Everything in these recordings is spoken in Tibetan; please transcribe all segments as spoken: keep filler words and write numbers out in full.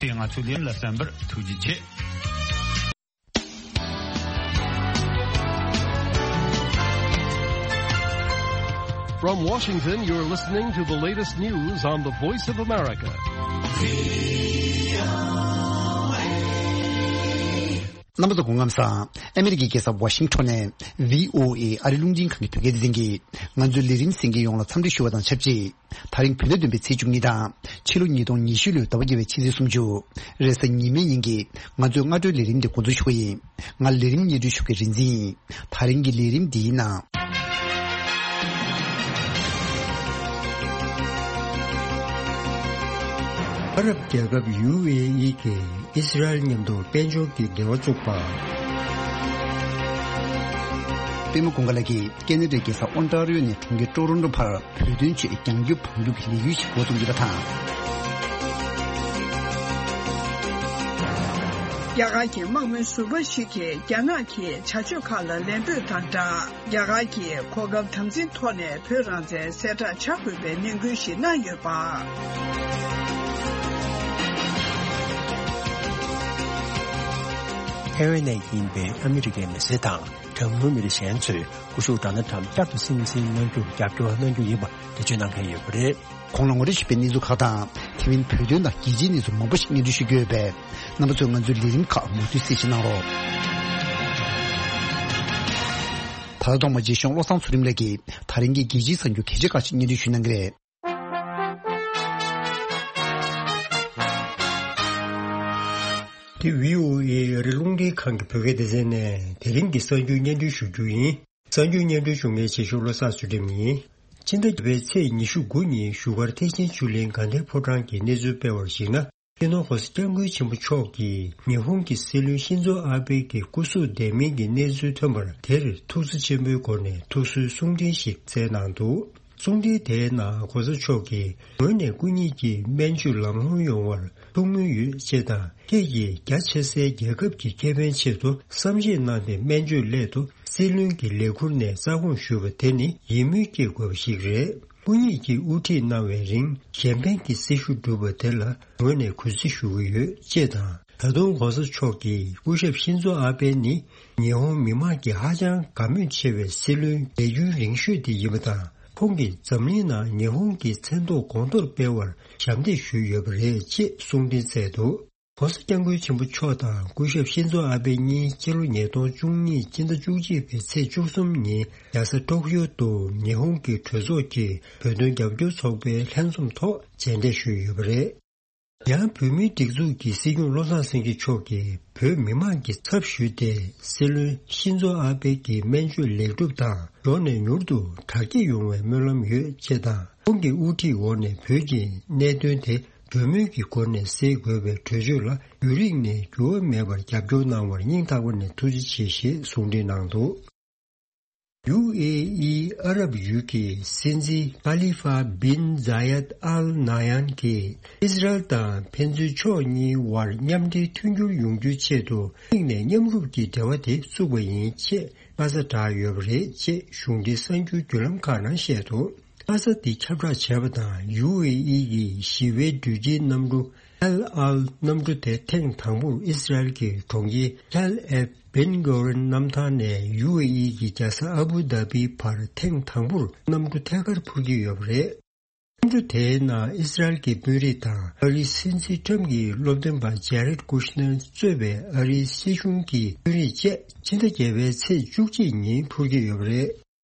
དེ་ང་ཚོའི་ལེམ་ལ་གསན་པར་ཐུགས་རྗེ་ཆེ། From Washington, you're listening to the latest news on the Voice of America. རྣམ་པ་ཚོ་སྐུ་ཁམས་བཟང་། ཨ་མེ་རི་ཀའི་རྒྱལ་ས་ཝ་ཤིང་ཊོན་ནས་བྷི་ཨོ་ཨེ་ཨ་རི་རླུང་འཕྲིན་ཁང་གི་བོད་སྐད་སྡེ་ཚན་གྱིས་ང་ཚོའི་ལས་རིམ་གསན་མཁན་ཡོངས་ལ་འཚམས་འདྲི་ཞུ་བ་དང་ཆབས་ཅིག་ད་རིང་བོད་ཟླ་བདུན་པའི་ཚེས་བཅུ་གཉིས་དང་ཕྱི་ལོ་ཉིས་སྟོང་ཉི་ཤུ་ལོའི་ཟླ་བ་བརྒྱད་པའི་ཕྱི་ཚེས་སུམ་ཅུ། རེས་གཟའ་ཉི་མའི་ཉིན་གྱི་ང་ཚོའི་སྔ་དྲོའི་ལས་རིམ་འདི་འགོ་འཛུགས་ཞུ་གི་ཡིན། ང་ལས་རིམ་སྙན་སྒྲོན་ཞུ་མཁན་རིག་འཛིན་ཡིན། ད་རིང་གི་ལས་རིམ་འདིའི་ནང་། ཨ་རབ་རྒྱལ་ཁབ་ཡུ་ཨེ་ཨི་གིས་ཨི་སི་རལ་མཉམ་དུ་དཔལ་འབྱོར་གྱི་འབྲེལ་བ་བཙུགས་པ། པད་མ་ཀུན་དགའ་ལགས་ཀྱིས་ཁེ་ན་ཌའི་རྒྱལ་ས་ཨོན་ཊ་རི་ཡོ་ནས་གྲོང་ཁྱེར་ཀྲོ་རོན་ཀྲོ་བར་བོད་དོན་ཆེད་རྒྱང་རྒྱུག་བང་རྒྱུག་གི་ལས་འགུལ་ཞིག་འགོ་བཙུགས་ཡོད་པ་དང་། རྒྱ་གར་གྱི་དམག་མི་ཟུར་པ་ཞིག་གིས་རྒྱ་ནག་གི་བྱ་སྤྱོད་ཁག་ལ་ལན་འབོད་དང་སྦྲགས། རྒྱ་གར་གྱིས་གོ་སྐབས་དམ་འཛིན་ཐོག་ནས་བོད་རང་བཙན་གསལ་བསྒྲགས་བྱ་དགོས་པའི་ནན་སྐུལ་ཞིག་གནང་ཡོད་པ། ཐའེ་ཝན་ནས་ཡིན་པའི་ཨ་མི་རི་ཀའི་མི་སེར་དང་གྲངས་ཉུང་མི་རིགས་གཞན་ཚོས་སྐུ་ཞབས་ཌོ་ནལ་ཊམ་བསྐྱར་དུ་སྲིད་འཛིན་གནང་རྒྱུར་རྒྱབ་སྐྱོར་གནང་རྒྱུ་ཡིན་པ་འགྲེལ་བརྗོད་གནང་མཁན་ཡོད་པ་རེད། གོང་ལ་ངོ་སྤྲོད་ཞུས་པའི་གནས་ཚུལ་ཁག་དང་། ཐེ་ཝན་བོད་དོན་དང་རྒྱལ་སྤྱིའི་གནས་ཚུལ་མང་པོ་ཞིག་སྙན་སྒྲོན་ཞུ་རྒྱུ་ཡོད་པས། རྣམ་པ་ཚོས་ང་ཚོའི་ལས་རིམ་ཁག་མུ་མཐུད་གསན་བཞེས་གནང་རོགས། ད་ལྟ་ཐོག་མར་རྗེ་གཞུང་བློ་བཟང་ཚུལ་ཁྲིམས་ལགས་ཀྱིས་ད་རིང་གི་རྒྱལ་སྤྱིའི་གསར་འགྱུར་གལ་ཆེ་ཁག་ཅིག་སྙན་སྒྲོན་ཞུ་གནང་གི་རེད། འདི་བྷི་ཨོ་ཨེ་ཨ་རི་རླུང་འཕྲིན་ཁང་གི་བོད་སྐད་སྡེ་ཚན་ནས་དེ་རིང་གི་གསར་འགྱུར་སྙན་སྒྲོན་ཞུ་རྒྱུ་ཡིན། གསར་འགྱུར་སྙན་སྒྲོན་ཞུ་མཁན་རྗེ་གཞུང་བློ་བཟང་ཚུལ་ཁྲིམས་ཡིན། ཕྱི་ཟླ་བརྒྱད་པའི་ཚེས་ཉི་ཤུ་དགུ་ཉིན་བཞུགས་སྒར་ཐེག་ཆེན་ཆོས་གླིང་དགའ་ལྡན་ཕོ་བྲང་གིས་གནས་ཚུལ་སྤེལ་བར་གཞིགས་ན། སྤྱི་ནོར་༸གོང་ས་༸སྐྱབས་མགོན་ཆེན་པོ་མཆོག་གིས་ཉི་ཧོང་གི་སྲིད་བློན་ཤིན་ཛོ་ཨ་བྷེ་གི་སྐུ་གཟུགས་བདེ་མིན་གྱི་གནས་ཚུལ་ཐོན་པར་དེར་ཐུགས་བརྩེ་ཆེན་པོའི་སྒོ་ནས་ཐུགས་གསོའི་གསུང་འཕྲིན་ཞིག་བསྩལ་གནང་འདུག། གསུང་འཕྲིན་དེའི་ནང་༸གོང་ས་མཆོག་གིས་ངོས་ནས་སྐུ་ཉིད་ཀྱི་སྨན་བཅོས་ལམ་ལྷོང་ཡོང་བར་ཐུགས་སྨོན་ཡོད་ཅེས་དང་། ཁྱེད་ཀྱིས་རྒྱ་ཆེ་སའི་རྒྱལ་ཁབ་ཀྱི་ཁེ་ཕན་ཆེད་དུ་བསམ་གཞིག་གནང་སྟེ་སྨན་བཅོས་སླད་དུ་སྲིད་བློན་གྱི་ལས་ཁུར་ནས་རྩ་དགོངས་ཞུས་པ་དེ་ནི་ཡིད་སྨོན་སྐྱེ་དགོས་པ་ཞིག་རེད། སྐུ་ཉིད་ཀྱིས་དབུ་ཁྲིད་གནང་བའི་རིང་གཞན་ཕན་གྱི་སྲི་ཞུ་བསྒྲུབས་པ་དེ་ལ་ངོས་ནས་གུས་བརྩི་ཞུ་གི་ཡོད་ཅེས་དང་། ད་དུང་༸གོང་ས་མཆོག་གིས་སྐུ་ཞབས་ཤིན་ཛོ་ཨ་བྷེ་ནི་ཉི་ཧོང་མི་དམངས་ཀྱིས་ཧ་ཅང་དགའ་མོས་ཆེ་བའི་སྲིད་བློན་རྒས་རྒྱུན་རིང་ཤོས་དེ་ཡིན་པ་དང་། ཁོང་གིས་འཛམ་གླིང་ནང་ཉི་ཧོང་གི་མཚན་ཐོ་གོང་མཐོར་སྤེལ་བར་ཞབས་འདེགས་ཞུས་ཡོད་པ་རེད་ཅེས་གསུང་འཕྲིན་བསྩལ་འདུག། ༸གོང་ས་༸སྐྱབས་མགོན་ཆེན་པོ་མཆོག་དང་སྐུ་ཞབས་ཤིན་ཛོ་ཨ་བྷེ་གཉིས་ཕྱི་ལོ་ཉིས་སྟོང་བཅུ་གཉིས་སྤྱི་ཟླ་བཅུ་གཅིག་པའི་ཚེས་བཅུ་གསུམ་ཉིན་རྒྱལ་ས་ཊོ་ཀིའོ་དུ་ཉི་ཧོང་གི་གྲོས་ཚོགས་ཀྱི་བོད་དོན་རྒྱབ་སྐྱོར་ཚོགས་པའི་ལྷན་འཛོམས་ཐོག་མཇལ་འཕྲད་ཞུས་ཡོད་པ་རེད། ཡང་བོད་མིའི་སྒྲིག་འཛུགས་ཀྱི་སྲིད་སྐྱོང་བློ་བཟང་སེང་གེ་མཆོག་གིས་བོད་མི་མང་གི་ཚབ་ཞུས་ཏེ་སྲིད་བློན་ཤིན་ཛོ་ཨ་བྷེ་གི་སྨན་བཅོས་ལེགས་གྲུབ་དང་མགྱོགས་ནས་མྱུར་དུ་དྲག་སྐྱེད་ཡོང་བའི་སྨོན་ལམ་ཡོད་ཅེས་དང་། ཁོང་གི་དབུ་ཁྲིད་འོག་ནས་བོད་ཀྱི་གནད་དོན་དེ་གྲོས་མོལ་གྱི་སྒོ་ནས་སེལ་དགོས་པའི་གྲོས་ཆོད་ལ་ཡུན་རིང་ནས་འགྱུར་བ་མེད་པར་རྒྱབ་སྐྱོར་གནང་བར་སྙིང་ཐག་པ་ནས་ཐུགས་རྗེ་ཆེ་ཞེས་གསུང་འཕྲིན་གནང་འདུག། ཡུ་ཨེ་ཨི་ཨ་རབ་ཡུལ་གྱི་སྲིད་འཛིན་ཁ་ལི་ཧྥ་བིན་ཛ་ཡད་ཨལ་ན་ཡན་གྱིས་ཨི་སི་རལ་དང་ཕན་ཚུན་ཕྱོགས་གཉིས་དབར་མཉམ་འབྲེལ་མཐུན་འགྱུར་ཡོང་རྒྱུའི་ཆེད་དུ་གཅིག་ནས་མཉམ་རུབ་ཀྱི་འབྲེལ་བ་དེ་བཙུགས་པ་ཡིན་ཅེས་ཁ་ས་བསྒྲགས་ཡོད་པ་རེད་ཅེས་གཞུང་འབྲེལ་གསར་འགྱུར་བརྒྱུད་ལམ་ཁག་ནང་བཤད་འདུག། ཁ་ས་འདི་ཁྱབ་བསྒྲགས་བྱས་པ་དང་། ཡུ་ཨེ་ཨི་ཡི་ཞི་བའི་འགྲུལ་སྐྱེལ་གནམ་གྲུ་ཨལ་ཨལ་གནམ་གྲུ་དེ་ཐེངས་དང་པོར་ཨི་སི་རལ་གྱི་གྲོང་ཁྱེར་ཐལ་ཨེབ་བེན་གོ་རན་གནམ་ཐང་ནས་ཡུ་ཨེ་ཨི་གི་རྒྱལ་ས་ཨ་བུ་དྷ་བི་བར་ཐེངས་དང་པོར་གནམ་གྲུ་ཐད་ཀར་འཕུར་གྱི་ཡོད་པ་རེད། གནམ་གྲུ་དེའི་ནང་ཨི་སི་རལ་གྱི་དཔོན་རིགས་དང་ཨ་རིའི་སྲིད་འཛིན་ཁྲམ་གྱི་སློབ་སྟོན་པ་ཇེ་རེད་ཀུ་ཤ་ནེར་གཙོས་པའི་ཨ་རིའི་སྲིད་གཞུང་གི་དཔོན་རིགས་བཅས་ཕྱི་ཟླ་བརྒྱད་པའི་ཚེས་བཅུ་གཅིག་ཉིན་འཕུར་གྱི་ཡོད་པ་རེད།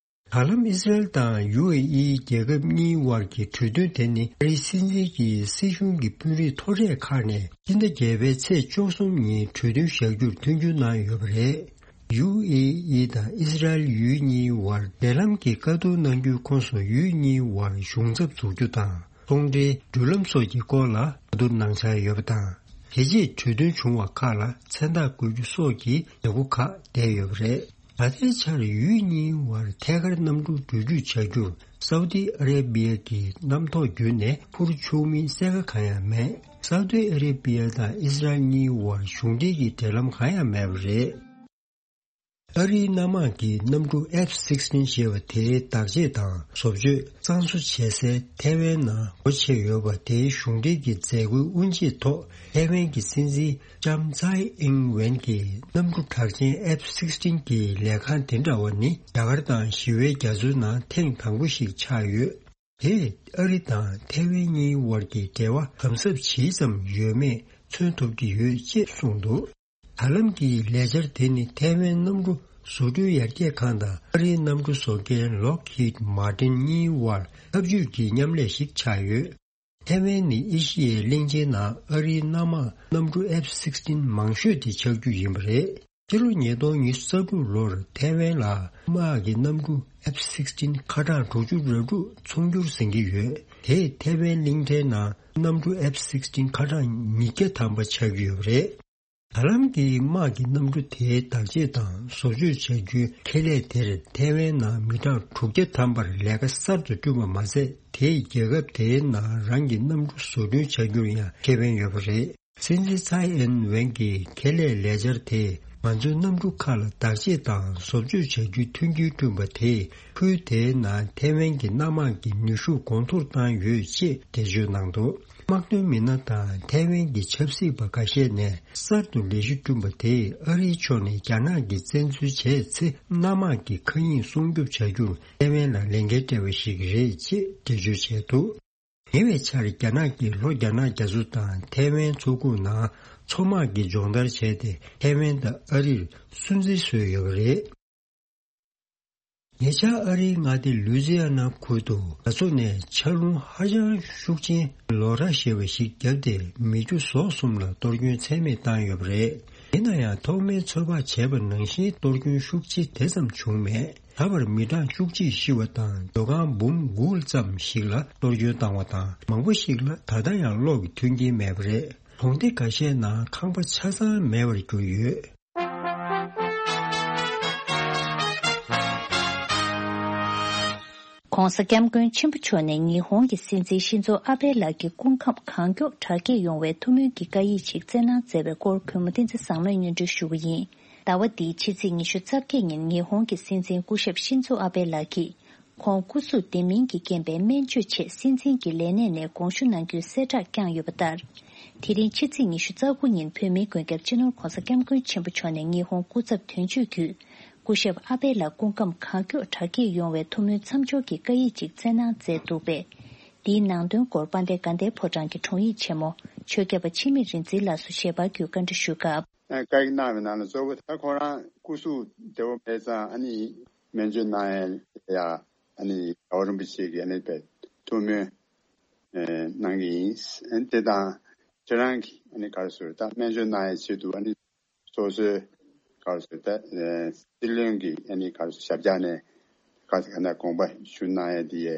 ད་ལམ་ཨི་སི་རལ་དང་ཡུ་ཨེ་ཨི་རྒྱལ་ཁབ་གཉིས་དབར་གྱི་གྲོས་མཐུན་དེ་ནི་ཨ་རིའི་སྲིད་འཛིན་གྱིས་སྲིད་གཞུང་གི་དཔོན་རིགས་མཐོ་གྲས་ཁག་ནས་སྤྱི་ཟླ་བརྒྱད་པའི་ཚེས་བཅུ་གསུམ་ཉིན་གྲོས་མཐུན་བཞག་རྒྱུར་མཐུན་འགྱུར་གནང་ཡོད་པ་རེད། ཡུ་ཨེ་ཨི་དང་ཨི་སི་རལ་ཡུལ་གཉིས་དབར་འབྲེལ་ལམ་གྱི་བཀའ་བསྡུར་གནང་རྒྱུའི་ཁོངས་སུ་ཡུལ་གཉིས་དབར་གཞུང་ཚབ་འཛུགས་རྒྱུ་དང་ཚོང་འབྲེལ་འགྲུལ་ལམ་སོགས་ཀྱི་སྐོར་ལ་བཀའ་བསྡུར་གནང་འཆར་ཡོད་པ་དང་། དེ་རྗེས་གྲོས་མཐུན་བྱུང་བ་ཁག་ལ་མཚན་རྟགས་འགོད་རྒྱུ་སོགས་ཀྱི་ལས་འགུལ་ཁག་བསྡད་ཡོད་པ་རེད། ད་ལྟའི་ཆར་ཡུལ་གཉིས་དབར་ཐད་ཀར་གནམ་གྲུ་འགྲུལ་སྐྱོད་བྱ་རྒྱུར་སའུ་ཏི་ཨ་རེ་བི་ཡ་གི་གནམ་ཐོག་བརྒྱུད་ནས་འཕུར་ཆོག་མིན་གསལ་ཁ་གང་ཡང་མེད། སའུ་ཏི་ཨ་རེ་བི་ཡ་དང་ཨི་སི་རལ་གཉིས་དབར་གཞུང་འབྲེལ་གྱི་འབྲེལ་ལམ་གང་ཡང་མེད་པ་རེད། ཨ་རིའི་གནམ་དམག་གི་གནམ་གྲུ་ཨེཕ་སིག་སྟིན་ཞེས་པ་དེའི་བདག་གཅེས་དང་བཟོ་བཅོས་གཙང་བཟོ་བྱེད་སའི་ཐའེ་ཝན་ནང་སྒོ་ཕྱེ་ཡོད་པ་དེའི་གཞུང་འབྲེལ་གྱི་མཛད་སྒོའི་དབུ་འབྱེད་ཐོག་ཐའེ་ཝན་གྱི་སྲིད་འཛིན་ལྕམ་ཚའེ་ཨིང་ཝེན་གྱིས་གནམ་གྲུ་གྲགས་ཅན་ཨེཕ་སིག་སྟིན་གྱི་ལས་ཁང་དེ་འདྲ་བ་ནི་རྒྱ་གར་དང་ཞི་བའི་རྒྱ་མཚོའི་ནང་ཐེངས་དང་པོ་ཞིག་ཆགས་ཡོད། དེས་ཨ་རི་དང་ཐའེ་ཝན་གཉིས་དབར་གྱི་འབྲེལ་བ་དམ་ཟབ་ཇི་ཙམ་ཡོད་མེད་མཚོན་ཐུབ་ཀྱི་ཡོད་ཅེས་གསུངས་འདུག། ད་ལམ་གྱི་ལས་འཆར་དེ་ནི་ཐའེ་ཝན་གནམ་གྲུ་བཟོ་སྐྲུན་ཡར་རྒྱས་ཁང་དང་ཨ་རིའི་གནམ་གྲུ་བཟོ་མཁན་Lockheed Martin གཉིས་དབར་འཐབ་ཇུས་ཀྱི་མཉམ་ལས་ཤིག་ཆགས་ཡོད། ཐའེ་ཝན་ནི་ཨེ་ཤི་ཡའི་གླིང་ཆེན་ནང་ཨ་རིའི་གནམ་དམག་གནམ་གྲུ་ཨེཕ་སིག་སྟིན་མང་ཤོས་དེ་ཆགས་རྒྱུ་ཡིན་པ་རེད། ཕྱི་ལོ་ཉིས་སྟོང་ཉི་ཤུ་རྩ་དྲུག་ལོར་ཐའེ་ཝན་ལ་དམག་གི་གནམ་གྲུ་ཨེཕ་སིག་སྟིན་ཁ་གྲངས་དྲུག་ཅུ་རེ་དྲུག་ཚོང་སྒྱུར་ཟིན་གྱི་ཡོད། དེས་ཐའེ་ཝན་གླིང་ཕྲན་ནང་གནམ་གྲུ་ཨེཕ་སིག་སྟིན་ཁ་གྲངས་ཉིས་བརྒྱ་ཐམ་པ་ཆགས་ཀྱི་ཡོད་པ་རེད། ད་ལམ་གྱི་དམག་གི་གནམ་གྲུ་དེའི་བདག་གཅེས་དང་བཟོ་བཅོས་བྱ་རྒྱུའི་ཁེ་ལས་དེར་ཐའེ་ཝན་ནང་མི་གྲངས་དྲུག་བརྒྱ་ཐམ་པར་ལས་ཀ་གསར་དུ་བསྐྲུན་པ་མ་ཟད། དེས་རྒྱལ་ཁབ་དེའི་ནང་རང་གི་གནམ་གྲུ་བཟོ་སྐྲུན་བྱ་རྒྱུར་ཡང་ཁེ་ཕན་ཡོད་པ་རེད། སྲིད་འཛིན་ཚའེ་ཨིན་ཝེན་གྱི་ཁེ་ལས་ལས་འཆར་དེས་ང་ཚོའི་གནམ་གྲུ་ཁག་ལ་བདག་གཅེས་དང་བཟོ་བཅོས་བྱ་རྒྱུའི་མཐུན་རྐྱེན་བསྐྲུན་པ་དེས་ཁུལ་དེའི་ནང་ཐའེ་ཝན་གྱི་གནམ་དམག་གི་ནུས་ཤུགས་གོང་མཐོར་བཏང་ཡོད་ཅེས་འགྲེལ་བརྗོད་གནང་འདུག། དམག་དོན་མི་སྣ་དང་ཐའེ་ཝན་གྱི་ཆབ་སྲིད་པ་ཁ་ཤས་ནས་གསར་དུ་ལས་གཞི་བསྐྲུན་པ་དེས་ཨ་རིའི་ཕྱོགས་ནས་རྒྱ་ནག་གིས་བཙན་འཛུལ་བྱས་ཚེ་གནམ་དམག་གི་མཁའ་དབྱིངས་སྲུང་སྐྱོབ་བྱ་རྒྱུར་ཐའེ་ཝན་ལ་ལས་འགན་སྤྲད་པ་ཞིག་རེད་ཅེས་འགྲེལ་བརྗོད་བྱས་འདུག། ཉེ་བའི་ཆར་རྒྱ་ནག་གིས་ལྷོ་རྒྱ་ནག་རྒྱ་མཚོ་དང་ཐའེ་ཝན་མཚོ་ཁུག་ནང་མཚོ་དམག་གི་སྦྱོང་བརྡར་བྱས་ཏེ་ཐའེ་ཝན་དང་ཨ་རིར་སུན་གཙེར་བཟོས་ཡོད་པ་རེད། ཉེ་ཆར་ཨ་རིའི་མངའ་སྡེ་ལུའི་ཛི་ཨ་ན་ཁུལ་དུ་རྒྱ་མཚོ་ནས་ཆར་རླུང་ཧ་ཅང་ཤུགས་ཆེན་ལོ་ར་ཞེས་པ་ཞིག་བརྒྱབ་སྟེ་མི་རྒྱུ་ཟོག་གསུམ་ལ་གཏོར་སྐྱོན་ཚད་མེད་བཏང་ཡོད་པ་རེད། ཡིན་ན་ཡང་ཐོག་མའི་ཚོད་དཔག་བྱས་པ་ནང་བཞིན་གཏོར་སྐྱོན་ཤུགས་ཆེ་དེ་ཙམ་བྱུང་མེད། ད་བར་མི་གྲངས་བཅུ་གཅིག་ཤི་བ་དང་སྡོད་ཁང་འབུམ་དགུ་ཙམ་ཞིག་ལ་གཏོར་སྐྱོན་བཏང་བ་དང་མང་པོ་ཞིག་ལ་ད་ལྟ་ཡང་གློག་གི་མཐུན་རྐྱེན་མེད་པ་རེད། གྲོང་སྡེ་ཁ་ཤས་ནང་ཁང་པ་ཆ་ཚང་མེད་པར་གྱུར་ཡོད། ྋགོང་ས་ྋསྐྱབས་མགོན་ཆེན་པོ་མཆོག་ནས་ཉི་ཧོང་གི་སྲིད་འཛིན་ཤིན་ཛོ་ཨ་བྷེ་ལགས་ཀྱི་སྐུ་ཁམས་གང་མགྱོགས་དྲག་སྐྱེད་ཡོང་བའི་ཐུགས་སྨོན་གྱི་བཀའ་ཡིག་ཅིག་བསྩལ་གནང་མཛད་པའི་སྐོར་གུས་མོ་བསྟན་འཛིན་བཟང་མོས་སྙན་སྒྲོན་ཞུ་གི་ཡིན། ཟླ་བ་འདིའི་ཕྱི་ཚེས་ཉི་ཤུ་རྩ་བརྒྱད་ཉིན་ཉི་ཧོང་གི་སྲིད་འཛིན་སྐུ་ཞབས་ཤིན་ཛོ་ཨ་བྷེ་ལགས་ཀྱིས་ཁོང་སྐུ་གཟུགས་བདེ་མིན་གྱི་རྐྱེན་པས་སྨན་བཅོས་ཆེད་སྲིད་འཛིན་གྱི་ལས་གནས་ནས་དགོངས་ཞུ་གནང་རྒྱུའི་གསལ་བསྒྲགས་བསྐྱངས་ཡོད་པ་ལྟར། དེ་རིང་ཕྱི་ཚེས་ཉི་ཤུ་རྩ་དགུ་ཉིན་བོད་མིའི་མགོན་སྐྱབས་སྤྱི་ནོར་༧གོང་ས་༧སྐྱབས་མགོན་ཆེན་པོ་མཆོག་ནས་ཉི་ཧོང་སྐུ་ཚབ་དོན་གཅོད་བརྒྱུད་སྐུ་ཞབས་ཨ་བྷེ་ལགས་སྐུ་ཁམས་གང་མགྱོགས་དྲག་སྐྱེད་ཡོང་བའི་ཐུགས་སྨོན་མཚམས་སྦྱོར་གྱི་བཀའ་ཡིག་ཅིག་བསྩལ་གནང་མཛད་འདུག་པས། འདིའི་ནང་དོན་སྐོར་དཔལ་ལྡན་དགའ་ལྡན་ཕོ་བྲང་གི་དྲུང་ཡིག་ཆེན་མོ་ཆོས་སྐྱབས་པ་འཆི་མེད་རིག་འཛིན་ལགས་སུ་ཞལ་པར་བརྒྱུད་བཀའ་འདྲི་ཞུས་སྐབས། བཀའ་ཡིག་གནང་བའི་ནང་ལ་གཙོ་བོ་ད་ཁོ་རང་སྐུ་གཟུགས་བདེ་བོ་མེད་ཙང་ཨ་ནི་སྨན་བཅོས་གནང་ཡ་ཡ་ཨ་ནི་རྒྱལ་བ་རིན་པོ་ཆེ་གི་ཨ་ནི་པའི་ཐུགས་སྨོན་གནང་གི་ཡིན། དེ་དང་ཁྱེད་རང་གི་ཨ་ནི་ག་རེ་ཟེར་ད་སྨན་བཅོས་གནང་ཡ་ཆེད་དུ་ཨ་ནི་སོ་སོའི་ག་རེ་ཟེར་ད་སྲིད་བློན་གྱི་ཨ་ནི་ག་རེ་ཟེར་ཞབས་བཀྱག་ནས་ག་ཟེར་ག་ན་དགོངས་པ་ཞུ་གནང་ཡ་དེ་ཡའི་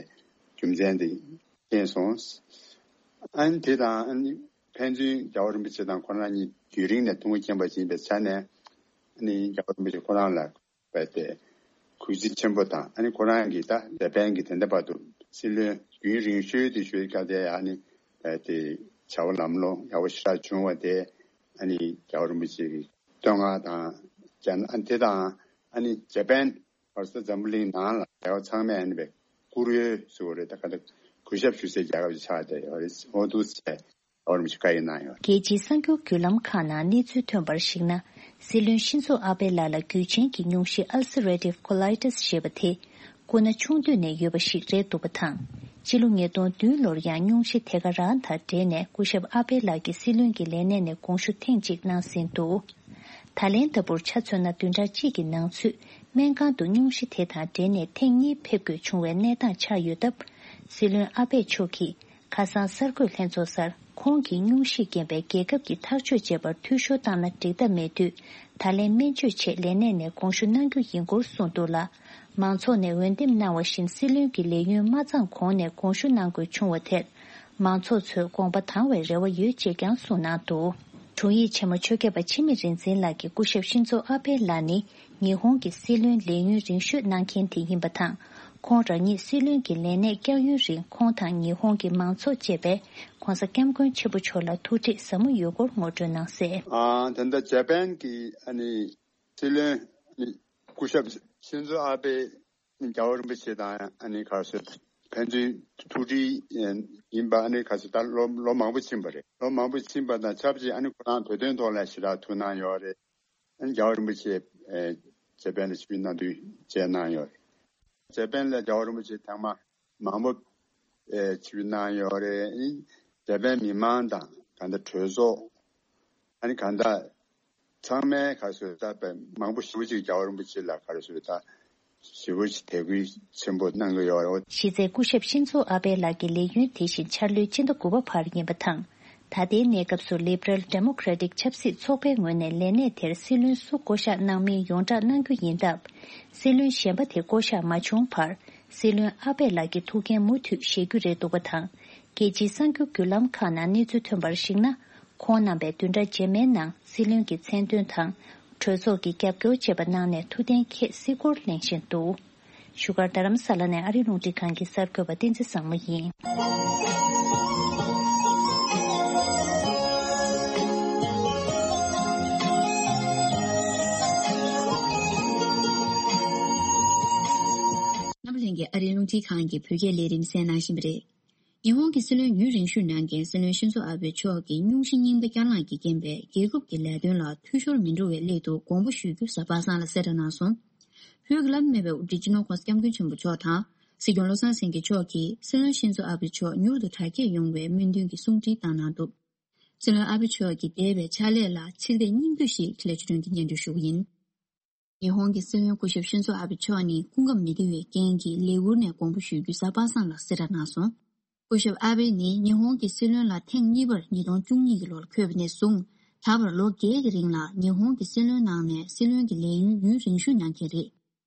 རྒྱུ་མཚན་དེ་མཁྱེན་སོང་། ཨ་ནི་དེ་དང་ཨ་ནི་ཕན་ཚུན་རྒྱལ་བ་རིན་པོ་ཆེ་དང་ཁོ་རང་གཉིས་རྒྱུན་རིང་ནས་ཐུགས་མཁྱེན་པ་ཞིག་ཡིན་པའི་ཆ་ནས་ཨ་ནི་རྒྱལ་བ་རིན་པོ་ཆེ་ཁོ་རང་ལ་བས་ཏེ་གུས་བརྩི་ཆེན་པོ་དང་ཨ་ནི་ཁོ་རང་གིས་ད་ཇ་པན་གྱི་དེ་འདྲ་བར་དུ་སྲིད་བློན་རྒྱུན་རིང་ཤོས་དེ་ཞུས་སྐབས་དེ་ཨ་ནི་བས་ཏེ་བྱ་བ་ལམ་ལྷོང་ཡག་པོ་ཞེ་དྲག་བྱུང་བ་དེ་ཨ་ནི་རྒྱལ་བ་རིན་པོ་ཆེ་གི་བསྟོད་བསྔགས་དང་ཨ་ནི་དེ་དང་ཨ་ནི་ཇ་པན་བར་ས་འཛམ་བུ་གླིང་ནང་ལ་རྒྱལ་བ་ཚང་མས་ཨ་ནི་བས་བཀུར་འོས་ཟེར་བ་རེད། ད་ག་ད་གུས་ཞབས་ཞུ་སའི་རྒྱལ་ཁབ་ཅིག་ཆགས་བསྡད་ཡོད་རེད། འོ་འདུག་སེ། རྒྱལ་སྤྱིའི་གསར་འགྱུར་བརྒྱུད་ལམ་ཁག་ནང་གནས་ཚུལ་ཐོན་པར་གཞིགས་ན། སྲིད་བློན་ཤིན་ཛོ་ཨ་བྷེ་ལགས་ལ་རྒྱུད་ཆེན་གྱི་སྙུང་གཞི་Ulcerative Colitis་ཞེས་པ་དེ་སྐུ་ན་ཆུང་དུས་ནས་ཡོད་པ་ཞིག་རེད་འདུག་པ་དང་། སྤྱི་ལོ་ཉིས་སྟོང་བདུན་ལོར་ཡང་སྙུང་གཞི་དེ་ག་རང་དང་འབྲེལ་ནས་སྐུ་ཞབས་ཨ་བྷེ་ལགས་ཀྱི་སྲིད་བློན་གྱི་ལས་གནས་ནས་དགོངས་ཞུ་ཐེངས་གཅིག་གནང་ཟིན་འདུག། ད་ལན་ལྟ་བུར་ཆ་མཚོན་ན་བདུན་ཕྲག་གཅིག་གི་ནང་ཚུད་སྨན་ཁང་དུ་སྙུང་གཞི་དེ་དང་འབྲེལ་ནས་ཐེངས་གཉིས་ཕེབས་དགོས་བྱུང་བའི་གནས་སྟངས་ཆགས་ཡོད་སྟབས། སྲིད་བློན་ཨ་བྷེ་མཆོག་གིས། ཁ་སང་གསར་འགོད་ལྷན་ཚོགས་སར་ཁོང་གིས་སྙུང་གཞིས་རྐྱེན་པས་རྒྱལ་ཁབ་ཀྱི་ཐག་གཅོད་བྱས་པར་འཐུས་ཤོར་བཏང་ན་འགྲིག་ཐབས་མེད་དུས། ད་ལན་སྨན་བཅོས་ཆེད་ལས་གནས་ནས་དགོངས་ཞུ་གནང་རྒྱུ་ཡིན་སྐོར་གསུངས་འདུག་ལ། མང་ཚོགས་ནས་འོས་འདེམས་གནང་བ་བཞིན་སྲིད་བློན་གྱི་ལས་ཡུན་མ་ཚང་གོང་ནས་དགོངས་ཞུ་གནང་དགོས་བྱུང་བ་དེར། མང་ཚོགས་ཚོས་དགོངས་པ་དྭངས་བའི་རེ་བ་ཡོད་ཅེས་ཀྱང་གསུངས་གནང་འདུག། དྲུང་ཡིག་ཆེན་མོ་ཆོས་སྐྱབས་པ་འཆི་མེད་རིག་འཛིན་ལགས་ཀྱིས་སྐུ་ཞབས་ཤིན་ཛོ་ཨ་བྷེ་ལགས་ནི། ཉི་ཧོང་གི་སྲིད་བློན་ལས་ཡུན་རིང་ཤོས་གནང་མཁན་དེ་ཡིན་པ་དང་། ཁོང་རང་ཉིད་སྲིད་བློན་གྱི་ལས་གནས་བསྐྱང་ཡུན་རིང་ཁོང་དང་ཉི་ཧོང་གི་མང་ཚོགས་བཅས་པས་ྋགོང་ས་ྋསྐྱབས་མགོན་ཆེན་པོ་མཆོག་ལ་ཐུགས་ཁྲལ་ཟབ་མོ་ཡོད་སྐོར་ངོ་སྤྲོད་གནང་གསལ། ཨ། ད་ལྟ་ཇ་པན་གྱི་ཨ་ནི་སྲིད་བློན་ཨ་ནི་ སྐུ་ཞབས་ཤིན་ཛོ་ཨ་བྷེ་རྒྱལ་བ་རིན་པོ་ཆེ་དང་ཨ་ནི་ག་རེ་ཟེར་ཕན་ཚུན་ཐུགས་འདྲིས་ཡིན་པ། ཨ་ནི་ག་རེ་ཟེར་ད་ལོ་ལོ་མང་པོ་ཕྱིན་པ་རེད། ལོ་མང་པོ་ཕྱིན་པ་དང་ཆབས་ཅིག་ཨ་ནི་ཁོ་རང་བོད་དོན་ཐོག་ལ་ཞེ་དྲག་ཐུགས་སྣང་ཡོད་རེད། ཨ་ནི་རྒྱལ་བ་རིན་པོ་ཆེ་ཇེ་པན་ལ་ཆིབས་བསྒྱུར་གནང་དུས་མཇལ་གནང་ཡོད་རེད། ཇེ་པན་ལ་རྒྱལ་བ་རིན་པོ་ཆེ་ཐེངས་མ་མང་པོ་ཨེ་ཆིབས་བསྒྱུར་གནང་ཡོད་རེད། ཨིན་ཇེ་པན་མི་མང་དང་གང་ལྟར་གྲོས་ཚོགས། ཨ་ནི་གང་ལྟར་ཚང་མས་ག་ཟེར་ད་དཔེ་མང་པོ་ཞེ་པོ་ཅིག་རྒྱལ་བ་རིན་པོ་ཆེ་ལ་ག་རེ་ཟེར་ད་ཞེ་པོ་ཅིག་དད་གུས་ཆེན་པོ་གནང་གི་ཡོད་རེད། གཞི་རྩའི་སྐུ་ཞབས་ཤིན་ཛོ་ཨ་བྷེ་ལགས་ཀྱི་ལས་ཡུན་དེ་བཞིན་འཆར་ལོའི་སྤྱི་ཟླ་དགུ་པ་བར་ཡིན་པ་དང་། ད་ལྟའི་གནས་སྐབས་སུ་Liberal Democratic ཆབ་སྲིད་ཚོགས་པའི་ངོས་ནས་ལས་གནས་དེར་སྲིད་བློན་སུ་བསྐོ་གཞག་གནང་མིན་ཡོངས་བསྒྲགས་གནང་རྒྱུ་ཡིན་སྟབས། སྲིད་བློན་གཞན་པ་དེ་བསྐོ་གཞག་མ་བྱུང་བར། སྲིད་བློན་ཨ་བྷེ་ལགས་ཀྱི་ཐུགས་འགན་མུ་མཐུད་བཞེས་རྒྱུ་རེད་འདུག་པ་དང་། རྒྱལ་སྤྱིའི་གསར་འགྱུར་བརྒྱུད་ལམ་ཁག་ནང་གནས་ཚུལ་ཐོན་པར་གཞིགས་ན། ཁོང་རྣམ་པས་བདུན་ཕྲག་རྗེས་མའི་ནང་སྲིད་བློན་གྱི་མཚན་འདོན་དང་། གྲོས་ཚོགས་ཀྱི་རྒྱབ་སྐྱོར་བཅས་པ་གནང་ནས་ཐུགས་གཏན་འཁེལ་སྲིད་སྐོར་གླེང་བཞིན་འདུག་བཞུགས་སྒར་རྡ་རམ་ས་ལ་ནས་ཨ་རིའི་རླུང་འཕྲིན་ཁང་གི་གསར་འགོད་པ་བསྟན་འཛིན་བཟང་མོ་ཡིན། རྣམ་པ་ལྷན་རྒྱས་ཨ་རིའི་རླུང་འཕྲིན་ཁང་གི་བོད་སྐད་ལས་རིམ་གསན་གནང་བཞིན་པ་རེད། ཉི་ཧོང་གི་སྲིད་བློན་ཡུན་རིང་ཤོས་གནང་མཁན་སྲིད་བློན་ཤིན་ཛོ་ཨ་བྷེ་མཆོག་གིས་སྙུང་གཞི་རྙིང་པ་བསྐྱར་ལངས་ཀྱི་རྐྱེན་པས་རྒྱལ་ཁབ་ཀྱི་ལས་དོན་ལ་འཐུས་ཤོར་མི་འགྲོ་བའི་སླད་དུ་དགོངས་པ་ཞུ་རྒྱུ་གཟའ་པ་སངས་ལ་གསལ་བསྒྲགས་གནང་སོང་། བོད་ཀྱི་བླ་ན་མེད་པའི་དབུ་ཁྲིད་སྤྱི་ནོར་༧གོང་ས་༧སྐྱབས་མགོན་ཆེན་པོ་མཆོག་དང་། སྲིད་སྐྱོང་བློ་བཟང་སེང་གེ་མཆོག་གིས་སྲིད་བློན་ཤིན་ཛོ་ཨ་བྷེ་མཆོག་མྱུར་དུ་དྲག་སྐྱེད་ཡོང་བའི་སྨོན་འདུན་གྱི་གསུང་འཕྲིན་བཏང་གནང་འདུག་སྲིད་བློན་ཨ་བྷེ་མཆོག་གི་འདས་པའི་ཕྱག་ལས་ལ་ཆིག་རེ་སྙིང་བསྡུས་ཤིག་འཕྲིན་ལས་ཆོས་སྒྲོན་གྱིས་སྙན་སྒྲོན་ཞུ་གི་ཡིན། ཉི་ཧོང་གི་སྲིད་བློན་སྐུ་ཞབས་ཤིན་ཛོ་ཨ་བྷེ་མཆོག་ནི་སྐུ་ཁམས་མི་བདེ་བའི་རྐྱེན་གྱིས་ལས་ཁུར་ནས་དགོངས་པ་ཞུ་རྒྱུ་གཟའ་པ་སངས་ལ་གསལ་བསྒྲགས་གནང་སོང་། སྐུ་ཞབས་ཨ་བྷེ་ནི་ཉི་ཧོང་གི་སྲིད་བློན་ལ་ཐེངས་གཉིས་པར་ཉིས་སྟོང་བཅུ་གཉིས་ཀྱི་ལོར་འཁོད་པ་ནས་བཟུང་ད་བར་ལོ་བརྒྱད་ཀྱི་རིང་ལ་ཉི་ཧོང་གི་སྲིད་བློན་ནང་ནས་སྲིད་བློན་གྱི་ལས་ཡུན་ཡུན་རིང་ཤོས་མྱངས་མཁན་རེད།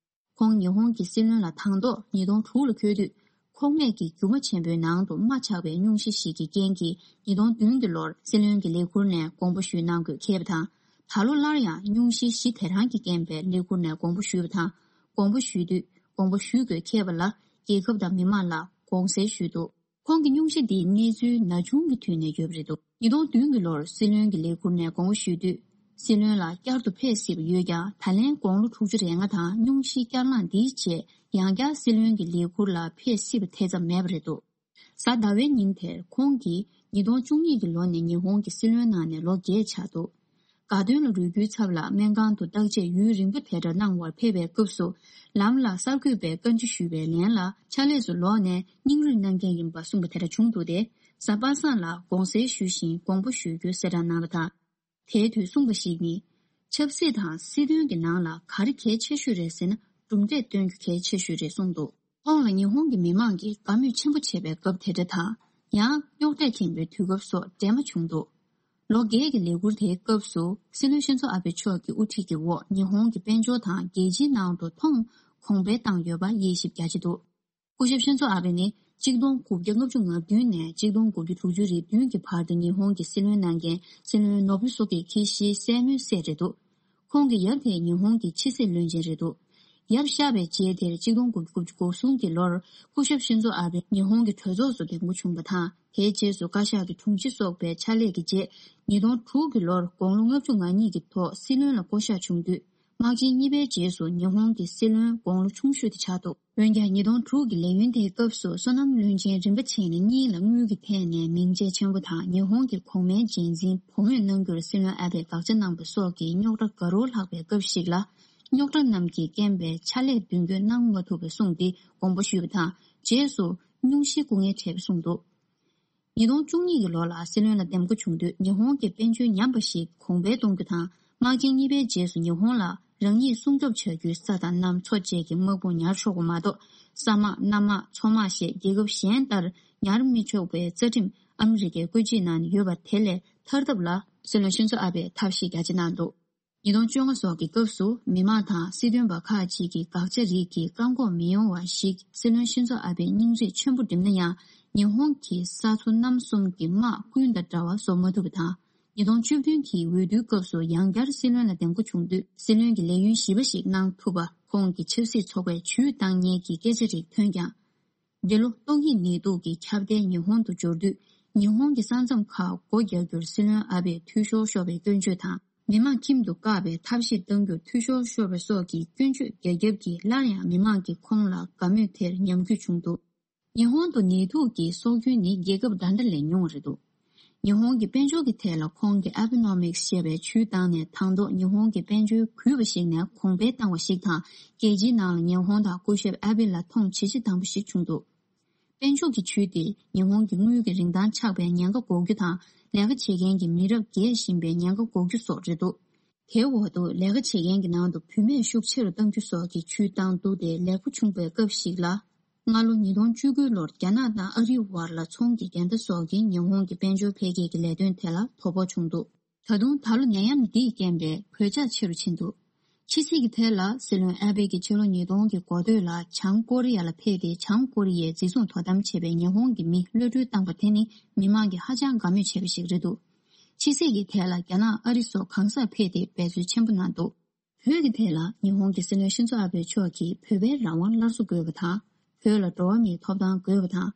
ཁོང་ཉི་ཧོང་གི་སྲིད་བློན་ལ་དང་ཐོག་ཉིས་སྟོང་དྲུག་ལ་འཁོད་དུས། ཁོག་སྨད་ཀྱི་རྒྱུ་མ་ཆེན་པོའི་ནང་དུ་རྨ་ཆགས་པའི་སྙུང་གཞི་ཞིག་གི་རྐྱེན་གྱིས་ཉིས་སྟོང་བདུན་གྱི་ལོར་སྲིད་བློན་གྱི་ལས་ཁུར་ནས་དགོངས་པ་ཞུས་གནང་དགོས་འཁེལ་བ་དང་། ད་ལོ་སླར་ཡང་སྙུང་གཞི་གཞི་དེ་རང་གི་རྐྱེན་པས་ལས་ཁུར་ནས་དགོངས་པ་ཞུས་པ་དང་། དགོངས་པ་ཞུས་དུས་དགོངས་པ་ཞུ་དགོས་འཁེལ་བ་ལ་རྒྱལ་ཁབ་དང་མི་མང་ལ་དགོངས་སེལ་ཞུས་འདུག་ཁོང་གི་སྙུང་གཞི་འདི་གནས་ཚུལ་ན་ཆུང་གི་དུས་ནས་ཡོད་པ་རེད་འདུག་ཉིས་སྟོང་བདུན་གྱི་ལོར་སྲིད་བློན་གྱི་ལས་ཁུར་ནས་དགོངས་པ་ཞུས་དུས། སྲིད་བློན་ལ་བསྐྱར་དུ་ཕེབས་སྲིད་པ་ཡོད་ཀྱང་ད་ལན་དགུང་ལོ་དྲུག་ཅུ་རེ་ལྔ་དང་སྙུང་གཞི་བསྐྱར་ལངས་འདིའི་རྗེས་ཡང་བསྐྱར་སྲིད་བློན་གྱི་ལས་ཁུར་ལ་ཕེབས་སྲིད་པ་དེ་ཙམ་མེད་པ་རེད་འདུག་གཟའ་ཟླ་བའི་ཉིན་དེར་ཁོང་གིས་ཉིས་སྟོང་བཅུ་གཉིས་ཀྱི་ལོ་ནས་ཉི་ཧོང་གི་སྲིད་བློན་ནང་ནས་ལོ་བརྒྱད་ཆགས་འདུག་དགའ་སྟོན་ལ་རོལ་རྒྱུའི་ཚབ་ལ་སྨན་ཁང་དུ་བརྟག་དཔྱད་ཡུན་རིང་པོ་དེ་འདྲ་གནང་བར་ཕེབས་པའི་སྐབས་སུ། ལམ་ལ་གསར་འགོད་པས་བཀའ་འདྲི་ཞུས་པའི་ལན་ལ་ཕྱག་ལས་སུ་ལོག་ནས་སྙིང་རུས་གནང་མཁན་ཡིན་པ་གསུངས་པ་དེ་འདྲ་བྱུང་འདུག་སྟེ། གཟའ་པ་སངས་ལ་དགོངས་སེལ་ཞུ་བཞིན་དགོངས་པ་ཞུ་རྒྱུ་གསལ་བསྒྲགས་གནང་བ་དང་། དེའི་དུས་གསུངས་པ་ཞིག་ནི། ཆབ་སྲིད་དང་སྲིད་དོན་གྱི་ནང་ལ་ག་རེ་གལ་ཆེ་ཤོས་རེད་ཟེར་ན་གྲུབ་འབྲས་སྟོན་རྒྱུ་གལ་ཆེ་ཤོས་རེད་གསུངས་འདུག་ཁོང་ལ་ཉི་ཧོང་གི་མི་མང་གིས་དགའ་མོས་ཆེན་པོ་བྱེད་པའི་སྐབས་དེ་འདྲ་དང་། ཡང་རྙོག་དྲ་ཆེན་པོའི་དུས་སྐབས་སོགས་འདྲ་མ་བྱུང་འདུག་ལོ་བརྒྱད་ཀྱི་ལས་འཁུར་དེའི་སྐབས་སུ་སྲིད་བློན་ཤིན་ཛོ་ཨ་བྷེ་མཆོག་གི་དབུ་ཁྲིད་ཀྱི་འོག་ཉི་ཧོང་གི་དཔལ་འབྱོར་དང་རྒྱལ་སྤྱིའི་ནང་དུ་མཐོང་གོང་འཕེལ་བཏང་ཡོད་པ་དབྱེ་ཞིབ་རྒྱ་ཆེ་འདུག་སྐུ་ཞབས་ཤིན་ཛོ་ཨ་བྷེ་ནི་གཅིག་སྟོང་དགུ་བརྒྱ་ལྔ་བཅུ་ང་བདུན་ནས་གཅིག་སྟོང་དགུ་བརྒྱ་དྲུག་ཅུ་རེ་བདུན་གྱི་བར་དུ་ཉི་ཧོང་གི་སྲིད་བློན་གནང་མཁན་སྲིད་བློན་ནོ་བུ་སུ་ཀེ་ཁི་ཤིའི་སྲས་མོའི་སྲས་རེད་འདུག་ཁོང་གི་ཡབ་དེ་ཉི་ཧོང་གི་ཕྱི་སྲིད་བློན་ཆེན་རེད་འདུག་ཡབ་གཤགས་པའི་རྗེས་དེར་གཅིག་སྟོང་དགུ་བརྒྱ་དགུ་བཅུ་གོ་གསུམ་གྱི་ལོར་སྐུ་ཞབས་ཤིན་ཛོ་ཨ་བྷེ་ཉི་ཧོང་གི་གྲོས་ཚོགས་སུ་འདེམས་བསྐོ་བྱུང་བ་དང་། དེའི་རྗེས་སུ་བཀའ་ཤག་གི་དྲུང་ཆེ་སོགས་པའི་ཕྱག་ལས་ཀྱི་རྗེས། ཉིས་སྟོང་དྲུག་གི་ལོར་དགུང་ལོ་ལྔ་བཅུ་ང་གཉིས་ཀྱི་ཐོག་སྲིད་བློན་ལ་བསྐོ་གཞག་བྱུང་དུས། དམག་ཆེན་གཉིས་པའི་རྗེས་སུ་ཉི་ཧོང་གི་སྲིད་བློན་དགུང་ལོ་ཆུང་ཤོས་དེ་ཆགས་འདུག་འོན་ཀྱང་ཉིས་སྟོང་དྲུག་གི་ལས་ཡུན་དེའི་སྐབས་སུ་སོ་ནམ་བློན་ཆེན་རིམ་པ་ཆེན་གཉིས་ལ་དངུལ་གྱི་ཐད་ནས་མིང་རྒྱས་ཆེན་པོ་དང་ཉི་ཧོང་གི་གོང་མའི་རྗེས་འཛིན་བུ་མོས་གནང་རྒྱུར་སྲིད་བློན་ཨ་བྷེས་དགག་བྱ་གནང་པ་སོགས་ཀྱི་རྙོག་དྲ་དགའ་རབ་ལྷག་པའི་སྐབས་ཤིག་ལ། རྙོག་དྲ་རྣམས་ཀྱི་རྐྱེན་པས་ཕྱག་ལས་མདུན་སྐྱོད་གནང་མ་ཐུབ་པ་གསུངས་ཏེ་དགོངས་པ་ཞུས་པ་དང་། རྗེས་སུ་སྙུང་གཞིའི་སྐུ་ངལ་འཕྲད་པ་གསུངས་འདུག་ཉིས་སྟོང་བཅུ་གཉིས་ཀྱི་ལོ་ལ་སྲིད་བློན་ལ་འདེམས་བསྐོ་བྱུང་དུས་ཉི་ཧོང་གི་དཔལ་འབྱོར་ཉམས་པ་ཞིག་གོང་འཕེལ་གཏོང་རྒྱུ་དང་། དམག་ཆེན་གཉིས་པའི་རྗེས་སུ་ཉི་ཧོང་ལ་རང་ཉིད་སྲུང་སྐྱོབ་བྱ་རྒྱུའི་ས་དང་གནམ་མཚོ་བཅས་ཀྱི་དམག་དཔུང་ཉར་ཆོག་པ་མ་གཏོགས། ས་དམག་གནམ་དམག་མཚོ་དམག་ཞེས་རྒྱལ་ཁབ་གཞན་ལྟར་ཉར་མི་ཆོག་པའི་རྩ་ཁྲིམས་ཨ་མི་རི་ཀའི་བཀོད་སྒྲིག་ནང་ཡོད་པ་དེ་ལས་ཐར་ཐབས་ལ་སྲིད་བློན་ཤིན་ཛོ་ཨ་བྷེས་ཐབས་ཤེས་རྒྱ་ཆེ་གནང་འདུག་ཉིས་སྟོང་བཅོ་ལྔ་སོགས་ཀྱི་སྐབས་སུ་མི་མང་དང་སྲིད་དོན་པ་ཁག་ཅིག་གིས་དགག་བྱ་རིགས་ཀྱི་བཀག་འགོག་མི་ཡོང་བ་ཞིག་སྲིད་བློན་ཤིན་ཛོ་ཨ་བྷེས་སྙིང་རུས་ཆེན་པོ་བསྒྲིམས་ན་ཡང་། ཉི་ཧོང་གི་ས་མཚོ་གནམ་གསུམ་གྱི་དམག་ཀུན་དང་འདྲ་བ་བཟོ་མ་ཐུབ་པ་དང་། ཉིས་སྟོང་བཅུ་བདུན་གྱི་འོས་བསྡུའི་སྐབས་སུ་ཡང་བསྐྱར་སྲིད་བློན་ལ་འདེམས་བསྐོ་བྱུང་དུས་སྲིད་བློན་གྱི་ལས་ཡུན་བཞི་པ་ཞིག་གནང་ཐུབ་པ་ཁོང་གི་ཆབ་སྲིད་ཚོགས་པས་ཇུས་བཏང་མཁན་གྱི་སྐད་ཆ་རིགས་ཐོན་ཀྱང་། འདི་ལོ་ཏོག་དབྱིབས་ནད་དུག་གི་ཁྱབ་གདལ་ཉི་ཧོང་དུ་འབྱོར་དུས། ཉི་ཧོང་གི་ས་མཚམས་ཁག་སྒོ་རྒྱག་རྒྱུར་སྲིད་བློན་ཨ་བྷེས་འཐུས་ཤོར་ཤོར་བའི་སྐྱོན་བརྗོད་དང་། མི་མང་ཁྱིམ་དུ་བཀག་པའི་ཐབས་ཤེས་གཏང་རྒྱུར་འཐུས་ཤོར་ཤོར་བ་སོགས་ཀྱི་སྐྱོན་བརྗོད་རྒྱ་ཁྱབ་ཀྱིས་སླར་ཡང་མི་མང་གིས་ཁོང་ལ་དགའ་མོས་དེར་ཉམས་རྒུད་བྱུང་འདུག། ཉི་ཧོང་དུ་ནད་དུག་གི་སྲོག་རྒྱུན་ནི་རྒྱལ་ཁབ་འདྲ་འདྲ་ལས་ཉུང་བ་རེད་འདུག། ཉི་ཧོང་གི་དཔལ་འབྱོར་གྱི་ཐད་ལ་ཁོང་གིས་Abenomics་ཞེས་པའི་ཇུས་བཏང་ནས། དང་ཐོག་ཉི་ཧོང་གི་དཔལ་འབྱོར་གུད་པ་ཞིག་ནས་གོང་འཕེལ་བཏང་བ་ཞིག་དང་། རྒྱལ་སྤྱིའི་ནང་ལ་ཉི་ཧོང་དང་སྐུ་ཞབས་ཨ་བྷེ་ལ་མཐོང་ཇེ་ཆེ་བཏང་བ་ཞིག་བྱུང་འདུག། དཔལ་འབྱོར་གྱི་ཇུས་དེ་ཉི་ཧོང་གི་དངུལ་གྱི་རིན་ཐང་ཆག་པའི་ཉེན་ཁ་འགོག་རྒྱུ་དང་། ལས་ཀ་བྱེད་མཁན་གྱི་མི་རབས་རྒས་བཞིན་པའི་ཉེན་ཁ་འགོག་རྒྱུ་སོགས་རེད་འདུག། དེའི་འོག་ཏུ་ལས་ཀ་བྱེད་མཁན་གྱི་ནང་དུ་བུད་མེད་ཤུགས་ཆེ་རུ་གཏང་རྒྱུ་སོགས་ཀྱི་ཇུས་བཏང་འདུག་སྟེ། ལེགས་པོ་བྱུང་བའི་སྐབས་ཤིག་ལ། སྔ་ལོ་ཉིས་སྟོང་བཅུ་དགུ་ལོར་རྒྱ་ནག་དང་ཨ་རིའི་བར་ལ་ཚོང་གི་འགལ་ཟླ་སོགས་ཀྱིས་ཉི་ཧོང་གི་དཔལ་འབྱོར་འཕེལ་རྒྱས་ཀྱི་ལས་དོན་དེ་ལ་དོ་ཕོག་བྱུང་འདུག། ད་དུང་ད་ལོ་ནད་ཡམས་འདིའི་རྐྱེན་པས་གོད་ཆག་ཆེ་རུ་ཕྱིན་འདུག། ཕྱི་སྲིད་ཀྱི་ཐད་ལ། སྲིད་བློན་ཨ་བྷེ་གིས་ཕྱི་ལོ་ཉིས་སྟོང་གི་འགོ་སྟོད་ལ་བྱང་ཀོ་རི་ཡ་ལ་ཕེབས་ཏེ། བྱང་ཀོ་རི་ཡའི་འཛིན་བཟུང་དོ་དམ་བྱས་པའི་ཉི་ཧོང་གི་མི་གློད་གྲོལ་བཏང་པ་དེ་ནི་མི་མང་གིས་ཧ་ཅང་དགའ་མོས་བྱས་པ་ཞིག་རེད་འདུག། ཕྱི་སྲིད་ཀྱི་ཐད་ལ། རྒྱ་ནག་ཨ་རི་སོགས་གང་སར་ཕེབས་ཏེ་འབད་རྩོལ་ཆེན་པོ་གནང་འདུག། བོད་ཀྱི་ཐད་ལ། ཉི་ཧོང་གི་སྲིད་བློན་ཤིན་ཛོ་ཨ་བྷེ་མཆོག་གིས་བོད་པའི་རང་དབང་སླར་གསོ་དགོས་པ་དང་། བོད་ལ་འགྲོ་བ་མིའི་ཐོབ་ཐང་དགོས་པ་དང་།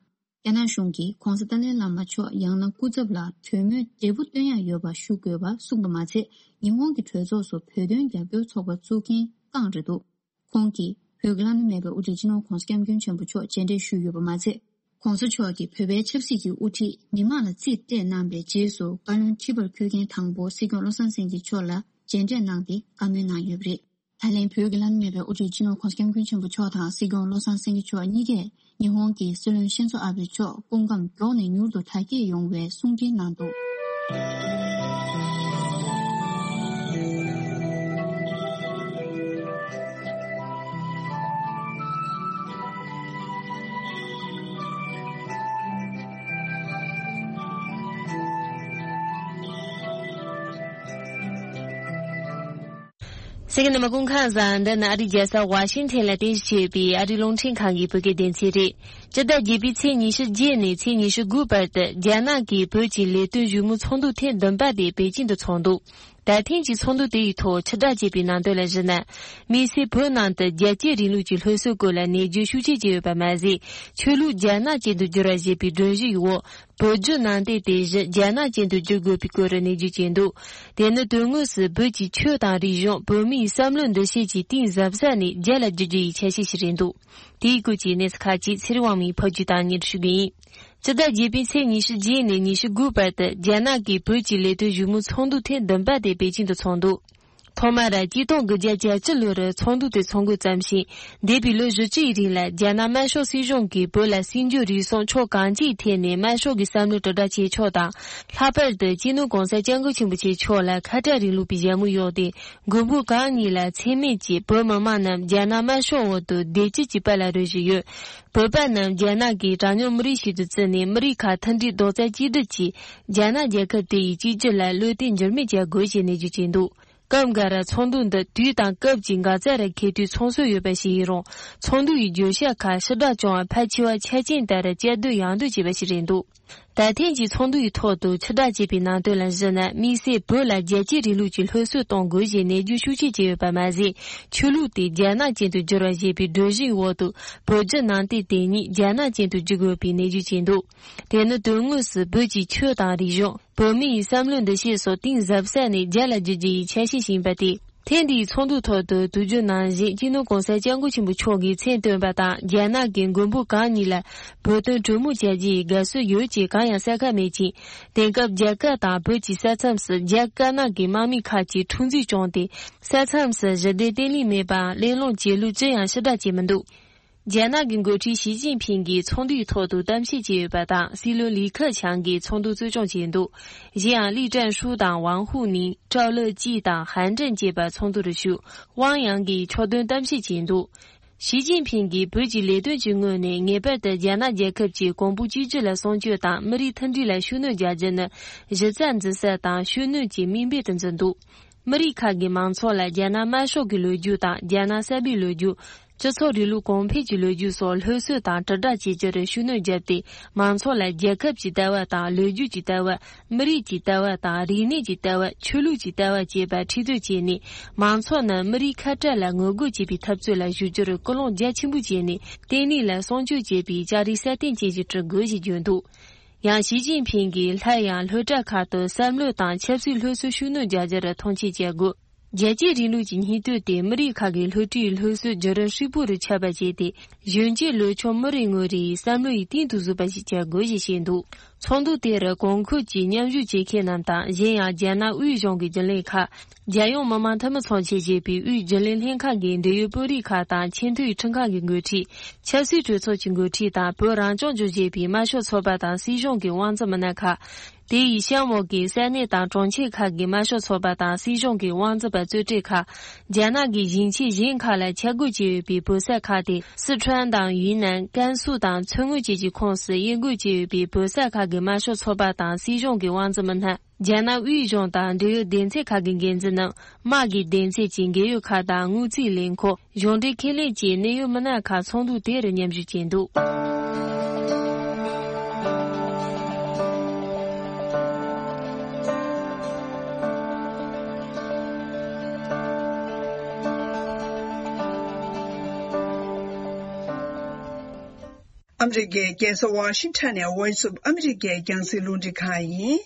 རྒྱ་ནག་གཞུང་གིས་༸གོང་ས་ཏཱ་ལའི་བླ་མ་མཆོག་ཡང་ན་སྐུ་ཚབ་ལ་གྲོས་མོལ་འབྲས་བུ་སྟོན་ཡག་ཡོད་པ་ཞུ་དགོས་པ་གསུངས་པ་མ་ཚད། ཉི་ཧོང་གི་གྲོས་ཚོགས་སུ་བོད་དོན་རྒྱབ་སྐྱོར་ཚོགས་པ་བཙུགས་མཁན་རྐང་རེད་འདུག། ཁོང་གིས་བོད་ཀྱི་བླ་ན་མེད་པའི་དབུ་ཁྲིད་སྤྱི་ནོར་༸གོང་ས་༸སྐྱབས་མགོན་ཆེན་པོ་མཆོག་མཇལ་འཕྲད་ཞུས་ཡོད་པ་མ་ཚད། ༸གོང་ས་མཆོག་གིས་བོད་པའི་ཆབ་སྲིད་ཀྱི་དབུ་ཁྲིད་མི་མང་ལ་རྩིས་སྤྲད་གནང་བའི་རྗེས་སུ། བཀའ་བློན་ཁྲི་པར་འཁོད་མཁན་དང་པོ་སྲིད་སྐྱོང་བློ་བཟང་སེང་གེ་མཆོག་ལ་མཇལ་འཕྲད་གནང་སྟེ་བཀའ་མོལ་གནང་ཡོད་པ་རེད། ད་ལན་བོད་ཀྱི་བླ་ན་མེད་པའི་དབུ་ཁྲིད་སྤྱི་ནོར་༸གོང་ས་༸སྐྱབས་མགོན་ཆེན་པོ་མཆོག་དང་སྲིད་སྐྱོང་བློ་བཟང་སེང་གེ་མཆོག་གཉིས་ཀས་ཉི་ཧོང་གི་སྲིད་བློན་ཤིན་ཛོ་ཨ་བྷེ་མཆོག་སྐུ་ཁམས་མགྱོགས་ནས་མྱུར་དུ་དྲག་སྐྱེད་ཡོང་བའི་གསུང་འཕྲིན་གནང་འདུག། གསན་མཁན་རྣམ་པ་སྐུ་ཁམས་བཟང་། འདི་ནི་ཨ་རིའི་རྒྱལ་ས་ཝ་ཤིང་ཐན་ལ་རྟེན་གཞི་བྱས་པའི་ཨ་རིའི་རླུང་འཕྲིན་ཁང་གི་བོད་སྐད་སྡེ་ཚན་རེད། སྤྱི་ཟླ་བརྒྱད་པའི་ཚེས་ཉི་ཤུ་བརྒྱད་ནས་ཚེས་ཉི་ཤུ་དགུ་བར་དུ་རྒྱ་ནག་གིས་བོད་ཀྱི་ལས་དོན་བཞུགས་མོལ་ཚོགས་འདུ་ཐེངས་བདུན་པ་དེ་པེ་ཅིང་དུ་འཚོགས་འདུག། ད་ཐེངས་ཀྱི་ཚོགས་འདུ་དེ་ཡི་ཐོག་ཕྱིར་བསྒྲགས་བྱས་པའི་ནང་དོན་ལ་གཞིགས་ན། དམིགས་བསལ་བོད་ནང་དུ་རྒྱལ་གཅེས་རིང་ལུགས་ཀྱི་སློབ་གསོའི་སྐོར་ལ་གནས་ཚུལ་ཤུགས་ཆེ་བྱས་ཡོད་པ་མ་ཟད། ཆོས་ལུགས་རྒྱ་ནག་ཅན་དུ་བསྒྱུར་བ་ཞེས་པའི་སྒྲོམ་གཞི་ཡི་འོག་བོད་བརྒྱུད་ནང་བསྟན་དེ་བཞིན་རྒྱ་ནག་ཅན་དུ་བསྒྱུར་དགོས་པའི་སྐོར་གནས་ཚུལ་བྱས་འདུག། དེ་ནི་དོན་དངོས་སུ་བོད་ཀྱི་ཆོས་དང་རིག་གཞུང་། བོད་མིའི་བསམ་བློའི་འདུ་ཤེས་ཀྱི་གཏིང་ཟབ་ས་ནས་རྒྱ་ལ་བསྒྱུར་རྒྱུ་ཡི་འཆར་གཞི་ཞིག་རེད་འདུག། དེའི་སྐོར་གྱི་གནས་ཚུལ་ཁག་ཅིག་ཚེ་རིང་དབང་མོས་ཕབ་སྒྱུར་དང་སྙན་སྒྲོན་ཞུ་གི་ཡིན། སྤྱི་ཟླ་བརྒྱད་པའི་ཚེས་ཉི་ཤུ་བརྒྱད་ནས་ཉི་ཤུ་དགུ་བར་དུ་རྒྱ་ནག་གིས་བོད་ཀྱི་ལས་དོན་བཞུགས་མོལ་ཚོགས་འདུ་ཐེངས་བདུན་པ་དེ་པེ་ཅིང་དུ་འཚོགས་འདུག། ཐོག་མར་ཆིག་སྟོང་དགུ་བརྒྱ་གྱ་གཅིག་ལོར་ཚོགས་འདུ་དེ་འཚོགས་འགོ་བརྩམས་ཤིང་། འདས་པའི་ལོ་བཞི་བཅུ་ཡི་རིང་ལ་རྒྱ་ནག་དམར་ཤོག་སྲིད་གཞུང་གིས་བོད་ལ་སྲིད་འབྱོར་རིག་གསུམ་ཕྱོགས་གང་ཅིའི་ཐད་ནས་དམར་ཤོག་གི་བསམ་བློ་དྲིལ་བསྒྲགས་བྱེད་ཕྱོགས་དང་། ལྷག་པར་དུ་སྤྱི་ནོར་༸གོང་ས་༸སྐྱབས་མགོན་ཆེན་པོ་མཆོག་ལ་ཁ་བྲལ་རིང་ལུགས་པའི་ཞྭ་མོ་གཡོགས་ཏེ། མགོན་པོ་གང་ཉིད་ལ་མཚན་སྨད་ཀྱིས་བོད་མི་མང་རྣམས་རྒྱ་ནག་དམར་ཤོག་འོག་ཏུ་བདེ་སྐྱིད་ཀྱི་དཔལ་ལ་རོལ་བཞིན་ཡོད། བོད་པ་རྣམས་རྒྱ་ནག་གིས་གྲངས་ཉུང་མི་རིགས་ཤིག་ཏུ་བརྩིས་ནས་མི་རིགས་ཁག་མཐུན་སྒྲིལ་རྡོག་རྩ་གཅིག་སྒྲིལ་གྱིས་རྒྱ་ནག་རྒྱལ་ཁབ་དེ་ཡི་གཅིག་གྱུར་ལ་བློས་གཏད་འགྱུར་མེད་བྱ་དགོས་ཞེས་ནན་བརྗོད་བྱས་འདུག། སྐབས་འགའ་ར་ཚོགས་འདུ་འདི་དུས་དང་སྐབས་ཀྱི་འགག་རྩ་རུ་འཁེལ་དུས་ཚོགས་སྲོལ་ཡོད་པ་ཞིག་ཡིན་རུང་། ཚོགས་འདུ་ཡི་བརྗོད་བྱ་ཁག་ཕྱིར་བསྒྲགས་བྱུང་བ་ཕལ་ཆེ་བ་ཆ་རྐྱེན་ལྟར་བསྐྱར་ཟློས་ཡང་ཟློས་བྱས་པ་ཞིག་རེད་འདུག། ད་ཐེངས་ཀྱི་ཚོགས་འདུ་ཡི་ཐོག་ཏུ་ཕྱིར་བསྒྲགས་བྱས་པའི་ནང་དོན་ལ་གཞིགས་ན། དམིགས་བསལ་བོད་ལ་རྒྱལ་གཅེས་རིང་ལུགས་ཀྱི་སློབ་གསོ་གཏོང་དགོས་ཞེས་ནན་བརྗོད་ཤུགས་ཆེ་བྱས་ཡོད་པ་མ་ཟད། ཆོས་ལུགས་དེ་རྒྱ་ནག་ཅན་དུ་བསྒྱུར་བ་ཞེས་པའི་སྒྲོམ་གཞིའི་འོག་ཏུ་བོད་བརྒྱུད་ནང་བསྟན་དེ་ཉིད་རྒྱ་ནག་ཅན་དུ་བསྒྱུར་དགོས་པའི་ནན་བརྗོད་བྱས་འདུག། དེ་ནི་དོན་དངོས་སུ་བོད་ཀྱི་ཆོས་དང་རིག་གཞུང་། བོད་མིའི་བསམ་བློའི་འདུ་ཤེས་སོགས་གཏིང་ཟབ་ས་ནས་རྒྱ་ལ་བསྒྱུར་རྒྱུ་ཡི་འཆར་གཞི་ཞིག་ཡིན་པ་སྟེ། ཐེངས་འདིའི་ཚོགས་འདུའི་ཐོག་ཏུ་དུས་རྒྱུན་ནང་བཞིན་སྤྱི་ནོར་༸གོང་ས་༸སྐྱབས་མགོན་ཆེན་པོ་མཆོག་གིས་མཚན་བཏོན་པ་དང་། རྒྱ་ནག་གིས་མགོན་པོ་གང་ཉིད་ལ་བོད་དོན་གྲོས་མོལ་བྱ་རྒྱུ་ཡི་དགའ་བསུ་ཡོད་ཅེས་གང་ཡང་གསལ་ཁ་མེད་ཅིང་། དེང་སྐབས་རྒྱ་གར་དང་བོད་ཀྱི་ས་མཚམས་སུ་རྒྱ་དཀར་ནག་གི་དམག་མི་ཁག་ཅིག་འཁྲུག་འཛིང་བྱུང་སྟེ། ས་མཚམས་སུ་ཞི་བདེ་བརྟན་ལྷིང་མེད་པའམ་གླེང་སློང་བྱེད་ལུགས་ཅི་ཡང་ཕྱིར་བསྒྲགས་བྱས་མི་འདུག། རྒྱ་ནག་གི་འགོ་ཁྲིད་ཞི་ཅིན་ཕིང་གིས་ཚོགས་འདུའི་ཐོག་ཏུ་གཏམ་བཤད་བྱས་ཡོད་པ་དང་། སྲིད་བློན་ལི་ཁེ་ཆང་གིས་ཚོགས་འདུ་གཙོ་སྐྱོང་བྱས་འདུག། གཞན་ཡང་ལི་ཀྲན་ཧྲུའུ་དང་ཝང་ཧུའུ་ནིང་། ཀྲའོ་ལེ་ཅི་དང་ཧན་ཀྲེང་བཅས་པ་ཚོགས་འདུར་ཞུགས། ཝང་ཡང་གིས་ཕྱོགས་སྟོན་གཏམ་བཤད་བྱས་འདུག། ཞི་ཅིན་ཕིང་གིས་བོད་ཀྱི་ལས་དོན་གྱི་ངོས་ནས་ངེས་པར་དུ་རྒྱ་ནག་རྒྱལ་ཁབ་ཀྱི་གོང་བུ་གཅིག་གྱུར་ལ་སྲུང་སྐྱོབ་དང་མི་རིགས་མཐུན་སྒྲིལ་ལ་ཤུགས་སྣོན་རྒྱག་རྒྱུ་ནི་གཞི་རྩ་འཛིན་ས་དང་ཤུགས་སྣོན་གྱི་དམིགས་འབེན་དུ་འཛིན་འདུག། མི་རིགས་ཁག་གི་མང་ཚོགས་ལ་རྒྱ་ནག་དམར་ཤོག་གི་ལོ་རྒྱུས་དང་རྒྱ་ནག་གསར་པའི་ལོ་རྒྱུས། སྤྱི་ཚོགས་རིང་ལུགས་གོང་འཕེལ་གྱི་ལོ་རྒྱུས་སོགས་སློབ་གསོ་དང་དྲིལ་བསྒྲགས་བྱེད་རྒྱུར་ཤུགས་སྣོན་བརྒྱབ་སྟེ། མང་ཚོགས་ལ་རྒྱལ་ཁབ་ཀྱི་ལྟ་བ་དང་། ལོ་རྒྱུས་ཀྱི་ལྟ་བ། མི་རིགས་ཀྱི་ལྟ་བ་དང་། རིག་གནས་ཀྱི་ལྟ་བ། ཆོས་ལུགས་ཀྱི་ལྟ་བ་བཅས་པ་ཁྲིད་སྟོན་བྱས་ནས། མང་ཚོགས་རྣམས་མི་རིགས་ཁ་བྲལ་ལ་ངོ་རྒོལ་བྱེད་པའི་འཐབ་རྩོད་ལ་ཞུགས་རྒྱུར་སྐུལ་སློང་རྒྱ་ཆེན་པོ་བྱས་ནས། བརྟན་ལྷིང་ལ་སྲུང་སྐྱོབ་བྱེད་པའི་ལྕགས་རི་སྲ་བརྟན་ཅན་ཞིག་བསྐྲུན་དགོས་ཞེས་བརྗོད་འདུག། ཡང་ཞི་ཅིན་ཕིང་གིས་སླར་ཡང་སློབ་གྲྭ་ཁག་ཏུ་བསམ་བློ་དང་ཆབ་སྲིད་སློབ་གསོ་ཤུགས་སྣོན་རྒྱག་རྒྱུར་མཐོང་ཆེན་བྱེད་དགོས། རྒྱལ་གཅེས་རིང་ལུགས་ཀྱི་སྙིང་སྟོབས་དེ་མི་རིགས་ཁག་གི་སློབ་གྲྭའི་སློབ་གསོའི་བརྒྱུད་རིམ་ཧྲིལ་པོ་རུ་ཁྱབ་པ་བྱས་ཏེ། གཞོན་སྐྱེས་ལོ་ཆུང་མི་རེ་ངོ་རེའི་བསམ་བློ་ཡི་གཏིང་དུ་ཟུག་པ་ཞིག་བྱ་དགོས་ཞེས་བཤད་འདུག། ཚོགས་འདུ་དེར་གོང་འཁོད་ཀྱི་མཉམ་ཞུགས་བྱེད་མཁན་རྣམས་དང་། གཞན་ཡང་རྒྱ་ནག་དབུས་གཞུང་གི་རྒྱུན་ལས་ཁག་རྒྱལ་ཡོངས་མི་དམངས་འཐུས་མི་ཚོགས་ཆེན་ཞེས་པའི་དབུས་རྒྱུན་ལས་ལྷན་ཁང་གི་འབྲེལ་ཡོད་དཔོན་རིགས་ཁག་དང་། ཆེས་མཐོའི་ཁྲིམས་ཁང་གི་འགོ་ཁྲིད། ཆབ་སྲིད་གྲོས་ཚོགས་ཀྱི་འགོ་ཁྲིད་དང་། བོད་རང་སྐྱོང་ལྗོངས་ཞེས་པའི་དམར་ཤོག་ཚོགས་པ་དང་སྲིད་གཞུང་གི་དབང་འཛིན་མི་སྣ་ཁག་དེ་ཡི་གཤམ་འོག་གི་ས་གནས་དང་གྲོང་ཁྱེར་ཁག་གི་དམར་ཤོག་ཚོགས་པ་དང་སྲིད་གཞུང་གི་དབང་འཛིན་པ་གཙོས་གྲས་ཁག་རྒྱ་ནག་གི་ཞིང་ཆེན་གཞན་ཁག་ལ་ཆ་བགོས་བྱས་ཡོད་པའི་བོད་ས་ཁག་སྟེ། སི་ཁྲོན་དང་ཡུན་ནན། ཀན་སུའུ་དང་མཚོ་སྔོན་བཅས་ཀྱི་ཁོངས་སུ་དབྱེ་འགོད་བྱས་ཡོད་པའི་བོད་ས་ཁག་གི་དམར་ཤོག་ཚོགས་པ་དང་སྲིད་གཞུང་གི་དབང་འཛིན་མི་སྣ། རྒྱ་ནག་དབུས་གཞུང་དང་འབྲེལ་ཡོད་སྡེ་ཚན་ཁག་གི་འགན་འཛིན་རྣམས། དམག་གི་སྡེ་ཚན་གྱི་འབྲེལ་ཡོད་ཁག་དང་། དངུལ་རྩིས་ལས་ཁུངས། གཞུང་འབྲེལ་ཁེ་ལས་བཅས་གནད་ཡོད་མི་སྣ་ཁག་ཚོགས་འདུ་དེར་མཉམ་ཞུགས་བྱས་འདུག། ཨ་མི་རི་ཀའི་རྒྱལ་ས་ཝ་ཤིང་ཊོན་ནས་Voice of America་རྒྱང་སྲིང་རླུང་འཕྲིན་ཁང་ཡིན།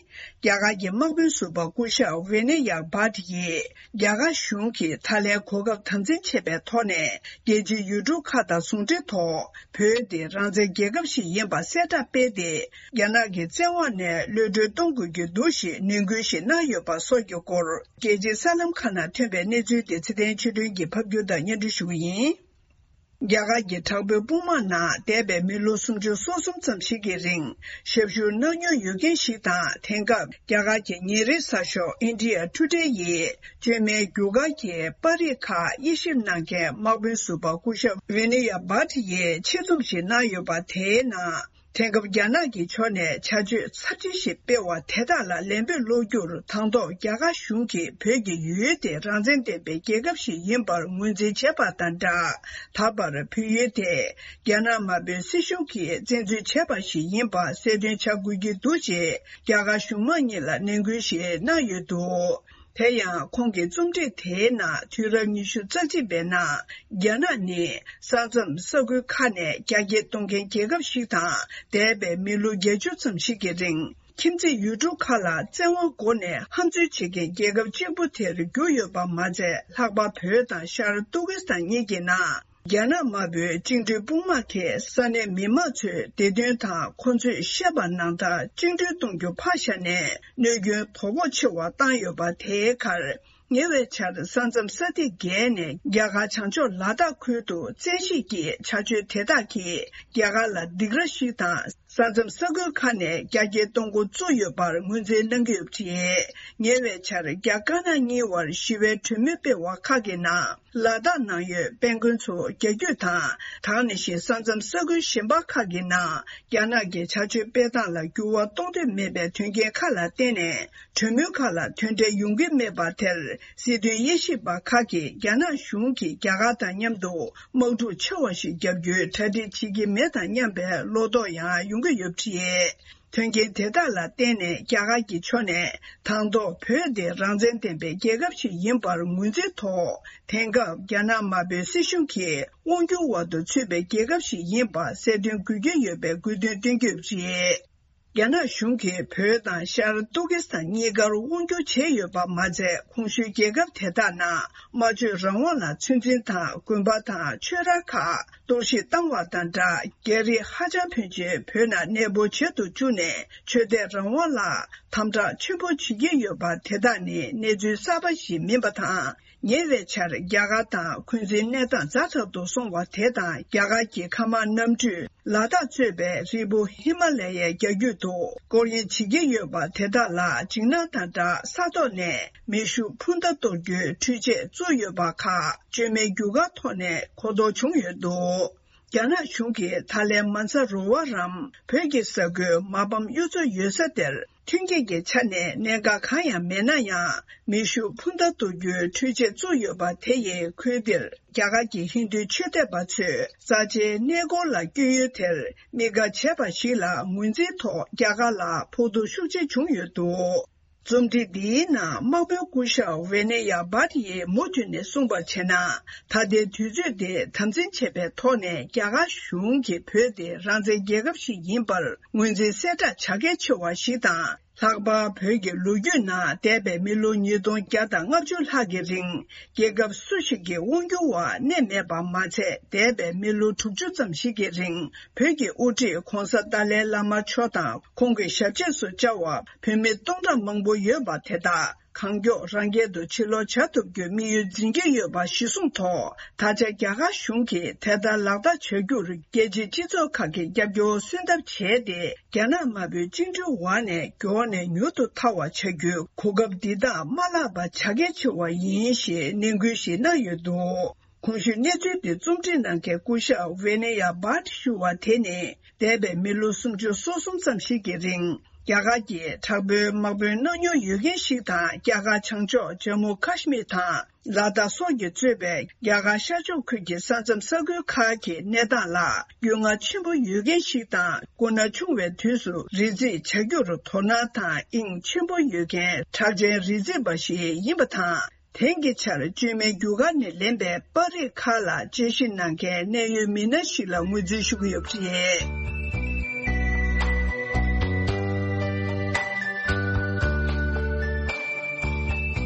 རྒྱ་གར་གྱི་དམག་དཔོན་ཟུར་པ་སྐུ་ཞབས་ཝེ་ནེ་ཡ་བྷ་ཏི་ཡིས། རྒྱ་གར་གཞུང་གིས་ད་ལན་གོ་སྐབས་དམ་འཛིན་བྱས་པའི་ཐོག་ནས། རྒྱལ་སྤྱིའི་ཡུལ་གྲུ་ཁག་དང་ཟུང་འབྲེལ་ཐོག་བོད་དེ་རང་བཙན་རྒྱལ་ཁབ་ཞིག་ཡིན་པ་གསལ་བསྒྲགས་སྤེལ་ཏེ། རྒྱ་ནག་གི་བཙན་དབང་ནས་གློད་གྲོལ་གཏོང་དགོས་ཀྱི་འདུག་ཞེས་ནན་སྐུལ་ཞིག་གནང་ཡོད་པ་སོགས་ཀྱི་སྐོར། རྒྱལ་སྤྱིའི་གསར་ལམ་ཁག་ནང་ཐོན་པའི་གནས་ཚུལ་དེ་ཚེ་བརྟན་ཆོས་སྒྲོན་གྱིས་ཕབ་སྒྱུར་དང་སྙན་སྒྲོན་ཞུ་གི་ཡིན། རྒྱ་གར་གྱི་དྲག་པོའི་དཔུང་དམག་ནང་འདས་པའི་མི་ལོ་སུམ་ཅུ་སོ་གསུམ་ཙམ་ཞིག་གི་རིང་ཞབས་ཞུ་གནང་མྱོང་ཡོད་མཁན་ཞིག་དང་། དེང་སྐབས་རྒྱ་གར་གྱི་ཉིན་རེའི་གསར་ཤོག་India Today་ཡིས་བཅོས་མའི་རྒྱུ་སྐར་གྱི་པར་རིས་ཁག་དབྱེ་ཞིབ་གནང་མཁན་དམག་དཔོན་ཟུར་པ་སྐུ་ཞབས་ཝི་ནི་ཡ་བྷ་ཏི་ཡིས་ཆེད་རྩོམ་ཞིག་གནང་ཡོད་པ་དེའི་ནང་། དེང་སྐབས་རྒྱ་ནག་གི་ཕྱོགས་ནས་བྱ་སྤྱོད་ཚབས་ཆེ་ཞིག་སྤེལ་བ་དེ་དག་ལ་ལན་འབེབས་སློག་རྒྱུར། དང་ཐོག་རྒྱ་གར་གཞུང་གིས་བོད་ཀྱི་ཡུལ་དེ་རང་བཙན་ལྡན་པའི་རྒྱལ་ཁབ་ཞིག་ཡིན་པར་ངོས་འཛིན་བྱས་པ་དང་སྦྲགས། ད་བར་བོད་ཡུལ་དེ་རྒྱ་ནག་དམར་པོའི་སྲིད་གཞུང་གིས་བཙན་འཛུལ་བྱས་པ་ཞིག་ཡིན་པ་གསལ་སྟོན་བྱ་དགོས་ཀྱི་འདུག་ཅེས་རྒྱ་གར་གཞུང་མང་གཉིས་ལ་ནན་སྐུལ་ཞིག་གནང་ཡོད་འདུག། དེ་ཡང་ཁོང་གི་རྩོམ་སྒྲིག་དེའི་ནང་དུས་རབས་ཉི་ཤུ་རྩ་གཅིག་པའི་ནང་རྒྱ་ནག་ནི་ས་མཚམས་ས་ཁུལ་ཁག་ནས་རྒྱ་སྐྱེད་གཏོང་མཁན་རྒྱལ་ཁབ་ཞིག་དང་། འདས་པའི་མི་ལོ་བརྒྱད་ཅུ་ཙམ་ཞིག་གི་རིང་ཁྱིམ་མཚེས་ཡུལ་གྲུ་ཁག་ལ་བཙན་དབང་སྒོ་ནས་ཧམ་འཛུལ་བྱེད་མཁན་རྒྱལ་ཁབ་གཅིག་པུ་དེར་གྱུར་ཡོད་པ་མ་ཚད། ལྷག་པར་བོད་དང་ཤར་ཏུར་ཀི་སི་ཐན་གཉིས་ཀྱི་ནང་རྒྱ་ནག་དམར་པོའི་བཅིངས་འགྲོལ་དཔུང་དམག་གིས་ས་གནས་མི་མང་ཚོའི་བདེ་དོན་དང་ཁོ་ཚོས་བཤད་པ་ནང་ལྟར་བཅིངས་འགྲོལ་གཏོང་རྒྱུ་ཕར་བཞག་ནས། གནོད་སྐྱོན་དོ་ཕོག་ཆེ་བ་བཏང་ཡོད་པ་དེའི་ཁར། ཉེ་བའི་ཆར་ས་མཚམས་ས་ཐིག་བརྒལ་ནས་རྒྱ་གར་བྱང་ཕྱོགས་ལ་དྭགས་ཁུལ་དུ་བཙན་ཤེད་ཀྱིས་བྱ་སྤྱོད་དེ་དག་གིས་རྒྱ་གར་ལ་སྡིགས་ར་ཞིག་དང་། ས་མཚམས་ས་ཁུལ་ཁག་ནས་རྒྱ་སྐྱེད་གཏོང་འགོ་བཙུགས་ཡོད་པར་ངོས་འཛིན་གནང་གི་ཡོད་པ་རེད། ཉེ་བའི་ཆར་རྒྱ་དཀར་ནག་གཉིས་བར་ཞི་བའི་གྲོས་མོལ་སྤེལ་བ་ཁག་གི་ནང་། ལ་དྭགས་ནང་ཡོད་དཔལ་མགོན་ཚོ་རྒྱ་བསྐྱོད་དང་། ད་ག་ནང་བཞིན་ས་མཚམས་ས་ཁུལ་གཞན་པ་ཁག་གི་ནང་རྒྱ་ནག་གི་བྱ་སྤྱོད་སྤེལ་སྟངས་ལ་འགྱུར་བ་གཏོང་འདོད་མེད་པའི་དོན་རྐྱེན་ཁག་ལ་བརྟེན་ནས། གྲོས་མོལ་ཁག་ལ་དོན་འབྲས་ཡོང་གི་མེད་པ་དེར། སྲིད་དོན་དབྱེ་ཞིབ་པ་ཁག་གིས་རྒྱ་ནག་གཞུང་གིས་རྒྱ་གར་དང་མཉམ་དུ་དམག་འཁྲུག་ཆེ་བ་ཞིག་བརྒྱབ་རྒྱུའི་གྲ་སྒྲིག་བྱེད་ཀྱི་མེད་དམ་སྙམ་པའི་བློ་དོགས་ཡང་ཡོང་གི་ཡོད་པ་རེད། དོན་རྐྱེན་དེ་དག་ལ་བརྟེན་ནས་རྒྱ་གར་གྱི་ཕྱོགས་ནས་དང་ཐོག་བོད་དེ་རང་བཙན་ལྡན་པའི་རྒྱལ་ཁབ་ཞིག་ཡིན་པར་ངོས་འཛིན་ཐོག། དེང་སྐབས་རྒྱ་ནག་དམར་པོའི་སྲིད་གཞུང་གིས་དབང་སྒྱུར་འོག་ཏུ་ཚུད་པའི་རྒྱལ་ཁབ་ཞིག་ཡིན་པ་གསལ་སྟོན་དགོས་ཀྱི་ཡོད་པའི་དགོས་འདུན་བཏོན་གྱི་ཡོད་པ་རེད། རྒྱ་ནག་གཞུང་གིས་བོད་དང་ཤར་ཏུར་ཀི་སི་ཐན་གཉིས་ཀར་དབང་སྒྱུར་བྱས་ཡོད་པ་མ་ཚད། གོང་ཞུས་རྒྱལ་ཁབ་དེ་དག་ནང་སྨྲ་བརྗོད་རང་དབང་ལ་ཚོད་འཛིན་དང་། དགོན་པ་དང་ཆོས་ར་ཁག་གཏོར་བཤིག་བཏང་བ་དང་སྦྲགས། རྒྱ་རིགས་ཧ་ཅང་ཕོན་ཆེ་བོད་ནང་གནས་སྤོ་བྱེད་དུ་བཅུག་ནས་ཆོས་དད་རང་དབང་ལ་དམ་དྲག་ཆེན་པོ་བྱེད་ཀྱི་ཡོད་པ་དེ་དག་ནི་གནས་ཚུལ་གསར་པ་ཞིག་མིན་པ་དང་། ཉེ་བའི་ཆར་རྒྱ་གར་དང་འཁོན་འཛིན་གནས་སྟངས་ཛ་དྲག་ཏུ་སོང་བ་དེ་དང་། རྒྱ་གར་གྱི་མཁའ་དམག་གནམ་གྲུས་ལ་དྭགས་གཙོས་པའི་རི་བོ་ཧི་མ་ལ་ཡའི་རྒྱ་རྒྱུད་དུ་སྐོར་གཡེང་བྱེད་ཀྱི་ཡོད་པ་དེ་དག་ལ་འཇིགས་སྣང་དང་སྦྲགས། ས་ཐོག་ནས་མེ་ཤུགས་འཕུར་མདའ་གཏོར་རྒྱུའི་འཕྲུལ་ཆས་བཙུགས་ཡོད་པ་ཁག་བཅོས་མའི་རྒྱུ་སྐར་ཐོག་ནས་གོ་རྟོགས་བྱུང་ཡོད་འདུག། རྒྱ་ནག་གཞུང་གིས་ད་ལན་མ་ཛ་རོ་བ་རམ་བོད་ཀྱི་ས་ཁུལ་མ་ཕམ་གཡུ་མཚོ་ཡོད་ས་དེར། མཐུན་རྐྱེན་གྱི་ཆ་ནས་གནད་འགག་གང་ཡང་མེད་ན་ཡང་། མེ་ཤུགས་འཕུར་མདའ་གཏོར་རྒྱུའི་འཕྲུལ་ཆས་བཙུགས་ཡོད་པ་དེ་ཡིས། ཁུལ་དེར་རྒྱ་གར་གྱི་ཧིན་རྡུའི་ཆོས་དད་པ་ཚོས་རྩ་ཆེའི་གནས་སྐོར་ལ་བསྐྱོད་ཡུལ་དེར་དམིགས་བཀར་བྱས་པ་ཞིག་ལ་ངོས་འཛིན་ཐོག་རྒྱ་གར་ལ་ཕོག་ཐུག་ཤུགས་ཆེ་བྱུང་ཡོད་འདུག། རྩོམ་བྲིས་འདིའི་ནང་དམག་དཔོན་སྐུ་ཞབས་ཝེ་ནེ་ཡ་བྷ་ཏི་ཡིས་མུ་མཐུད་ནས་གསུངས་པར་བྱས་ན། ད་ལྟའི་དུས་ཚོད་དེ་དམ་འཛིན་བྱེད་པའི་ཐོག་ནས་རྒྱ་གར་གཞུང་གིས་བོད་དེ་རང་བཙན་རྒྱལ་ཁབ་ཞིག་ཡིན་པར་ངོས་འཛིན་གསལ་བསྒྲགས་བྱ་གལ་ཆེ་བ་ཞིག་དང་། ལྷག་པར་བོད་ཀྱི་ལོ་རྒྱུས་ནང་འདས་པའི་མི་ལོ་ཉིས་སྟོང་བརྒྱ་དང་ལྔ་བཅུ་ལྷག་གི་རིང་རྒྱལ་ཁབ་སུ་ཞིག་གི་དབང་སྒྱུར་འོག་གནས་མེད་པ་མ་ཚད། འདས་པའི་མི་ལོ་དྲུག་ཅུ་ཙམ་ཞིག་གི་རིང་བོད་ཀྱི་དབུ་ཁྲིད་༧གོང་ས་ཏཱ་ལའི་བླ་མ་མཆོག་དང་ཁོང་གི་ཞབས་རྗེས་སུ་བཅར་བ་བོད་མི་སྟོང་ཕྲག་མང་པོ་ཡོད་པ་དེ་དག་གང་མགྱོགས་རང་རྒྱལ་དུ་ཕྱིར་ལོག་བྱ་ཐུབ་རྒྱུའི་དམིགས་ཡུལ་འཛིན་གྱི་ཡོད་པ་གཞིར་བཟུང་ཐོག་ད་ཆ་རྒྱ་གར་གཞུང་གིས་དེ་ལྟར་ལག་བསྟར་བྱ་རྒྱུར་རྒྱལ་སྤྱིའི་སྤྱི་ཚོགས་ཁག་གིས་རྒྱབ་སྐྱོར་གསོལ་འདེབས་བྱས་ཏེ། རྒྱ་ནག་དམར་པོའི་བཅིངས་འགྲོལ་འོག་ནས་མགྱོགས་ནས་མྱུར་དུ་ཐར་བ་བྱ་རྒྱུའི་གོ་སྐབས་འདི་དག་མ་བརླག་པ་བྱ་གལ་ཆེ་བ་ཡིན་ཞེས་ནན་སྐུལ་ཞིག་གནང་ཡོད་འདུག་གོང་ཞུས་གནས་ཚུལ་འདི་རྩོམ་སྒྲིག་གནང་མཁན་སྐུ་ཞབས་ཝེ་ནེ་ཡ་བྷ་ཏི་ཞུ་བ་དེ་ནི། འདས་པའི་མི་ལོ་སུམ་ཅུ་སོ་གསུམ་ཙམ་ཞིག་གི་རིང་རྒྱ་གར་གྱི་དྲག་པོའི་དམག་དཔོན་མནའ་མྱོང་ཡོད་མཁན་ཞིག་དང་། རྒྱ་གར་བྱང་ཕྱོགས་ཇམ་མུ་ཁ་ཤི་མིར་དང་ལ་དྭགས་སོགས་ཀྱིས་གཙོས་པའི་རྒྱ་གར་ཤར་ཕྱོགས་ཁུལ་གྱི་ས་མཚམས་ས་ཁུལ་ཁག་གི་གནས་སྟངས་ལ་རྒྱུས་མངའ་ཆེན་པོ་ཡོད་མཁན་ཞིག་དང་། སྐུ་ན་ཆུང་བའི་དུས་སུ་རི་འཛེག་བྱ་རྒྱུར་དོ་སྣང་དང་དབྱིངས་ཆེན་པོ་ཡོད་མཁན་གྲགས་ཅན་རི་འཛེག་པ་ཞིག་ཡིན་པ་དང་། དེང་གི་ཆར་བཅོས་མའི་རྒྱུ་སྐར་ནས་ལེན་པའི་པར་རིས་ཁག་ལ་དཔྱད་ཞིབ་གནང་མཁན་གནད་ཡོད་མི་སྣ་ཞིག་ལ་ངོས་འཛིན་ཞུ་གི་ཡོད་པ་རེད།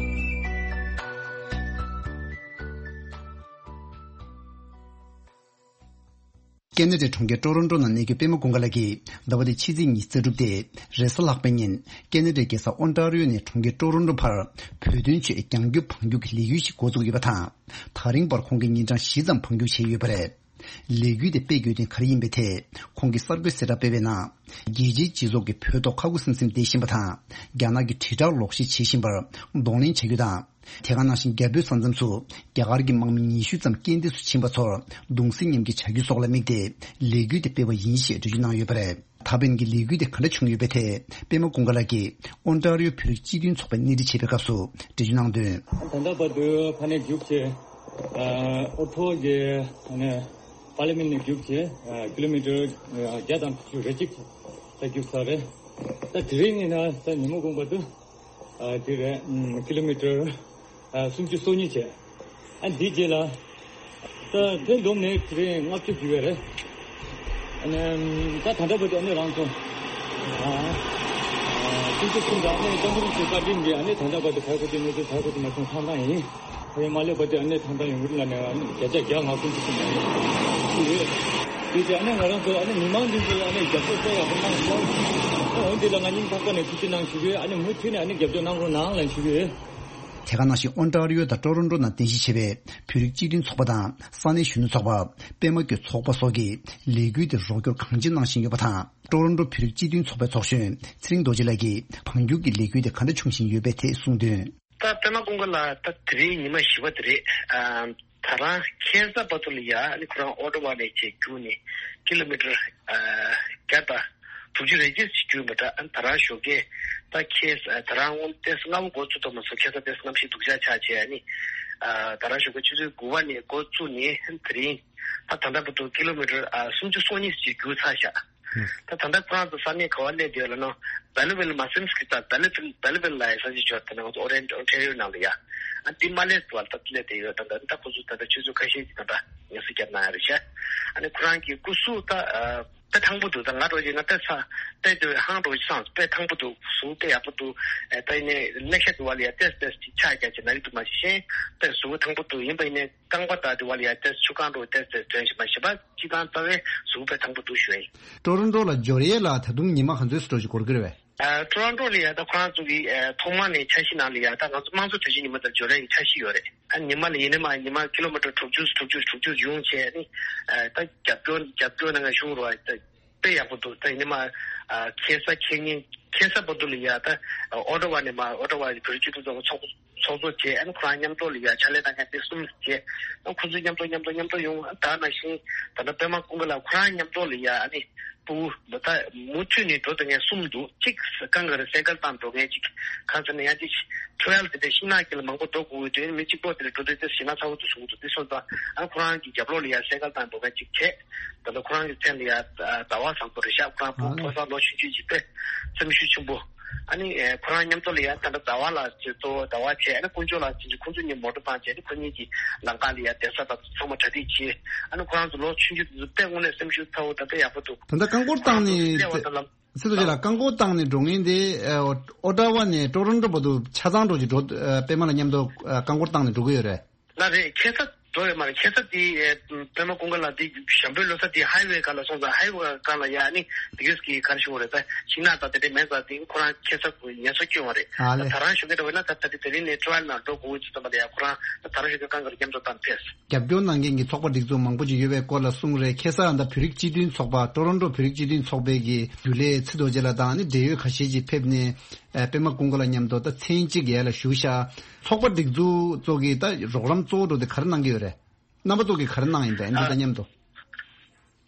ཀེ་ན་ཌའི་གྲོང་ཁྱེར་ཀྲོ་རོན་ཀྲོ་ནང་གནས་རྒྱུ་པད་མ་ཀུན་དགའ་ལགས་ཀྱིས་ཟླ་བ་འདིའི་ཕྱི་ཚེས་ཉི་ཤུ་རྩ་དྲུག་སྟེ་རེས་གཟའ་ལྷག་པའི་ཉིན་ཀེ་ན་ཌའི་རྒྱལ་ས་ཨོན་ཊ་རི་ཡོ་ནས་གྲོང་ཁྱེར་ཀྲོ་རོན་ཀྲོ་བར་བོད་དོན་ཆེད་རྒྱང་རྒྱུག་བང་རྒྱུག་གི་ལས་འགུལ་ཞིག་འགོ་བཙུགས་ཡོད་པ་དང་། ད་རིང་བར་ཁོང་གིས་ཉིན་གྲངས་བཞི་ཙམ་བང་རྒྱུག་བྱས་ཡོད་པ་རེད། ལས་འགུལ་དེ་སྤེལ་དགོས་དོན་ག་རེ་ཡིན་པའི་ཐད་ཁོང་གིས་གསར་འགོད་གསལ་བསྒྲགས་སྤེལ་བའི་ནང་། རྒྱལ་སྤྱིའི་སྤྱི་ཚོགས་ཀྱིས་བོད་ཐོག་ཁ་ཁུ་སིམ་སིམ་བསྡད་བཞིན་པ་དང་། རྒྱ་ནག་གིས་དྲིལ་བསྒྲགས་ལོག་བཤད་བྱེད་བཞིན་པར་གདོང་ལེན་བྱ་རྒྱུ་དང་། དེ་ག་ནང་བཞིན་རྒྱ་བོད་ས་མཚམས་སུ་རྒྱ་གར་གྱི་དམག་མི་ཉི་ཤུ་ཙམ་རྐྱེན་འདས་སུ་ཕྱིན་པ་ཚོར་གདུང་སེམས་མཉམ་སྐྱེད་བྱ་རྒྱུ་སོགས་ལ་དམིགས་ཏེ་ལས་འགུལ་དེ་སྤེལ་བ་ཡིན་ཞེས་འགྲེལ་བརྗོད་གནང་ཡོད་པ་རེད། ད་ཕན་གྱི་ལས་འགུལ་དེ་ག་འདྲ་བྱུང་ཡོད་པའི་ཐད་པད་མ་ཀུན་དགའ་ལགས་ཀྱིས་ཨོན་ཊ་རི་ཡོ་བོད་རིགས་སྤྱི་མཐུན་ཚོགས་པའི་སྣེ་ཁྲིད་བྱེད་པའི་སྐབས་སུ་འགྲེལ་བརྗོད་གནང་དོན། ད་ལྟ་བར་དུ་ཕ་ནས་རྒྱུགས་བྱས། ཨོ་ཐོག་གི་ཨ་ནི་པར་ལི་མེན་ནས་རྒྱུགས་བྱས། ཀི་ལོ་མི་ཊར་བརྒྱ་དང་དྲུག་ཅུ་རེ་གཅིག་ད་རྒྱུགས་ཚར་རེད། ད་དེ་རིང་ནི་ན་ད་ཉིན་མོ་དགོངས་པ་དུ། ཨ་དེ་རེད། ཨམ་ཀི་ལོ་མི་ཊར་ཨ་སུམ་ཅུ་སོ་གཉིས་བྱས། ཨ་འདི་རྗེས་ལ་ད་ཐོན་བསྡོམས་ནས་དེ་རིང་ལྔ་བཅུ་བརྒྱུད་པ་རེད། ཨ་ནི་ད་ད་ལྟ་བར་དུ་ཨ་ནི་རང་སོང་། ཨ་ཨ་སུམ་ཅུ་གསུམ་དང་ཨ་ནི་ཏམ་པུ་རུ་ཚོའི་བཀའ་དྲིན་གྱིས་ཨ་ནི་ད་ལྟ་བར་དུ་ཕར་ཁུ་ཏི་ནུ་ཏི་ཕར་ཁུ་ཏི་མ་སོང་ཐང་ཐང་ཡིན། ཧེ་མ་ལས་བར་དུ་ཨ་ནི་ཐང་ཐང་ཡོང་གི་རེད་ལབ་ནས་ཨ་ནི་བརྒྱ་ཆ་བརྒྱ་ང་སུམ་ཅུ་གསུམ་ཡོད། དེ་ཚེ་ཨ་ནི་ང་རང་ཚོ་ཨ་ནི་མི་མང་འདི་ཚོ་ཨ་ནི་རྒྱབ་སྐྱོར་གསལ་ཡག་པོ་གནང་སོང་། ཨ་འོན་ཏེ་ལ་ང་སྙིང་ཐག་པ་ནས་ཐུགས་རྗེ་གནང་ཞུ་གི་ཡོད། ཨ་ནི་མུ་མཐུད་ནས་ཨ་ནི་རྒྱབ་སྐྱོར་གནང་རོགས་གནང་ལབ་ཞུ་གི་ཡོད། དེ་ག་ནང་བཞིན་ཨོན་ཊ་རི་ཡོ་དང་ཀྲོ་རོན་ཀྲོ་ནང་རྟེན་གཞི་བྱས་པའི་བོད་རིགས་སྤྱི་མཐུན་ཚོགས་པ་དང་ས་གནས་གཞོན་ནུ་ཚོགས་པ། པད་མ་བཀོད་ཚོགས་པ་སོགས་ཀྱིས་ལས་འགུལ་དེར་རོགས་སྐྱོར་གང་ཅི་གནང་བཞིན་ཡོད་པ་དང་། ཀྲོ་རོན་ཀྲོ་བོད་རིགས་སྤྱི་མཐུན་ཚོགས་པའི་ཚོགས་གཞོན་ཚེ་རིང་རྡོ་རྗེ་ལགས་ཀྱིས་བང་རྒྱུག་གི་ལས་འགུལ་དེ་ག་འདྲ་བྱུང་བཞིན་ཡོད་པའི་ཐད་གསུངས་དོན། ད་པད་མ་ཀུན་དགའ་ལགས་ད་དེ་རིང་ཉི་མ་བཞི་པ་དེ་རེད། ཨ་ད་རང་ཁ་སང་བར་དུ་ལ་ཡ་ཨ་ནི་ཁོ་རང་ཨོ་ཊ་ཝ་ནས་བྱས་རྒྱུགས་ནས་ཀི་ལོ་མི་ཊར་ཨ་བརྒྱ་དང་དྲུག་ཅུ་རེ་གཅིག་ཅིག་རྒྱུགས་མ་འདྲ། ཨ་ནི་ད་རང་ཞོགས་ཀས་ད་ཁ་ད་རང་དངོས་ཏོག་ཙམ་སྔ་པོ་འགོ་བཙུགས་ཐུབ་མ་སོང་། ཁ་སང་ཏོག་ཙམ་གནམ་གཤིས་སྡུག་ཅག་ཆགས་བྱས་ཨ་ནི་ཨ་ད་རང་ཞོགས་ཀས་ཆུ་ཚོད་དགུ་པ་ནས་འགོ་བཙུགས་ནས་ཨ་ནི་དེ་རིང་ད་ད་ལྟ་བར་དུ་ཀི་ལོ་མི་ཊར་ཨ་སུམ་ཅུ་སོ་གཉིས་ཅིག་རྒྱུགས་ཚར་ཤག་ད་ད་ལྟ་ཁོ་རང་ཚོ་ས་གནས་ག་བ་སླེབས་བསྡད་ཡོད་ལབ་ན། བེ་ལི་ཝིལ་མ་སིམ་སི་ཀི་ད་བེ་ལི་ཝིལ་བེ་ལི་ཝིལ་ལབ་ཡ་ས་ཆ་ཅིག་ཡོད། ད་ནང་ང་ཚོ་ཨོ་རེན་ཇི་ཨོན་ཊ་རི་ཡོ་ནང་ལ་ཡ། ཨ་འདི་མ་སླེབས་བར་ད་སླེབས་བསྡད་ཡོད། ད་ད་ད་ཁོ་ཚོ་ད་ལྟ་ཆུ་ཚོད་ཁ་ཤས་ཅིག་ད་ད་ངལ་གསོ་བརྒྱབ་གནང་ཡ་རེད་ཤག་ཨ་ནི་ཁོ་རང་གི་སྐུ་གཟུགས་ད་ཨ་དཔེ་ཐང་པོ་འདུག་ད་ང་འདྲ་བོ་ཅིག་ན་དཔེ་ཚ་དཔེ་དེ་ཧང་འདྲ་བོ་ཅིག་སངས། དཔེ་ཐང་པོ་འདུག་གཟུགས་དཔེ་ཡག་པོ་འདུག་ཨེ་ད་ཡིན་ནའི་ལེགས་ཤ་དུ་བ་ལ་ཡ་ཏེས་ཏེས་ཅིག་ཆགས་རྒྱ་ཅིག་ན་གི་འདུག་མ་གཞི་གཞན་དཔེ་གཟུགས་པོ་ཐང་པོ་འདུག་ཡིན་པ་ཡིན་ནའི། རྐང་པ་དང་དེ་བ་ལ་ཡ་ཏེས་ཆུ་རྐང་འགྲོ་ཏེས་ཏེས་དོན་ཞིག་མ་ཞིབ་པ་ཅི་དང་ལྟ་བའི་གཟུགས་པོ་དཔེ་ཐང་པོ་འདུག་ཞུ་ཡིན། ཀྲོ་རོན་ཀྲོ་ལ་འབྱོར་ཡས་ལ་ད་དུང་ཉི་མ་ག་ཚོད་ཙམ་འགྲོ་ཞིག་འགོར་གྱི་རེད་པས། ཨ་ཀྲོ་རོན་ཀྲོ་ལ་ཡ་ད་ཁོ་རང་ཚོ་གི་ཨ་ཐོག་མ་ནས་འཆར་གཞི་ནང་ལ་ཡ་ད་ང་ཚོ་དམངས་གཙོ་དུས་ཆེན་ཉིན་མོ་དང་འབྱོར་ཡས་ཀྱི་འཆར་གཞི་ཡོད་རེད། ཨ་ཉི་མ་ལ་ཡིན་ནའི་མ་ཉི་མ་ཀི་ལོ་མི་ཊར་དྲུག་ཅུ་དྲུག་ཅུ་དྲུག་ཅུ་ཡོང་བྱས་ནི་ཨ་ད་རྒྱབ་སྐྱོར་རྒྱབ་སྐྱོར་གནང་མཁན་གཞུང་རོགས་ཨ་ད་དཔེ་ཡག་པོ་འདུག་ད་ཡིན་ནའི་མ་ཨ་ཁ་སང་ཁ་ཉིན་ཁ་སང་བར་དུ་ལ་ཡ་ད་ཨོ་ཊ་ཝ་ནས་མ་ཨོ་ཊ་ཝ་བོད་རིགས་སྤྱི་མཐུན་ཚོགས་པ་ཚོགས་ཚོགས་གཙོ་བྱས། ཨ་ནི་ཁོ་རང་མཉམ་དུ་ལ་ཡ་ཕྱག་ལས་གནང་མཁན་དེ་གསུམ་བྱས། ཨ་ཁོ་ཚོ་མཉམ་དུ་མཉམ་དུ་མཉམ་དུ་ཡོང་། ཨ་ད་ནང་བཞིན་ད་ལྟ་པད་མ་ཀུན་དགའ་ལགས་ཁོ་རང་མཉམ་དུ་ལ་ཡ་ཨ་ནི་ཕྲུ་གུ་ད་མུ་མཐུད་ནས་འགྲོ་སྡོད་མཁན་གསུམ་འདུག་གཅིག་གང་ག་རེ་སེ་ཀལ་བཏང་འགྲོ་མཁན་གཅིག་གང་ཟེར་ན་ཡང་གཅིག་ཊེ་རེལ་དེ་འདྲ་ཤིང་ནགས་དཀྱིལ་ལ་མང་པོ་འགྲོ་དགོས་ཀྱི་དུས་མི་གཅིག་པོ་དེ་ལ་འགྲོ་དུས་དེ་ཞེད་སྣང་ཚ་པོ་འདུག་གསུང་གི་འདུག་དེ་སོང་ཙང་ཨ་ཁོ་རང་གི་རྒྱབ་ལོགས་ལ་ཡ་སེ་ཀལ་བཏང་འགྲོ་མཁན་གཅིག་བྱས། ད་ལྟ་ཁོ་རང་གི་མཚན་ལ་ཡ་ཟླ་བ་བཟང་པོ་རེད་ཤག་ཁོ་རང་ཕོ་ཕོ་གསར་ལོ་ཆུང་ཆུང་གཅིག་དཔེ་སེམས་ཤུགས་ཆེན་པོ། ཨ་ནི་ཁོ་རང་མཉམ་དུ་ལ་ཡ་ད་ལྟ་ཟླ་བ་ལ་ཅིག་གཙོ་བོ་ཟླ་བ་བྱས། ཨ་ནི་དཀོན་མཆོག་ལགས་ཅིག་ཁོང་ཚོ་གཉིས་མོ་ཊ་བཏང་བྱས། ཨ་ནི་ཁོ་གཉིས་ཀྱིས་ལམ་ཁ་ལ་ཡ་བསྡད་ས་དང་ཚང་མ་གྲ་སྒྲིག་བྱས། ཨ་ནི་ཁོ་རང་ཚོ་ལོ་ཆུང་ཆུང་དེ་ཚོ་དཔེ་དངོས་གནས་སེམས་ཤུགས་ཚ་བོ་ད་ལྟ་ཡག་པོ་འདུག་དེ་འདྲ་རྐང་འཁོར་བཏང་ནས་ཁོ་རང་ཚོ་སླེབས་པ་དང་ལམ། ཚེ་རྡོ་རྗེ་ལགས། རྐང་འཁོར་བཏང་ནས་འགྲོ་མཁན་དེ་ཨོ་ཊ་ཝ་ནས་ཊོ་རོན་ཊོ་བར་དུ་ཆ་ཚང་འགྲོ་ཅིག་འགྲོ། པད་མ་ལགས་མཉམ་དུ་རྐང་འཁོར་བཏང་ནས་འགྲོ་གི་ཡོད་རེད། ལགས་རེད། ཁ་སང་འགྲོ་ཡོད་མ་རེད། ཁ་སང་དེ་པད་མ་ཀུན་དགའ་ལགས་དེ་ཞམ་པོའི་ལོ་གསར་དེ་ཧའི་ཝེ་སྒང་ལ་སོང་ཙང་། ཧའི་ཝེ་སྒང་ལ་ཡ་ཨ་ནི་དེ་གས་ཀྱི་ག་རེ་ཞུ་དགོས་རེད། ད་ཤིང་ནགས་དང་དེ་འདྲས་མེད་ཙང་། དེ་ཁོ་རང་ཁ་སང་ངལ་གསོ་བསྐྱོན་པ་རེད། ཨ་ལེ། ད་རང་ཞུ་མཁན་འདྲ་བོ་ན་ད་ད་དེ་དེ་རིང་ནས་ཊ་ཝ་ལ་ནང་འགྲོ་དགོས་ཀྱི་ཙམ་པ་ལ་ཡ་ཁོ་རང་ད་རང་ཞུ་མཁན་སྒང་ལ་མཉམ་དུ་བཏང་ཕེབས། རྒྱབ་སྐྱོར་གནང་མཁན་གྱི་ཚོགས་པ་སྒྲིག་འཛུགས་མང་པོ་ཅིག་ཡོད་པའི་སྐོར་ལ་གསུངས་རེད། ཁ་སང་ད་བོད་རིགས་སྤྱི་མཐུན་ཚོགས་པ། ཊོ་རོན་ཊོ་བོད་རིགས་སྤྱི་མཐུན་ཚོགས་པའི་གི་རྒྱུན་ལས་ཚེ་རྡོ་རྗེ་ལགས་དང་ནི་འབྲེལ་ཡོད་ཁ་ཤས་ཅིག་ཕེབས་ནས། ཨ། པད་མ་ཀུན་དགའ་ལགས་མཉམ་དུ་ད་མཚན་གཅིག་ཡར་ལ་བཞུགས་ཤག་ཚོགས་པ་སྒྲིག་འཛུགས་ཚོ་གི་ད་རོགས་རམ་གཙོ་བོ་འདྲ་དེ་ག་རེ་གནང་གི་ཡོད་རེད། རྣམ་པ་ཚོ་གིས་ག་རེ་གནང་ཡིན་པས་འདི་དང་མཉམ་དུ།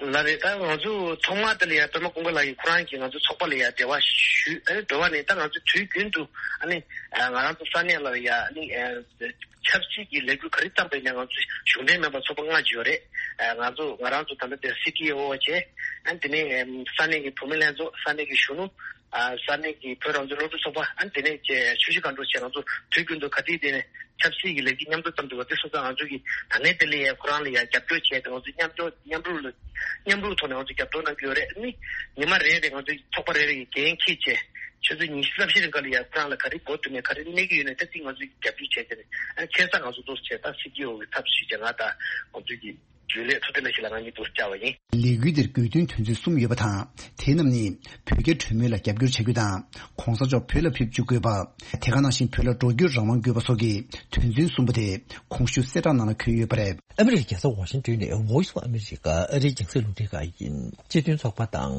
ལགས་རེད། ད་ང་ཚོ་ཐོག་མ་དེ་ལ་ཡ་པད་མ་ཀུན་དགའ་ལགས་ཀྱིས་ཁོ་རང་གིས་ང་ཚོ་ཚོགས་པ་ལ་ཡ་འབྲེལ་བ་ཞུས། ཨ་ནི་འབྲེལ་བ་ནས་ད་ང་ཚོ་དུས་རྒྱུན་དུ་ཨ་ནི་ང་རང་ཚོ་ས་གནས་ལ་ཡ་ཨ་ནི་ཆབ་སྲིད་ཀྱི་ལས་འགུལ་ག་རེ་བཏང་པ་ཡིན་ན་ང་ཚོ་གཞུང་འབྲེལ་མིན་པ་ཚོགས་པ་ལྔ་ཅིག་ཡོད་རེད། ང་ཚོ་ང་རང་ཚོ་ད་ལྟ་དེ་སི་ཊི་ཨོ་བྱས། ཨ་ནི་དེ་ནས་ས་གནས་ཀྱི་བུད་མེད་ལྷན་ཚོགས། ས་གནས་ཀྱི་གཞོན་ནུ། ས་གནས་ཀྱི་བོད་རང་བཙན་སློབ་ཕྲུག་ཚོགས་པ། ཨ་ནི་དེ་ནས་ཆུ་བཞི་སྒང་དྲུག་བཅས་ང་ཚོ་དུས་རྒྱུན་དུ་ག་དུས་དེ་ནས་ཆབ་སྲིད་ཀྱི་ལས་འགུལ་མཉམ་དུ་བཏང་འདུག་པ་དེ་སོང་ཙང་ང་ཚོ་གིས་ད་ནས་དེ་ལ་ཡ་ཁོ་རང་ལ་ཡ་རྒྱབ་སྐྱོར་བྱས་ཏེ། ང་ཚོ་མཉམ་སྐྱོར་མཉམ་རུབ་ལ་མཉམ་རུབ་ཐོག་ནས་ང་ཚོ་རྒྱབ་སྐྱོར་གནང་གི་ཡོད་རེད། ཨ་ནི་ཉི་མ་རེ་རེ་ང་ཚོ་ཚོགས་པ་རེ་རེ་གི་འགན་འཁྱེར་བྱས། ཆུ་ཚོད་ཉི་ཤུ་རྩ་བཞི་རིང་ག་ལ་ཡ་ཁོ་རང་ལ་ག་རེ་དགོས་འདུག་ནས་ག་རེ་གནས་ཀྱི་ཡོད་ནས་ད་ཅིག་ང་ཚོས་རྒྱབ་སྐྱོར་བྱས་བྱས་ནས། ཨ་ཁ་སང་ང་ཚོ་འདུག་བྱས། ད་སི་ཊི་ཨོ་གི་ཐབས་སུ་བྱས་ང་དང་ང་ཚོའི་གི་རྒྱུན་ལས་ཐུབ་བསྟན་ལགས་ཤིག་ལ་ང་གཉིས་འདུག་བཅར་བ་ཡིན། ལས་འགུལ་འདིར་དགོས་འདུན་དོན་ཚན་གསུམ་ཡོད་པ་དང་། དེ་རྣམས་ནི་བོད་རྒྱ་གྲོས་མོལ་ལ་རྒྱབ་སྐྱོར་བྱ་རྒྱུ་དང་། གོང་ས་མཆོག་བོད་ལ་ཕེབས་བཅུག་དགོས་པ། དེ་ག་ནང་བཞིན་བོད་ལ་འགྲོ་སྐྱོད་རང་དབང་དགོས་པ་སོགས་ཀྱི་དོན་ཚན་གསུམ་པོ་དེ་གོང་ཞུས་གསལ་བསྒྲགས་ནང་ལ་འཁོད་ཡོད་པ་རེད། ཨ་མི་རི་ཀའི་རྒྱལ་ས་ཝ་ཤིང་ཏོན་ནས་Voice of America ཨ་རིའི་རྒྱང་སྲིང་རླུང་འཕྲིན་ཁང་ཡིན། སྤྱི་མཐུན་ཚོགས་པ་དང་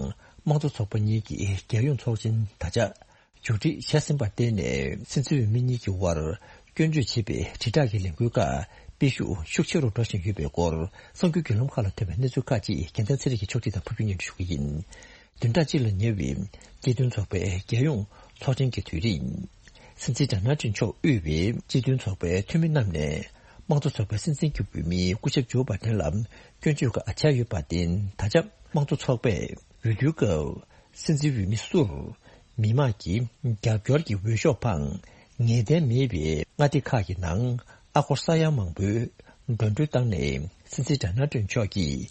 དམངས་གཙོ་ཚོགས་པ་གཉིས་ཀྱིས་རྒྱལ་ཡོངས་ཚོགས་ཆེན་ད་ཆ་མཇུག་སྒྲིལ་བྱས་ཟིན་པར་བརྟེན་ནས། སྲིད་འཛིན་འོས་མི་གཉིས་ཀྱི་དབར་སྐྱོན་བརྗོད་བྱེད་པའི་དྲིལ་བསྒྲགས་ཀྱི་ལས་འགུལ་ཁག་སྤེལ་ཤུགས་ཤུགས་ཆེ་རུ་འགྲོ་བཞིན་ཡོད་པའི་སྐོར། གསར་འགྱུར་བརྒྱུད་ལམ་ཁག་ལ་ཐོན་པའི་གནས་ཚུལ་ཁག་ཅིག་རྒྱལ་མཚན་ཚེ་རིང་གིས་ཕྱོགས་སྒྲིག་དང་ཕབ་སྒྱུར་སྙན་སྒྲོན་ཞུ་གི་ཡིན། བདུན་ཕྲག་གཅིག་ལ་ཉེ་བའི་སྤྱི་མཐུན་ཚོགས་པའི་རྒྱལ་ཡོངས་ཚོགས་ཆེན་གྱི་དུས་རིང་། སྲིད་འཛིན་ཌོ་ནལ་ཊམ་མཆོག་དབུས་པའི་སྤྱི་མཐུན་ཚོགས་པའི་འཐུས་མི་རྣམས་ནས་དམངས་གཙོ་ཚོགས་པའི་སྲིད་འཛིན་གྱི་འོས་མི་སྐུ་ཞབས་ཇོ་བྷའི་ཌེན་ལ་སྐྱོན་བརྗོད་ཁག་བྱས་ཡོད་པར་བརྟེན། ད་ཆ་དམངས་གཙོ་ཚོགས་པས་འོས་བསྡུའི་སྐབས། སྲིད་འཛིན་འོས་མི་སུར་མི་མང་གི་རྒྱབ་སྐྱོར་གྱི་འོས་ཤོག་འཕངས། ངེས་གཏན་མེད་པའི་མངའ་སྡེ་ཁག་གི་ནང་ཨ་སྒོར་ས་ཡ་མང་པོའི་འགྲོ་གྲོན་བཏང་ནས། སྲིད་འཛིན་ཌོ་ནལ་ཊམ་མཆོག་གིས་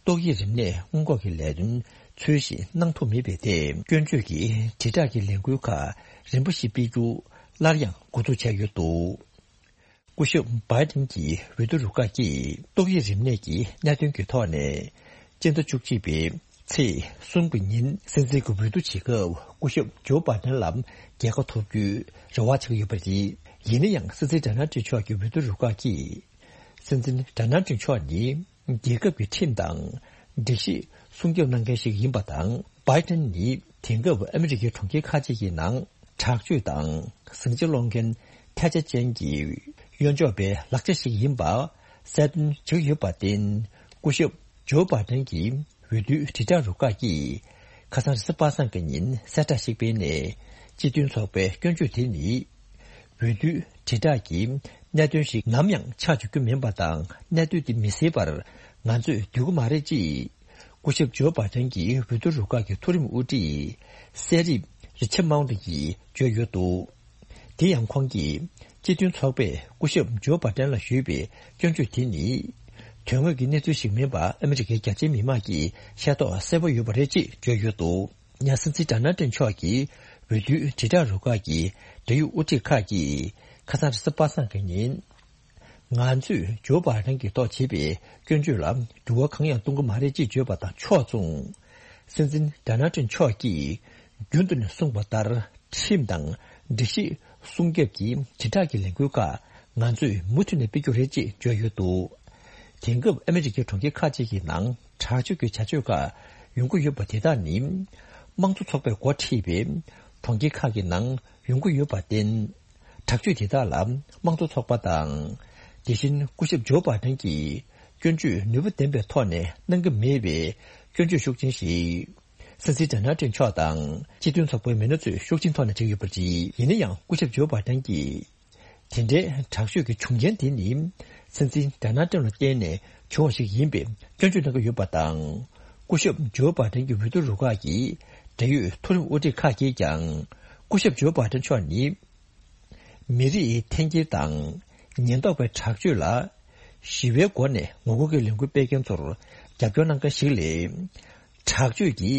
ཏོག་དབྱིབས་རིམས་ནད་སྔོན་འགོག་གི་ལས་དོན་ཚུལ་བཞིན་གནང་ཐུབ་མེད་པའི་ཐད། སྐྱོན་བརྗོད་ཀྱི་དྲིལ་བསྒྲགས་ཀྱི་ལས་འགུལ་ཁག་རིམ་པ་བཞིན་སྤེལ་རྒྱུ་སླར་ཡང་འགོ་འཛུགས་བྱས་ཡོད་འདུག་སྐུ་ཞབས་བྷའི་ཌེན་གྱི་འོས་བསྡུ་རུ་ཁག་གིས་ཏོག་དབྱིབས་རིམས་ནད་ཀྱི་གནད་དོན་གྱི་ཐོག་ནས། སྤྱི་ཟླ་བཅུ་གཅིག་པའི་ཚེས་གསུམ་གྱི་ཉིན་སྲིད་འཛིན་གྱི་འོས་བསྡུ་བྱེད་སྐབས། སྐུ་ཞབས་ཇོ་བྷའི་ཌེན་ལ་རྒྱལ་ཁ་ཐོབ་རྒྱུའི་རེ་བ་བྱེད་ཀྱི་ཡོད་པ་རེད། ཡིན་ན་ཡང་། སྲིད་འཛིན་ཌོ་ནལ་ཊམ་མཆོག་གི་འོས་བསྡུ་རུ་ཁག་གིས། སྲིད་འཛིན་ཌོ་ནལ་ཊམ་མཆོག་ནི། རྒྱལ་ཁབ་ཀྱི་ཁྲིམས་དང་སྒྲིག་གཞི་སྲུང་སྐྱོབ་གནང་མཁན་ཞིག་ཡིན་པ་དང་། བྷའི་ཌེན་ནི་དེང་སྐབས་ཨ་མི་རི་ཀའི་གྲོང་ཁྱེར་ཁག་ཅིག་གི་ནང་དྲག་སྤྱོད་དང་ཟིང་ཆ་སློང་མཁན་ཐལ་ཆ་ཅན་གྱི་གཡོ་འཇོག་པའི་ལག་ཆ་ཞིག་ཡིན་པ་གསལ་སྟོན་བྱེད་ཀྱི་ཡོད་པར་བརྟེན། སྐུ་ཞབས་ཇོ་བྷའི་ཌེན་གྱི་འོས་བསྡུའི་དྲིལ་བསྒྲགས་རུ་ཁག་གིས་ཁ་སང་རེས་གཟའ་པ་སངས་ཀྱི་ཉིན་གསལ་བསྒྲགས་ཤིག་སྤེལ་ནས། སྤྱི་མཐུན་ཚོགས་པའི་སྐྱོན་བརྗོད་དེ་ནི། འོས་བསྡུའི་དྲིལ་བསྒྲགས་ཀྱི་གནད་དོན་ཞིག་ནམ་ཡང་ཆགས་འཇུག་རྒྱུ་མིན་པ་དང་། གནད་དོན་དེ་མི་སྲིད་པར་ང་ཚོས་འདོད་ཀྱི་མ་རེད་ཅེས། སྐུ་ཞབས་ཇོ་བྷའི་ཌེན་གྱི་འོས་བསྡུ་རུ་ཁག་གི་མཐོ་རིམ་དབུ་ཁྲིད་གསལ་རིག་རི་ཆར་མའོན་ཊི་ཡིས་བརྗོད་ཡོད་འདུག་དེ་ཡང་ཁོང་གིས་སྤྱི་མཐུན་ཚོགས་པས་སྐུ་ཞབས་ཇོ་བྷའི་ཌེན་ལ་ཞུས་པའི་སྐྱོན་བརྗོད་དེ་ནི། དོན་དངོས་ཀྱི་གནས་ཚུལ་ཞིག་མིན་པ་ཨ་མི་རི་ཀའི་རྒྱ་ཆེའི་མི་མང་གིས་ཤེས་རྟོགས་གསལ་པོ་ཡོད་པ་རེད་ཅེས་བརྗོད་ཡོད་འདུག་ཡང་སྲིད་འཛིན་ཌོ་ནལ་ཊམ་མཆོག་གིས་འོས་བསྡུའི་དྲིལ་བསྒྲགས་རུ་ཁག་གི་འབྲེལ་ཡོད་དབུ་ཁྲིད་ཁག་གིས་ཁ་སང་རེས་གཟའ་པ་སངས་ཀྱི་ཉིན། ང་ཚོས་ཇོ་བྷའི་ཌེན་གྱི་ཐོག་བྱས་པའི་སྐྱོན་བརྗོད་ལ་འགྱུར་བ་གང་ཡང་གཏོང་གི་མ་རེད་ཅེས་བརྗོད་པ་དང་ཕྱོགས་མཚུངས། སྲིད་འཛིན་ཌོ་ནལ་ཊམ་མཆོག་གིས་རྒྱུན་དུ་ནས་གསུངས་པ་ལྟར། ཁྲིམས་དང་སྒྲིག་གཞི་སྲུང་སྐྱོབ་ཀྱི་དྲིལ་བསྒྲགས་ཀྱི་ལས་འགུལ་ཁག་ང་ཚོས་མུ་མཐུད་ནས་སྤེལ་རྒྱུ་རེད་ཅེས་བརྗོད་ཡོད་འདུག་དེང་སྐབས་ཨ་མི་རི་ཀའི་གྲོང་ཁྱེར་ཁག་ཅིག་གི་ནང་དྲག་སྤྱོད་ཀྱི་བྱ་སྤྱོད་ཁག་ཡོང་གི་ཡོད་པ་དེ་དག་ནི། དམངས་གཙོ་ཚོགས་པས་འགོ་ཁྲིད་པའི་གྲོང་ཁྱེར་ཁག་གི་ནང་ཡོང་གི་ཡོད་པར་བརྟེན། དྲག་སྤྱོད་དེ་དག་ལ་དམངས་གཙོ་ཚོགས་པ་དང་། དེ་བཞིན་སྐུ་ཞབས་ཇོ་བྷའི་ཌེན་གྱིས་སྐྱོན་བརྗོད་ནུས་པ་ལྡན་པའི་ཐོག་ནས་གནང་གི་མེད་པའི་སྐྱོན་བརྗོད་ཤུགས་ཆེན་ཞིག་སྲིད་འཛིན་ཌོ་ནལ་ཊམ་མཆོག་དང་སྤྱི་མཐུན་ཚོགས་པའི་མི་སྣ་ཚོས་ཤུགས་ཆེན་ཐོག་ནས་བྱེད་ཀྱི་ཡོད་པ་རེད། ཡིན་ན་ཡང་སྐུ་ཞབས་ཇོ་བྷའི་ཌེན་གྱིས། དེ་འདྲའི་དྲག་སྤྱོད་ཀྱི་བྱུང་རྐྱེན་དེ་ནི། སྲིད་འཛིན་ཌོ་ནལ་ཊམ་ལ་བརྟེན་ནས་བྱུང་བ་ཞིག་ཡིན་པའི་སྐྱོན་བརྗོད་གནང་གི་ཡོད་པ་དང་། སྐུ་ཞབས་ཇོ་བྷའི་ཌེན་གྱི་འོས་བསྡུ་རུ་ཁག་གི་འབྲེལ་ཡོད་མཐོ་རིམ་དབུ་ཁྲིད་ཁག་གིས་ཀྱང་། སྐུ་ཞབས་ཇོ་བྷ་ཏན་མཆོག་ནི། མི་རིགས་འཐེན་འཁྱེར་དང་ཉེན་རྟོག་པའི་དྲག་སྤྱོད་ལ་ཞི་བའི་སྒོ་ནས་ངོ་རྒོལ་གྱི་ལས་འགུལ་སྤེལ་མཁན་ཚོར་རྒྱབ་སྐྱོར་གནང་མཁན་ཞིག་ལས། དྲག་སྤྱོད་ཀྱི་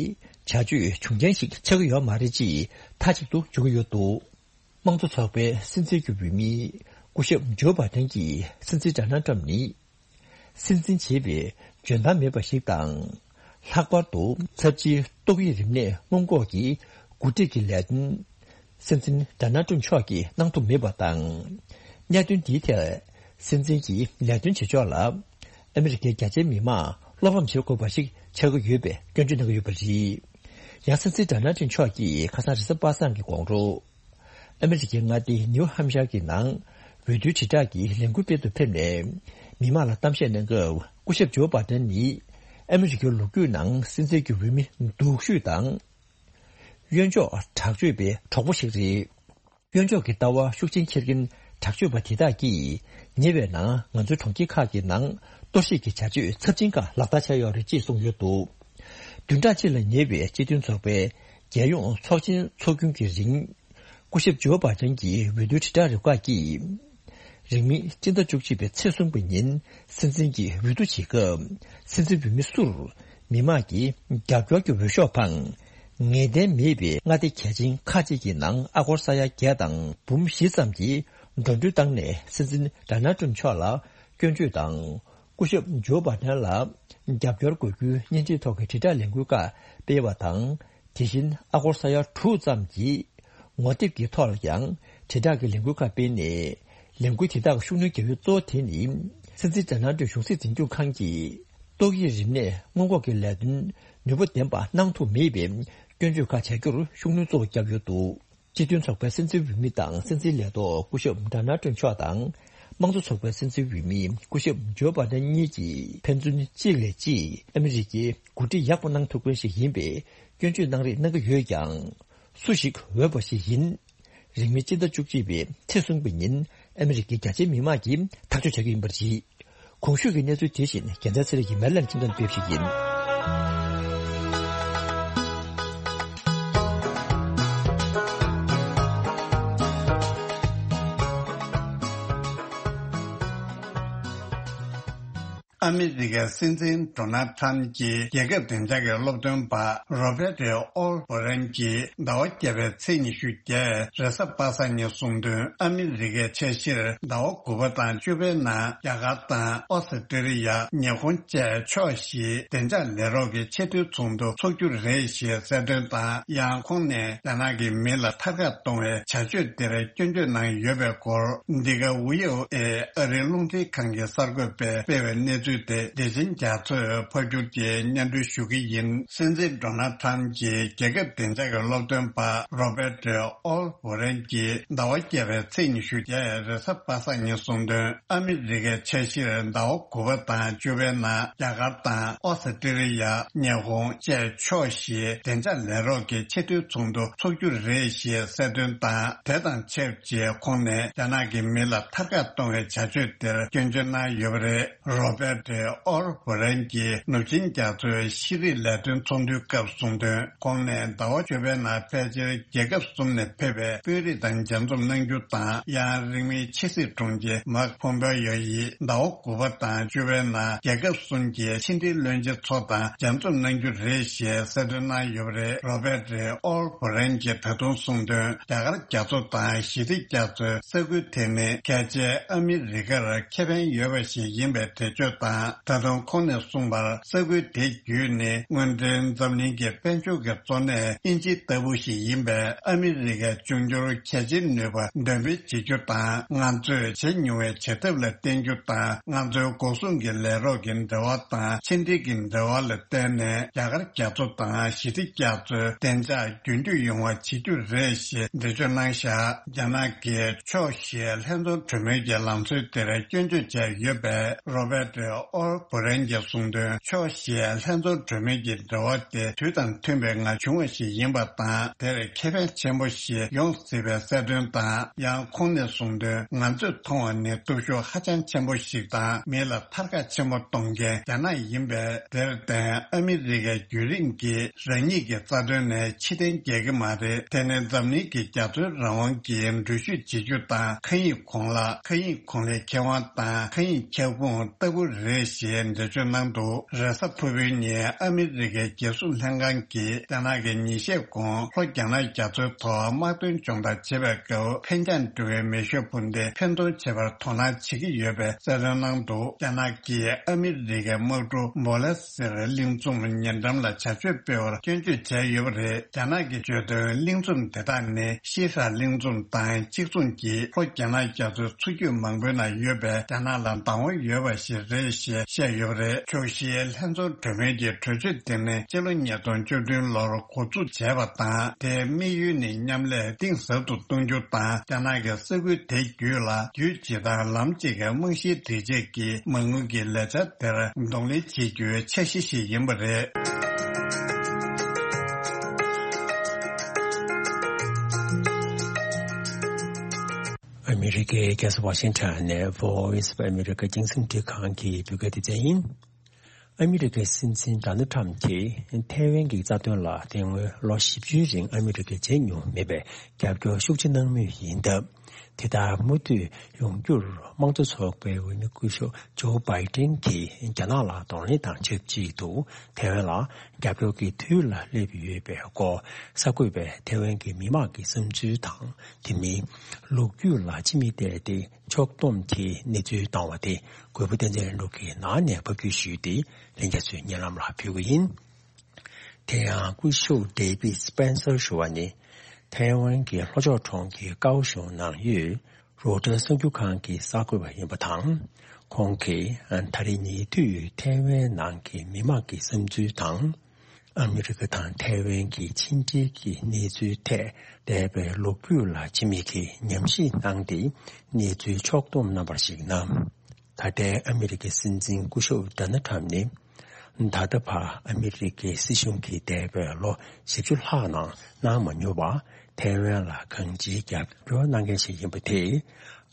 བྱ་སྤྱོད་འབྱུང་རྐྱེན་ཞིག་ཆགས་ཀྱི་ཡོད་མ་རེད་ཅེས་མཐའ་གཅིག་ཏུ་བརྗོད་ཀྱི་ཡོད་འདུག། དམངས་གཙོ་ཚོགས་པའི་སྲིད་འཛིན་གྱི་འོས་མི་སྐུ་ཞབས་ཇོ་བྷ་ཏན་གྱིས་སྲིད་འཛིན་ཌོ་ནལ་ཊམ་ནི། སྲིད་འཛིན་བྱེད་པའི་འཇོན་ཐང་མེད་པ་ཞིག་དང་། ལྷག་པར་དུ་ཚབས་ཆེའི་ཏོག་དབྱིབས་རིམས་ནད་སྔོན་འགོག་གི་འགོ་ཁྲིད་ཀྱི་ལས་དོན་སྲིད་འཛིན་ཌོ་ནལ་ཊམ་མཆོག་གིས་གནང་ཐུབ་མེད་པ་དང་། གནད་དོན་འདིའི་ཐད་སྲིད་འཛིན་གྱི་ལས་དོན་བྱེད་ཕྱོགས་ལ་ཨ་མི་རི་ཀའི་རྒྱ་ཆེའི་མི་མང་བློ་ཕམ་བྱེད་དགོས་པ་ཞིག་ཆགས་ཀྱི་ཡོད་པའི་སྐྱོན་བརྗོད་གནང་གི་ཡོད་པ་རེད། ཡང་སྲིད་འཛིན་ཌོ་ནལ་ཊམ་མཆོག་གིས་ཁ་སང་རེས་གཟའ་པ་སངས་ཀྱི་དགོང་དྲོ། ཨ་མི་རི་ཀའི་མངའ་སྡེ་ནིའུ་ཧམ་ཤར་གྱི་ནང་འོས་བསྡུའི་དྲིལ་བསྒྲགས་ཀྱི་ལས་འགུལ་སྤེལ་དུ་ཕེབས་ནས། མི་མང་ལ་གཏམ་བཤད་གནང་སྐབས་སྐུ་ཞབས་ཇོ་བྷ་ཏན་ནི་ཨ་མི་རི་ཀའི་ལོ་རྒྱུས་ནང་སྲིད་འཛིན་གྱི་འོས་མི་སྡུག་ཤོས་དང་། གཡོན་ཕྱོགས་དྲག་སྤྱོད་པའི་གྲོགས་པོ་ཞིག་རེད། གཡོན་ཕྱོགས་ཀྱི་ལྟ་བ་ཤུགས་ཆེན་འཁྱེར་མཁན་དྲག་སྤྱོད་པ་དེ་དག་གིས་ཉེ་བའི་ནང་ང་ཚོའི་གྲོང་ཁྱེར་ཁག་གི་ནང་གཏོར་བཤིག་གི་བྱ་སྤྱོད་ཚབས་ཆེན་ཁག་ལག་བསྟར་བྱས་ཡོད་རེད་ཅེས་གསུངས་ཡོད་འདུག། བདུན་ཕྲག་གཅིག་ལ་ཉེ་བའི་སྤྱི་མཐུན་ཚོགས་པའི་རྒྱལ་ཡོངས་ཚོགས་ཆེན་འཚོགས་རྒྱུན་གྱི་རིང་། སྐུ་ཞབས་ཇོ་བྷ་ཏན་གྱི་འོས་བསྡུའི་དྲིལ་བསྒྲགས་རུ་ཁག་གིས། རིང་མིན་སྤྱི་ཟླ་བཅུ་གཅིག་པའི་ཚེས་གསུམ་པའི་ཉིན་སྲིད་འཛིན་གྱི་འོས་བསྡུ་བྱེད་སྐབས། སྲིད་འཛིན་འོས་མི་སུར་མི་མང་གིས་རྒྱབ་སྐྱོར་གྱི་འོས་ཤོག་འཕངས། ངེས་གཏན་མེད་པའི་མངའ་སྡེ་གལ་ཆེན་ཁག་ཅིག་གི་ནང་ཨ་སྒོར་ས་ཡ་བརྒྱད་དང་འབུམ་བཞི་ཙམ་གྱི་འགྲོ་གྲོན་བཏང་ནས་སྲིད་འཛིན་ཌོ་ནལ་ཊམ་མཆོག་ལ་སྐྱོན་བརྗོད་དང་། སྐུ་ཞབས་ཇོ་བྷ་ཏན་ལ་རྒྱབ་སྐྱོར་དགོས་རྒྱུའི་བརྙན་འཕྲིན་ཐོག་གི་དྲིལ་བསྒྲགས་ལས་འགུལ་ཁག་སྤེལ་བ་དང་། དེ་བཞིན་ཨ་སྒོར་ས་ཡ་དྲུག་ཙམ་གྱི་ངོ་དེབ་ཀྱི་ཐོག་ལ་ཡང་དྲིལ་བསྒྲགས་ཀྱི་ལས་འགུལ་ཁག་སྤེལ་ནས། ལས་འགུལ་དེ་དག་གི་ཤུགས་སྣོན་རྒྱག་ཡུལ་གཙོ་བོ་དེ་ནི། སྲིད་འཛིན་ཌོ་ནལ་ཊམ་གཞུང་སྲིད་འཛིན་སྐྱོང་ཁང་གིས་ཏོག་དབྱིབས་རིམས་ནད་སྔོན་འགོག་གི་ལས་དོན་ནུས་པ་ལྡན་པ་གནང་ཐུབ་མེད་པའི་སྐྱོན་བརྗོད་ཁག་བྱ་རྒྱུར་ཤུགས་སྣོན་གཙོ་བོ་བརྒྱབ་ཡོད་འདུག། སྤྱི་མཐུན་ཚོགས་པའི་སྲིད་འཛིན་འོས་མི་དང་སྲིད་འཛིན་ལས་ཐོག་སྐུ་ཞབས་ཌོ་ནལ་ཊམ་མཆོག་དང་། དམངས་གཙོ་ཚོགས་པའི་སྲིད་འཛིན་འོས་མི་སྐུ་ཞབས་ཇོ་བྷ་ཏན་གཉིས་ཀྱིས་ཕན་ཚུན་གཅིག་ལས་གཅིག་ཨ་མི་རི་ཀའི་འགོ་ཁྲིད་ཡག་པོ་གནང་ཐུབ་མཁན་ཞིག་ཡིན་པའི་སྐྱོན་བརྗོད་གནང་རེས་གནང་གི་ཡོད་ཀྱང་། སུ་ཞིག་འོས་པ་ཞིག་ཡིན། རིང་མིན་སྤྱི་ཟླ་བཅུ་གཅིག་པའི་ཚེས་གསུམ་པའི་ཉིན་ཨ་མི་རི་ཀའི་རྒྱ་ཆེའི་མི་མང་གིས་ཐག་གཅོད་བྱ་རྒྱུ་ཡིན་པ་རེད། གོང་ཞུས་ཀྱི་གནས་ཚུལ་དེ་བཞིན་རྒྱལ་མཚན་ཚེ་རིང་གིས་མེ་ལན་ཁྱིམ་ཚང་ཕེབས་ཤིག་ཡིན། ཨ་མི་རི་ཀའི་སྲིད་འཛིན་ཌོ་ནལ་ཁྲམ་གྱིས་རྒྱལ་ཁབ་བདེ་འཇགས་ཀྱི་སློབ་སྟོན་པ་རོ་བྷེ་ཏི་ཨོལ་བྷོ་རན་གྱིས་ཟླ་བ་བརྒྱད་པའི་ཚེས་ཉི་ཤུ་བརྒྱད་རེས་གཟའ་པ་སངས་ཉིན་གསུངས་དོན། ཨ་མི་རི་ཀའི་ཆ་གཞིར་ཟླ་བ་དགུ་པ་དང་བཅུ་པའི་ནང་རྒྱ་གར་དང་ཨོ་སི་ཀྲི་ལི་ཡ། ཉི་ཧོང་བཅས་ཕྱོགས་བཞིའི་བདེ་འཇགས་ལས་རོགས་ཀྱི་ཆེས་མཐོའི་ཚོགས་འདུ་འཚོགས་རྒྱུ་རེད་ཞེས་གསལ་སྟོན་དང་། ཡང་ཁོང་ནས་རྒྱ་ནག་གི་མི་ལ་ཐར་ཀ་གཏོང་བའི་བྱ་སྤྱོད་དེར་སྐྱོན་བརྗོད་གནང་ཡོད་པའི་སྐོར། འདི་ག་ཝི་ཨོ་ཨེ་ཨ་རིའི་རླུང་འཕྲིན་ཁང་གི་གསར་འགོད་པས་སྤེལ་བའི་གནས་ཚུལ་དེ་བདེ་ཆེན་རྒྱ་མཚོས་ཕབ་སྒྱུར་གྱིས་སྙན་སྒྲོན་ཞུ་གི་ཡིན། སྲིད་འཛིན་ཌོ་ནལ་ཁྲམ་གྱིས་རྒྱལ་ཁབ་བདེ་འཇགས་ཀྱི་སློབ་སྟོན་པ་རོ་བྷེ་ཏི་ཨོལ་བྷོ་རན་གྱིས་ཟླ་བ་བརྒྱད་པའི་ཚེས་ཉི་ཤུ་བརྒྱད་རེས་གཟའ་པ་སངས་ཉིན་གསུངས་དོན། ཨ་མི་རི་ཀའི་ཆ་གཞིར་ཟླ་བ་དགུ་པ་དང་བཅུ་པའི་ནང་རྒྱ་གར་དང་ཨོ་སི་ཀྲི་ལི་ཡ། ཉི་ཧོང་བཅས་ཕྱོགས་བཞིའི་བདེ་འཇགས་ལས་རོགས་ཀྱི་ཆེས་མཐོའི་ཚོགས་འདུ་འཚོགས་རྒྱུ་རེད་ཞེས་གསལ་སྟོན་དང་། དེ་དང་ཆབས་ཅིག་ཁོང་ནས་རྒྱ་ནག་གི་མི་ལ་ཐར་ཀ་གཏོང་བའི་བྱ་སྤྱོད་དེར་སྐྱོན་བརྗོད་གནང་ཡོད་པ་རེད། རོ་བྷེ་ཏི་ཨོལ་བྷོ་རན་གྱིས་ནུབ་ཆིངས་རྒྱ་མཚོའི་ཤེས་རིག་ལས་དོན་ཚོགས་འདུའི་སྐབས་གསུངས་དོན། ཁོང་ནས་ཟླ་བ་བཅུ་པའི་ནང་ཕལ་ཆེར་རྒྱལ་ཁབ་གསུམ་ནས་ཕེབས་པའི་དཔོན་རིགས་དང་མཇལ་འཛོམས་གནང་རྒྱུ་དང་། ཡང་རིང་མིན་ཕྱི་སྲིད་དྲུང་ཆེ་མཱག་ཕོམ་པེ་ཡོ་ཡིས་ཟླ་བ་དགུ་པ་དང་བཅུ་པའི་ནང་རྒྱལ་ཁབ་གསུམ་གྱི་ཕྱི་འབྲེལ་བློན་ཆེན་ཚོ་དང་མཇལ་འཛོམས་གནང་རྒྱུ་རེད་ཞེས་གསལ་སྟོན་གནང་ཡོད་པ་རེད། རོ་བྷེ་ཏི་ཨོལ་བྷོ་རན་གྱིས་ད་དུང་གསུངས་དོན། རྒྱ་གར་རྒྱ་མཚོ་དང་ཞི་བདེ་རྒྱ་མཚོའི་ས་ཁུལ་དེ་ནི་གལ་ཆེའི་ཨ་མི་རི་ཀར་ཁེ་ཕན་ཡོད་པ་ཞིག་ཡིན་པའི་འགྲེལ་བརྗོད་དང་། ད་དུང་ཁོང་ནས་གསུངས་པར། ས་ཁུལ་དེ་བརྒྱུད་ནས་དངོས་འབྲེལ་འཛམ་གླིང་གི་དཔལ་འབྱོར་གྱི་གཙོ་གནད་དབྱིན་ཇི་ལྟ་བུ་ཞིག་ཡིན་པས། ཨ་མི་རི་ཀའི་འབྱུང་འགྱུར་གལ་ཆེའི་ནུས་པ་འདོན་སྤེལ་བྱེད་རྒྱུ་དང་། ང་ཚོས་བྱེད་མྱོང་བའི་བྱེད་ཐབས་ལ་བརྟེན་རྒྱུ་དང་། ང་ཚོའི་འགོག་སྲུང་གི་ལས་རོགས་ཀྱི་འབྲེལ་བ་དང་ཕྱི་འབྲེལ་གྱི་འབྲེལ་བ་ལ་བརྟེན་ནས། རྒྱ་གར་རྒྱ་མཚོ་དང་ཞི་བདེ་རྒྱ་མཚོའི་བདེ་འཇགས་རྒྱུན་མཐུད་ཡོང་བ་བྱེད་རྒྱུ་རེད་ཞེས་འགྲེལ་བརྗོད་གནང་བཞག། རྒྱ་ནག་གིས་ཕྱོགས་བཞིའི་ལྷན་ཚོགས་གྲོས་མོལ་གྱི་ལམ་སྲོལ་དེར་སྐྱོན་བརྗོད་བྱས་ཡོད་པས། རོ་བྷེ་ཏི་ ཨོལ་བྷོ་རན་གྱིས་གསུངས་དོན། ཕྱོགས་བཞིའི་ལྷན་འཛོམས་གྲོས་མོལ་གྱི་འབྲེལ་བ་དེ་དུས་དང་མཐུན་པའི་ངང་བྱུང་བ་ཞིག་ཡིན་པ་དང་། དེར་ཁེ་ཕན་ཆེན་པོ་ཞིག་ཡོང་སྲིད་པའི་གསལ་སྟོན་དང་། ཡང་ཁོང་ནས་གསུངས་དོན། ང་ཚོས་མཐོང་བ་ནི་སྟོབས་ཤུགས་ཧ་ཅང་ཆེན་པོ་ཞིག་དང་། མི་ལ་ཐར་ཁ་ཆེན་པོ་གཏོང་མཁན་རྒྱ་ནག་ཡིན་པས། དེར་བརྟེན་ཨ་མི་རི་ཀའི་རྒྱུན་རིང་གི་རང་ཉིད་ཀྱི་རྩ་དོན་ནས་ཕྱིར་འཐེན་རྒྱག་གི་མ་རེད། དེ་ནི་འཛམ་གླིང་གི་རྒྱ་མཚོའི་རང་དབང་གི་འགྲུལ་བཞུད་བྱེད་རྒྱུ་དང་། མཁའ་དབྱིངས་གོང་ལ། མཁའ་དབྱིངས་གོང་ལའི་ཁེ་དབང་དང་། མཁའ་དབྱིངས་ཁྱབ་ཁོངས་ལྟ་བུ་རེད་ཞེས་འགྲེལ་བརྗོད་གནང་འདུག་རེས་གཟའ་ཕུར་བུའི་ཉིན་ཨ་མི་རི་ཀའི་རྒྱལ་སྲུང་ལྷན་ཁང་གིས་རྒྱ་ནག་གིས་ཉིན་ཤས་གོང་ལྷོ་རྒྱ་ནག་རྒྱ་མཚོའི་ཐོག་དམག་དོན་སྦྱོང་བརྡར་བྱེད་པའི་སྐབས་འཕེན་རྒྱང་འགྲོ་བའི་མེ་ཤུགས་འཕུར་མདེལ་འཕེན་གཏོང་བྱེད་པར་དོ་སྣང་བྱེད་ཀྱི་ཡོད་པའི་གསལ་སྟོན་གནང་འདུག་རྒྱ་ནག་གིས་ཨ་མི་རི་ཀའི་དམག་གྲུ་མོ་ལེ་སེར་གླིང་ཚོམ་ཉེ་འགྲམ་ལ་བྱ་སྤྱོད་སྤེལ་བར་སྐྱོན་བརྗོད་བྱས་ཡོད་པ་རེད། རྒྱ་ནག་གིས་བརྗོད་དོན། གླིང་ཚོམ་དེ་དག་ནི་ཤི་ཧྲ་གླིང་ཚོམ་དང་གཅིག་མཚུངས་ཀྱིས་ལྷོ་རྒྱ་ནག་རྒྱ་མཚོའི་མཚོ་རྒྱུད་མང་པོའི་ནང་ཡོད་པའི་རྒྱ་ནག་ལ་བདག་དབང་ཡོད་པ་ཞིག་རེད་ཞེས་བཤད་ཡོད་པ་རེད། ཕྱོགས་བཞིའི་ལྷན་འཛོམས་གྲོས་མོལ་གྱི་གྲོས་ཆོད་དེ་ནི་སྤྱི་ལོ་ཉིས་སྟོང་བཅུ་བདུན་ལོར་འགོ་འཛུགས་བྱས་པ་དང་། དེའི་དམིགས་ཡུལ་ནི་མཉམ་ལས་གཏིང་ཟབ་ཏུ་གཏོང་རྒྱུ་དང་། རྒྱ་ནག་གི་ས་ཁུལ་དེ་བརྒྱུད་ལ་རྒྱུད་སྤྱི་དང་ལམ་གཅིག་གི་རྨང་གཞིའི་སྒྲིག་ཆས་ཀྱི་མ་དངུལ་གྱི་ལས་འཆར་དེར་གདོང་ལེན་བྱེད་རྒྱུའི་འཆར་གཞི་ཞིག་ཡིན་པ་རེད། ཨ་མི་རི་ཀའི་རྒྱལ་ས་ཝ་ཤིང་ཊོན་ནས་Voice of America་རྒྱང་སྲིང་འཕྲིན་ཁང་གི་བོད་སྐད་སྡེ་ཚན་ཡིན། ཨ་མི་རི་ཀའི་སྲིད་འཛིན་ཌོ་ནལ་ཊམ་གྱིས་ཐའེ་ཝན་གྱི་རྩ་དོན་ལ་དེ་སྔོན་ལོ་བཞི་བཅུའི་རིང་ཨ་མི་རི་ཀས་བྱེད་མྱོང་མེད་པའི་རྒྱབ་སྐྱོར་ཤུགས་ཆེ་གནང་མུས་ཡིན་སྟབས། དེ་ལྟར་མུ་མཐུད་ཡོང་རྒྱུར་དམངས་གཙོ་ཚོགས་པའི་འོས་མི་སྐུ་ཞབས་ཇོ་བྷའི་ཏིན་གྱིས་རྒྱ་ནག་ལ་གདོང་ལེན་དང་ཆབས་ཅིག་ཏུ་ཐའེ་ཝན་ལ་རྒྱབ་སྐྱོར་གྱི་དུས་ལ་སླེབས་ཡོད་པའི་སྐོར། གསར་འགོད་པས་ཐའེ་ཝན་གྱི་མི་དམངས་ཀྱི་བསམ་ཚུལ་དང་། དེ་མིན་ལོ་རྒྱུས་ལ་ཕྱི་མིག་བལྟས་ཏེ་ཕྱོགས་བསྡོམས་ཀྱིས་གནས་ཚུལ་བཏང་བ་དེ། གུས་པ་བསྟན་འཛིན་ལྷུན་གྲུབ་ཀྱིས་ནང་ནས་ཕབ་སྒྱུར་ཞུས་ཏེ། ལྷན་རྒྱས་ཚོའི་སྙན་ལམ་ལ་ཕུལ་གྱི་ཡིན། དེ་ཡང་སྐུ་ཞབས་ཌེ་བིད་སྤེན་སར་ཞུ་བ་ནི། ཐའེ་ཝན་གྱི་ལྷོ་ཕྱོགས་གྲོང་ཁྱེར་ཀའོ་ཞུང་ནང་ཡོད་རོའི་ཊར་གསར་འགྱུར་ཁང་གི་གསར་འགོད་པ་ཡིན་པ་དང་། ཁོང་གིས་ད་རེས་ཉེ་དུས་ཐའེ་ཝན་ནང་གི་མི་དམངས་ཀྱི་བསམ་ཚུལ་དང་། ཨ་མི་རི་ཀ་དང་ཐའེ་ཝན་གྱི་ཕྱི་འབྲེལ་གྱི་གནས་ཚུལ་ཐད་འདས་པའི་ལོ་རྒྱུས་ལ་ཕྱི་མིག་གིས་ཉམས་ཞིབ་གནང་སྟེ། གནས་ཚུལ་ཕྱོགས་བསྡོམས་གནང་བར་གཞིགས་ན། ད་ལྟའི་ཨ་མི་རི་ཀའི་སྲིད་འཛིན་སྐུ་ཞབས་ཌོ་ནལ་ཊམ་ནི། ད་ལྟ་བར་ཨ་མི་རི་ཀའི་སྲིད་གཞུང་གིས་འདས་པའི་ལོ་བཞི་བཅུ་ལྷག་ནང་གནང་མ་མྱོང་བར་ཐའེ་ཝན་ལ་གང་ཅིའི་རྒྱབ་སྐྱོར་གནང་མཁན་ཞིག་ཡིན་པ་དེས།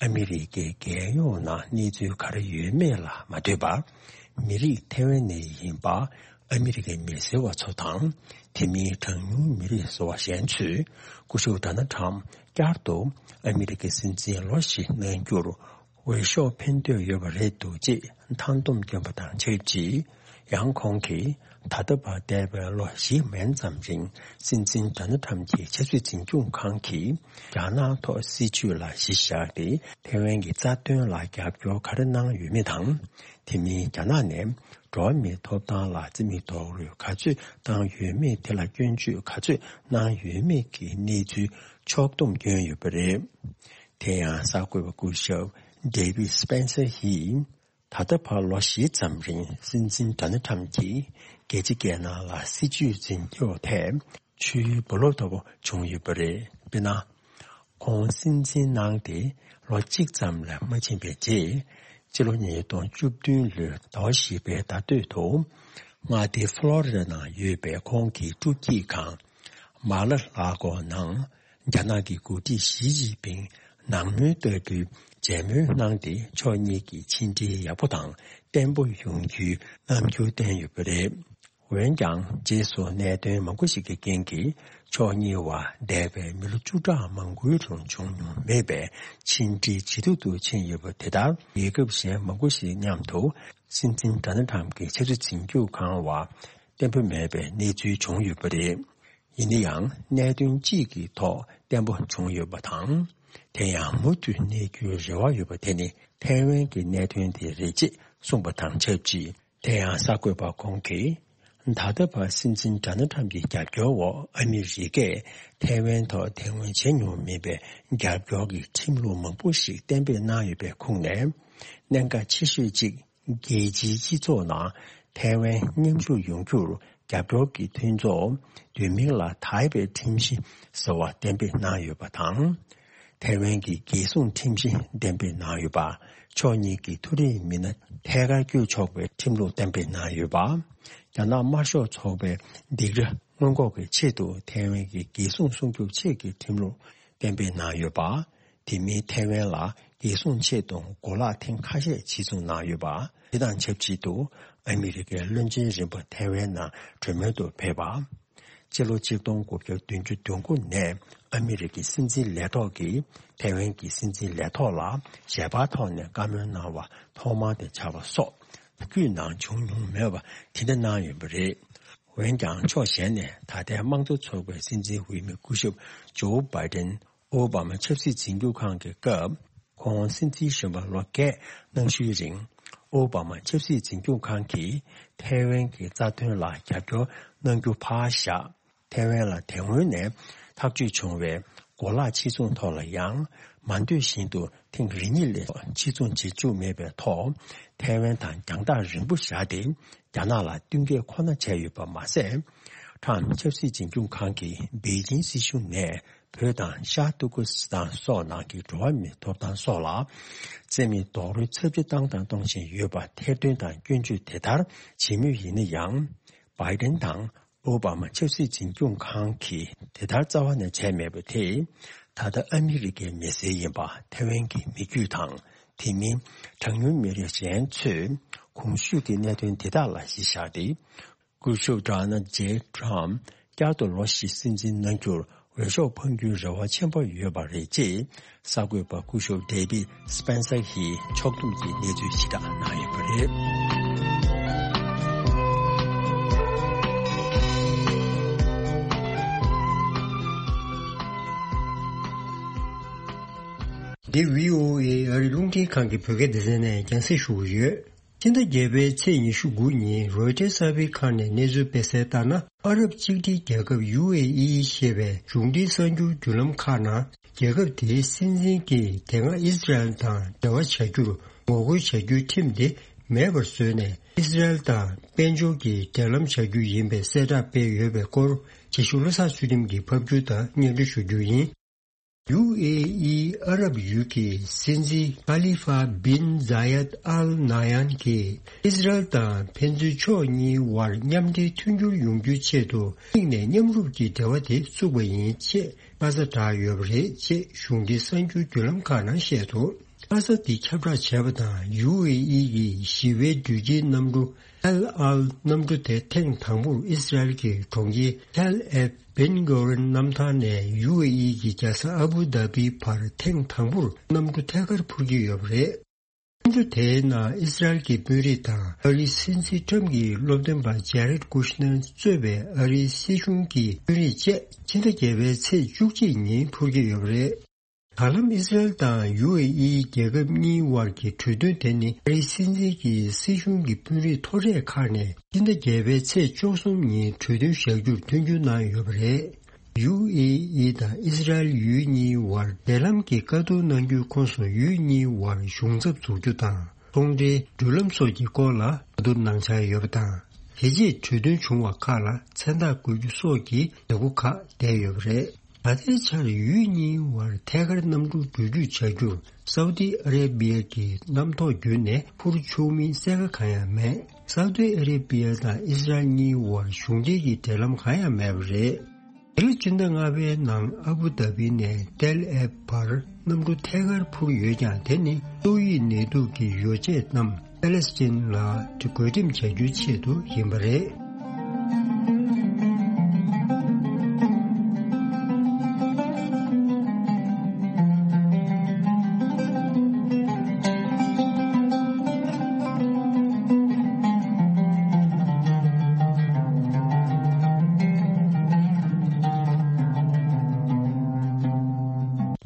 ཨ་མི་རི་ཀའི་རྒྱལ་ཡོངས་ནང་གནས་ཚུལ་ག་རེ་ཡོད་མེད་ལ་མ་ལྟོས་པར། མི་རིགས་ཐའེ་ཝན་ནས་ཡིན་པ། ཨ་མི་རི་ཀའི་མི་སེར་བ་ཚོ་དང་། དེ་མིན་གྲངས་ཉུང་མི་རིགས་ཟེར་བ་གཞན་ཚོས་སྐུ་ཞབས་ཌོ་ནལ་ཊམ་བསྐྱར་དུ་ཨ་མི་རི་ཀའི་སྲིད་འཛིན་ལོ་བཞི་གནང་རྒྱུར་འོས་ཤོག་འཕེན་འདོད་ཡོད་པ་རེད་འདུག་ཅེས་མཐའ་སྡོམ་བསྐྱོན་པ་དང་ཆབས་ཅིག། ཡང་ཁོང་གིས་ད་ལྟ་བར་འདས་པའི་ལོ་བཞི་མན་ཙམ་རིང་སྲིད་འཛིན་ཌོ་ནལ་ཊམ་གྱི་ཆབ་སྲིད་འཛིན་སྐྱོང་ཁང་གིས་རྒྱ་ནག་ཐོག་སྲིད་བྱུས་ལ་གཞི་བཞག་སྟེ་ཐའེ་ཝན་གྱི་རྩ་དོན་ལ་རྒྱབ་སྐྱོར་ག་རེ་གནང་ཡོད་མེད་དང་། དེ་མིན་རྒྱ་ནག་ནས། འགྲོ་བ་མིའི་ཐོབ་ཐང་ལ་རྩིས་མེད་རྡོག་རོལ་ག་ཚོད་བཏང་ཡོད་མེད་དེ་ལ་སྐྱོན་བརྗོད་ག་ཚོད་གནང་ཡོད་མེད་ཀྱི་གནས་ཚུལ་ཕྱོགས་བསྡོམས་བསྐྱོན་ཡོད་པ་རེད། དེ་ཡང་གསར་འགོད་པ་སྐུ་ཞབས་ཌེ་བིད་སྤེན་སར་ཡིས། ད་ལྟ་བར་ལོ་བཞི་ཙམ་རིང་སྲིད་འཛིན་ཌོ་ནལ་ཊམ་གྱིས་རྒྱལ་སྤྱི་སྒེར་ནང་ལ་སྲིད་བྱུས་འཛིན་སྐྱོང་ཐད། ཆུའི་རྦ་རླབས་ལྟ་བུ་བྱུང་ཡོད་པ་རེད། དཔེར་ན། ཁོང་སྲིད་འཛིན་གནང་སྟེ་ལོ་གཅིག་ཙམ་ལས་མ་ཕྱིན་པའི་རྗེས། སྤྱི་ལོ་ཉིས་སྟོང་བཅུ་བདུན་ལོའི་ཟླ་བ་བཞི་པའི་ཟླ་སྟོད་དུ། མངའ་སྡེ་ཕློ་རི་ཌ་ནང་ཡོད་པའི་ཁོང་གི་སྤྲོ་སྐྱིད་ཁང་། མ་ལ་ལ་གོ་ནང་། རྒྱ་ནག་གི་འགོ་ཁྲིད་ཞི་ཅིན་ཕིང་ནང་མོལ་ལྟ་བུའི་མཇལ་མོལ་གནང་སྟེ། ཕྱོགས་གཉིས་ཀྱི་ཕྱི་འབྲེལ་ཡག་པོ་དང་བརྟན་པོ་ཡོང་རྒྱུའི་རྣམ་འགྱུར་བསྟན་ཡོད་པ་རེད། འོན་ཀྱང་། རྗེས་སུ་གནད་དོན་མང་པོ་ཞིག་གི་རྐྱེན་གྱིས། ཕྱོགས་གཉིས་བར་འདས་པའི་མི་ལོ་བཅུ་ཕྲག་མང་པོའི་རིང་བྱུང་མྱོང་མེད་པའི་ཕྱི་འབྲེལ་ཇེ་སྡུག་ཏུ་ཕྱིན་ཡོད་པ་དེ་ལྟར། རྒྱལ་ཁབ་གཞན་མང་པོ་ཞིག་མཉམ་དུ། སྲིད་འཛིན་ཌོ་ནལ་ཊམ་གྱི་ཆབ་སྲིད་འཛིན་སྐྱོང་ཁང་བར་བརྟན་པོ་མེད་པའི་གནས་ཚུལ་བྱུང་ཡོད་པ་རེད། ཡིན་ན་ཡང་། གནད་དོན་གཅིག་གི་ཐོག་བརྟན་པོ་བྱུང་ཡོད་པ་དང་། དེ་ཡང་མུ་མཐུད་གནས་རྒྱུའི་རེ་བ་ཡོད་པ་དེ་ནི། ཐའེ་ཝན་གྱི་གནད་དོན་དེ་རེད་ཅེས་གསུངས་པ་དང་ཆབས་ཅིག། དེ་ཡང་གསར་འགོད་པ་ཁོང་གིས། ད་ལྟ་བར་སྲིད་འཛིན་ཌོ་ནལ་ཊམ་གྱི་རྒྱབ་སྐྱོར་འོག་ཨ་མི་རི་ཀས་ཐའེ་ཝན་ཐོག་དེ་སྔོན་བྱས་མྱོང་མེད་པའི་རྒྱབ་སྐྱོར་གྱི་ཁྲིམས་ལུགས་མང་པོ་ཞིག་གཏན་འབེབས་གནང་ཡོད་པའི་ཁོངས་ནས། གནད་འགག་ཆེ་ཤོས་གཅིག། རྒྱལ་སྤྱིའི་སྤྱི་ཚོགས་ནང་ཐའེ་ཝན་མཉམ་ཞུགས་ཡོང་རྒྱུར་རྒྱབ་སྐྱོར་གྱི་མཐུན་ཚོགས་བསྡུས་མིང་ལ་ཐའེ་པེ་ཁྲིམས་གཞི་ཟེར་བ་གཏན་འབེབས་གནང་ཡོད་པ་དང་། ཐའེ་ཝན་གྱི་རྒྱལ་སྲུང་ཁྲིམས་གཞི་གཏན་འབེབས་གནང་ཡོད་པ། ཕྱོགས་གཉིས་ཀྱི་མཐོ་རིམ་མི་སྣ་ཐད་ཀར་བསྐྱོད་ཆོག་པའི་ཁྲིམས་ལུགས་གཏན་འབེབས་གནང་ཡོད་པ། རྒྱ་ནག་དམར་ཤོག་ཚོགས་པའི་སྡིགས་ར་སྔོན་འགོག་གི་ཆེད་དུ་ཐའེ་ཝན་གྱི་རྒྱལ་སྲུང་སྲུང་སྐྱོབ་ཆེད་ཀྱི་ཁྲིམས་ལུགས་གཏན་འབེབས་གནང་ཡོད་པ། དེ་མིན་ཐའེ་ཝན་ལ་རྒྱལ་སྲུང་ཆེད་དུ་གོ་ལག་ཐེངས་ཁ་ཤས་ཕྱིར་ཚོང་གནང་ཡོད་པ། དེ་དང་ཆབས་ཅིག་ཏུ་ཨ་མི་རི་ཀའི་བློན་ཆེན་རིམ་པ་ཐའེ་ཝན་ནང་གྲོས་མོལ་དུ་ཕེབས་པ། ཕྱི་ལོ་ཆིག་སྟོང་དགུ་བརྒྱ་བདུན་ཅུ་དོན་དགུ་ནས་ཨ་མི་རི་ཀའི་སྲིད་འཛིན་ལས་ཐོག་གིས་ཐའེ་ཝན་གྱི་སྲིད་འཛིན་ལས་ཐོག་ལ་ཞལ་པར་ཐོག་ནས་བཀའ་མོལ་གནང་བ་ཐོག་མ་དེ་ཆགས་པ་སོགས་བརྒྱུད་ནང་བྱུང་མྱོང་མེད་པ་དེ་འདྲ་གནང་ཡོད་པ་རེད། འོན་ཀྱང་ཕྱོགས་གཞན་ནས་ད་ལྟའི་དམངས་གཙོ་ཚོགས་པའི་སྲིད་འཛིན་འོས་མི་སྐུ་ཞབས་ཇོ་བྷའི་ཏན་ཨོ་བྷ་མ་ཆབ་སྲིད་འཛིན་སྐྱོང་ཁང་གི་སྐབས། ཁོང་སྲིད་འཛིན་གཞོན་པ་ལོ་བརྒྱད་གནང་ཤུལ་རིང་། ཨོ་བྷ་མ་ཆབ་སྲིད་འཛིན་སྐྱོང་ཁང་གིས་ཐའེ་ཝན་གྱི་རྩ་དོན་ལ་རྒྱབ་སྐྱོར་གནང་རྒྱུ་ཕར་བཞག་ཐའེ་ཝན་ལ་དེ་སྔོན་ནས་ཐག་གཅོད་བྱུང་བའི་གོ་ལག་ཕྱིར་ཚོང་ཐོག་ལ་ཡང་། མ་འདོད་བཞིན་དུ་ཐེངས་རེ་གཉིས་ལས་ཕྱིར་ཚོང་བྱེད་བཅུག་མེད་པའི་ཐོག་ཐའེ་ཝན་དང་རྒྱང་ཐག་རིང་པོ་བཞག་སྟེ། རྒྱ་ནག་ལ་བསྟུན་མཁས་ཁོ་ན་བྱས་ཡོད་པ་མ་ཟད། ཁྲམ་ཆབ་སྲིད་འཛིན་སྐྱོང་ཁང་གིས་པེ་ཅིང་སྲིད་གཞུང་ནས་བོད་དང་ཤར་ཏུར་ཀི་སི་ཐན་སོགས་ནང་གི་འགྲོ་བ་མིའི་ཐོབ་ཐང་སོགས་ལ་བཙན་མི་རྡོག་རོལ་ཚབས་ཆེ་བཏང་དང་གཏོང་བཞིན་ཡོད་པ་ཐེར་འདོན་དང་སྐྱོན་བརྗོད་དེ་ལྟར་བྱེད་མུས་ཡིན་ན་ཡང་། བྷའི་ཏན་དང་ཨོ་བྷ་མ་ཆབ་སྲིད་འཛིན་སྐྱོང་ཁང་གིས་དེ་ལྟར་རྩ་བ་ནས་བྱས་མེད་པ་དེས། ད་ལྟ་ཨ་མི་རི་ཀའི་མི་སེར་ཡིན་པ་ཐའེ་ཝན་གྱི་མི་རྒྱུད་དང་། དེ་མིན་གྲངས་ཉུང་མི་རིགས་གཞན་ཚོས་གོང་ཞུས་ཀྱི་གནད་དོན་དེ་དག་ལ་གཞི་བཞག་སྟེ། སྐུ་ཞབས་ཌོ་ནལ་ཇེ་ཊམ་བསྐྱར་དུ་ལོ་བཞི་སྲིད་འཛིན་གནང་རྒྱུར་འོས་ཤོག་འཕང་རྒྱུའི་རེ་བ་ཆེན་པོ་ཡོད་པ་རེད་ཅེས་གསར་འགོད་པ་སྐུ་ཞབས་ཌེ་བིད་སྤེན་སར་གྱིས་ཕྱོགས་བསྡོམས་ཀྱི་གནས་ཚུལ་ཞིག་བསྒྲགས་གནང་ཡོད་པ་རེད། འདི་བྷི་ཨོ་ཨེ་ཨ་རིའི་རླུང་འཕྲིན་ཁང་གི་བོད་སྐད་སྡེ་ཚན་ནས་རྒྱང་སྲིང་ཞུ་གི་ཡོད། ཕྱི་ཟླ་བརྒྱད་པའི་ཚེས་ཉི་ཤུ་དགུ་ཉིན་རོའི་ཊར་གསར་པའི་ཁང་ནས་གནས་ཚུལ་སྤེལ་གསལ་ལྟར་ན། ཨ་རབ་གཅིག་སྒྲིལ་རྒྱལ་ཁབ་ཡུ་ཨེ་ཨི་ཞེས་པའི་གཞུང་འབྲེལ་གསར་འགྱུར་བརྒྱུད་ལམ་ཁག་ནང་། རྒྱལ་ཁབ་དེའི་སྲིད་འཛིན་གྱིས་དེ་སྔ་ཨི་སི་རལ་དང་འབྲེལ་བ་བྱ་རྒྱུར་ངོ་རྒོལ་བྱ་རྒྱུའི་ཁྲིམས་དེ་མེད་པར་བཟོས་ནས། ཨི་སི་རལ་དང་དཔལ་འབྱོར་གྱི་འབྲེལ་ལམ་བྱ་རྒྱུ་ཡིན་པའི་གསལ་བསྒྲགས་སྤེལ་ཡོད་པའི་སྐོར། རྗེས་ཤུལ་བློ་བཟང་ཚུལ་ཁྲིམས་ཀྱིས་ཕབ་སྒྱུར་དང་སྙན་སྒྲོན་ཞུ་རྒྱུ་ཡིན། ཡུ་ཨེ་ཨི་ཨ་རབ་ཡུལ་གྱི་སྲིད་འཛིན་ཁ་ལི་ཧྥ་བིན་ཛ་ཡད་ཨལ་ན་ཡན་གྱིས་ཨི་སི་རལ་དང་ཕན་ཚུན་ཕྱོགས་གཉིས་དབར་མཉམ་འབྲེལ་མཐུན་འགྱུར་ཡོང་རྒྱུའི་ཆེད་དུ་གཅིག་ནས་མཉམ་རུབ་ཀྱི་འབྲེལ་བ་དེ་བཙུགས་པ་ཡིན་ཅེས་ཁ་ས་བསྒྲགས་ཡོད་པ་རེད་ཅེས་གཞུང་འབྲེལ་གསར་འགྱུར་བརྒྱུད་ལམ་ཁག་ནང་བཤད་འདུག་ཁ་ས་འདི་ཁྱབ་བསྒྲགས་བྱས་པ་དང་། ཡུ་ཨེ་ཨི་ཡི་ཞི་བའི་འགྲུལ་སྐྱེལ་གནམ་གྲུ་ཨེལ་ཨལ་གནམ་གྲུ་དེ་ཐེངས་དང་པོར་ཨི་སི་རལ་གྱི་གྲོང་ཁྱེར་ཐེལ་ཨེབ་བྷེན་གོ་རན་གནམ་ཐང་ནས་ཡུ་ཨེ་ཨི་གྱི་རྒྱལ་ས་ཨ་བུ་དྷ་བིའི་བར་ཐེངས་དང་པོར་གནམ་གྲུ་ཐད་ཀར་འཕུར་གྱི་ཡོད་པ་རེད། གནམ་གྲུ་དེའི་ནང་ཨི་སི་རལ་གྱི་དཔོན་རིགས་དང་ཨ་རིའི་སྲིད་འཛིན་ཁྲམ་གྱི་སློབ་སྟོན་པ་ཇེ་རེད་ཀུ་ཤ་ནེར་གཙོས་པའི་ཨ་རིའི་སྲིད་གཞུང་གི་དཔོན་རིགས་བཅས་ཕྱི་ཟླ་བརྒྱད་པའི་ཚེས་བཅུ་གཅིག་ཉིན་འཕུར་གྱི་ཡོད་པ་རེད། ད་ལམ་ཨི་སི་རལ་དང་ཡུ་ཨེ་ཨི་རྒྱལ་ཁབ་གཉིས་དབར་གྱི་གྲོས་མཐུན་དེ་ནི་ཨ་རིའི་སྲིད་འཛིན་གྱི་སྲིད་གཞུང་གི་དཔོན་རིགས་མཐོ་གྲས་ཁག་ནས་ཕྱི་ཟླ་བརྒྱད་པའི་ཚེས་བཅུ་གསུམ་ཉིན་གྲོས་མཐུན་བཞག་རྒྱུར་མཐུན་འགྱུར་གནང་ཡོད་པ་རེད། ཡུ་ཨེ་ཨི་དང་ཨི་སི་རལ་ཡུལ་གཉིས་དབར་འབྲེལ་ལམ་གྱི་བཀའ་བསྡུར་གནང་རྒྱུའི་ཁོངས་སུ་ཡུལ་གཉིས་དབར་གཞུང་ཚབ་འཛུགས་རྒྱུ་དང་། ཚོང་འབྲེལ་འགྲུལ་ལམ་སོགས་ཀྱི་སྐོར་ལ་བཀའ་བསྡུར་གནང་འཆར་ཡོད་པ་དང་། དེ་རྗེས་གྲོས་མཐུན་བྱུང་བ་ཁག་ལ་མཚན་རྟགས་བཀོད་རྒྱུ་སོགས་ཀྱི་བྱེད་སྒོ་ཁག་བསྡད་ཡོད་པ་རེད། ད་ལྟའི་ཆར་ཡུལ་གཉིས་དབར་ཐད་ཀར་གནམ་གྲུ་འགྲུལ་སྐྱོད་བྱ་རྒྱུར་སའུ་ཏི་ཨ་རེ་བི་ཡ་གི་གནམ་ཐོག་བརྒྱུད་ནས་འཕུར་ཆོག་མིན་གསལ་ཁ་གང་ཡང་མེད། སའུ་ཏི་ཨ་རེ་བི་ཡ་དང་ཨི་སི་རལ་གཉིས་དབར་གཞུང་འབྲེལ་གྱི་འབྲེལ་ལམ་གང་ཡང་མེད་པ་རེད། འདི་ལོ་སྤྱི་ཟླ་ལྔ་པའི་ནང་ཨ་བུ་དྷ་བི་ནས་ཏེལ་ཨེབ་བར་གནམ་གྲུ་ཐད་ཀར་འཕུར་ཡོད་ཀྱང་། དེ་ནི་ཏོག་དབྱིབས་ནད་དུག་གི་ཡོ་བྱད་རྣམས་པེ་ལེ་སི་ཐན་ལ་བགོ་འགྲེམས་བྱ་རྒྱུའི་ཆེད་དུ་ཡིན་པ་རེད།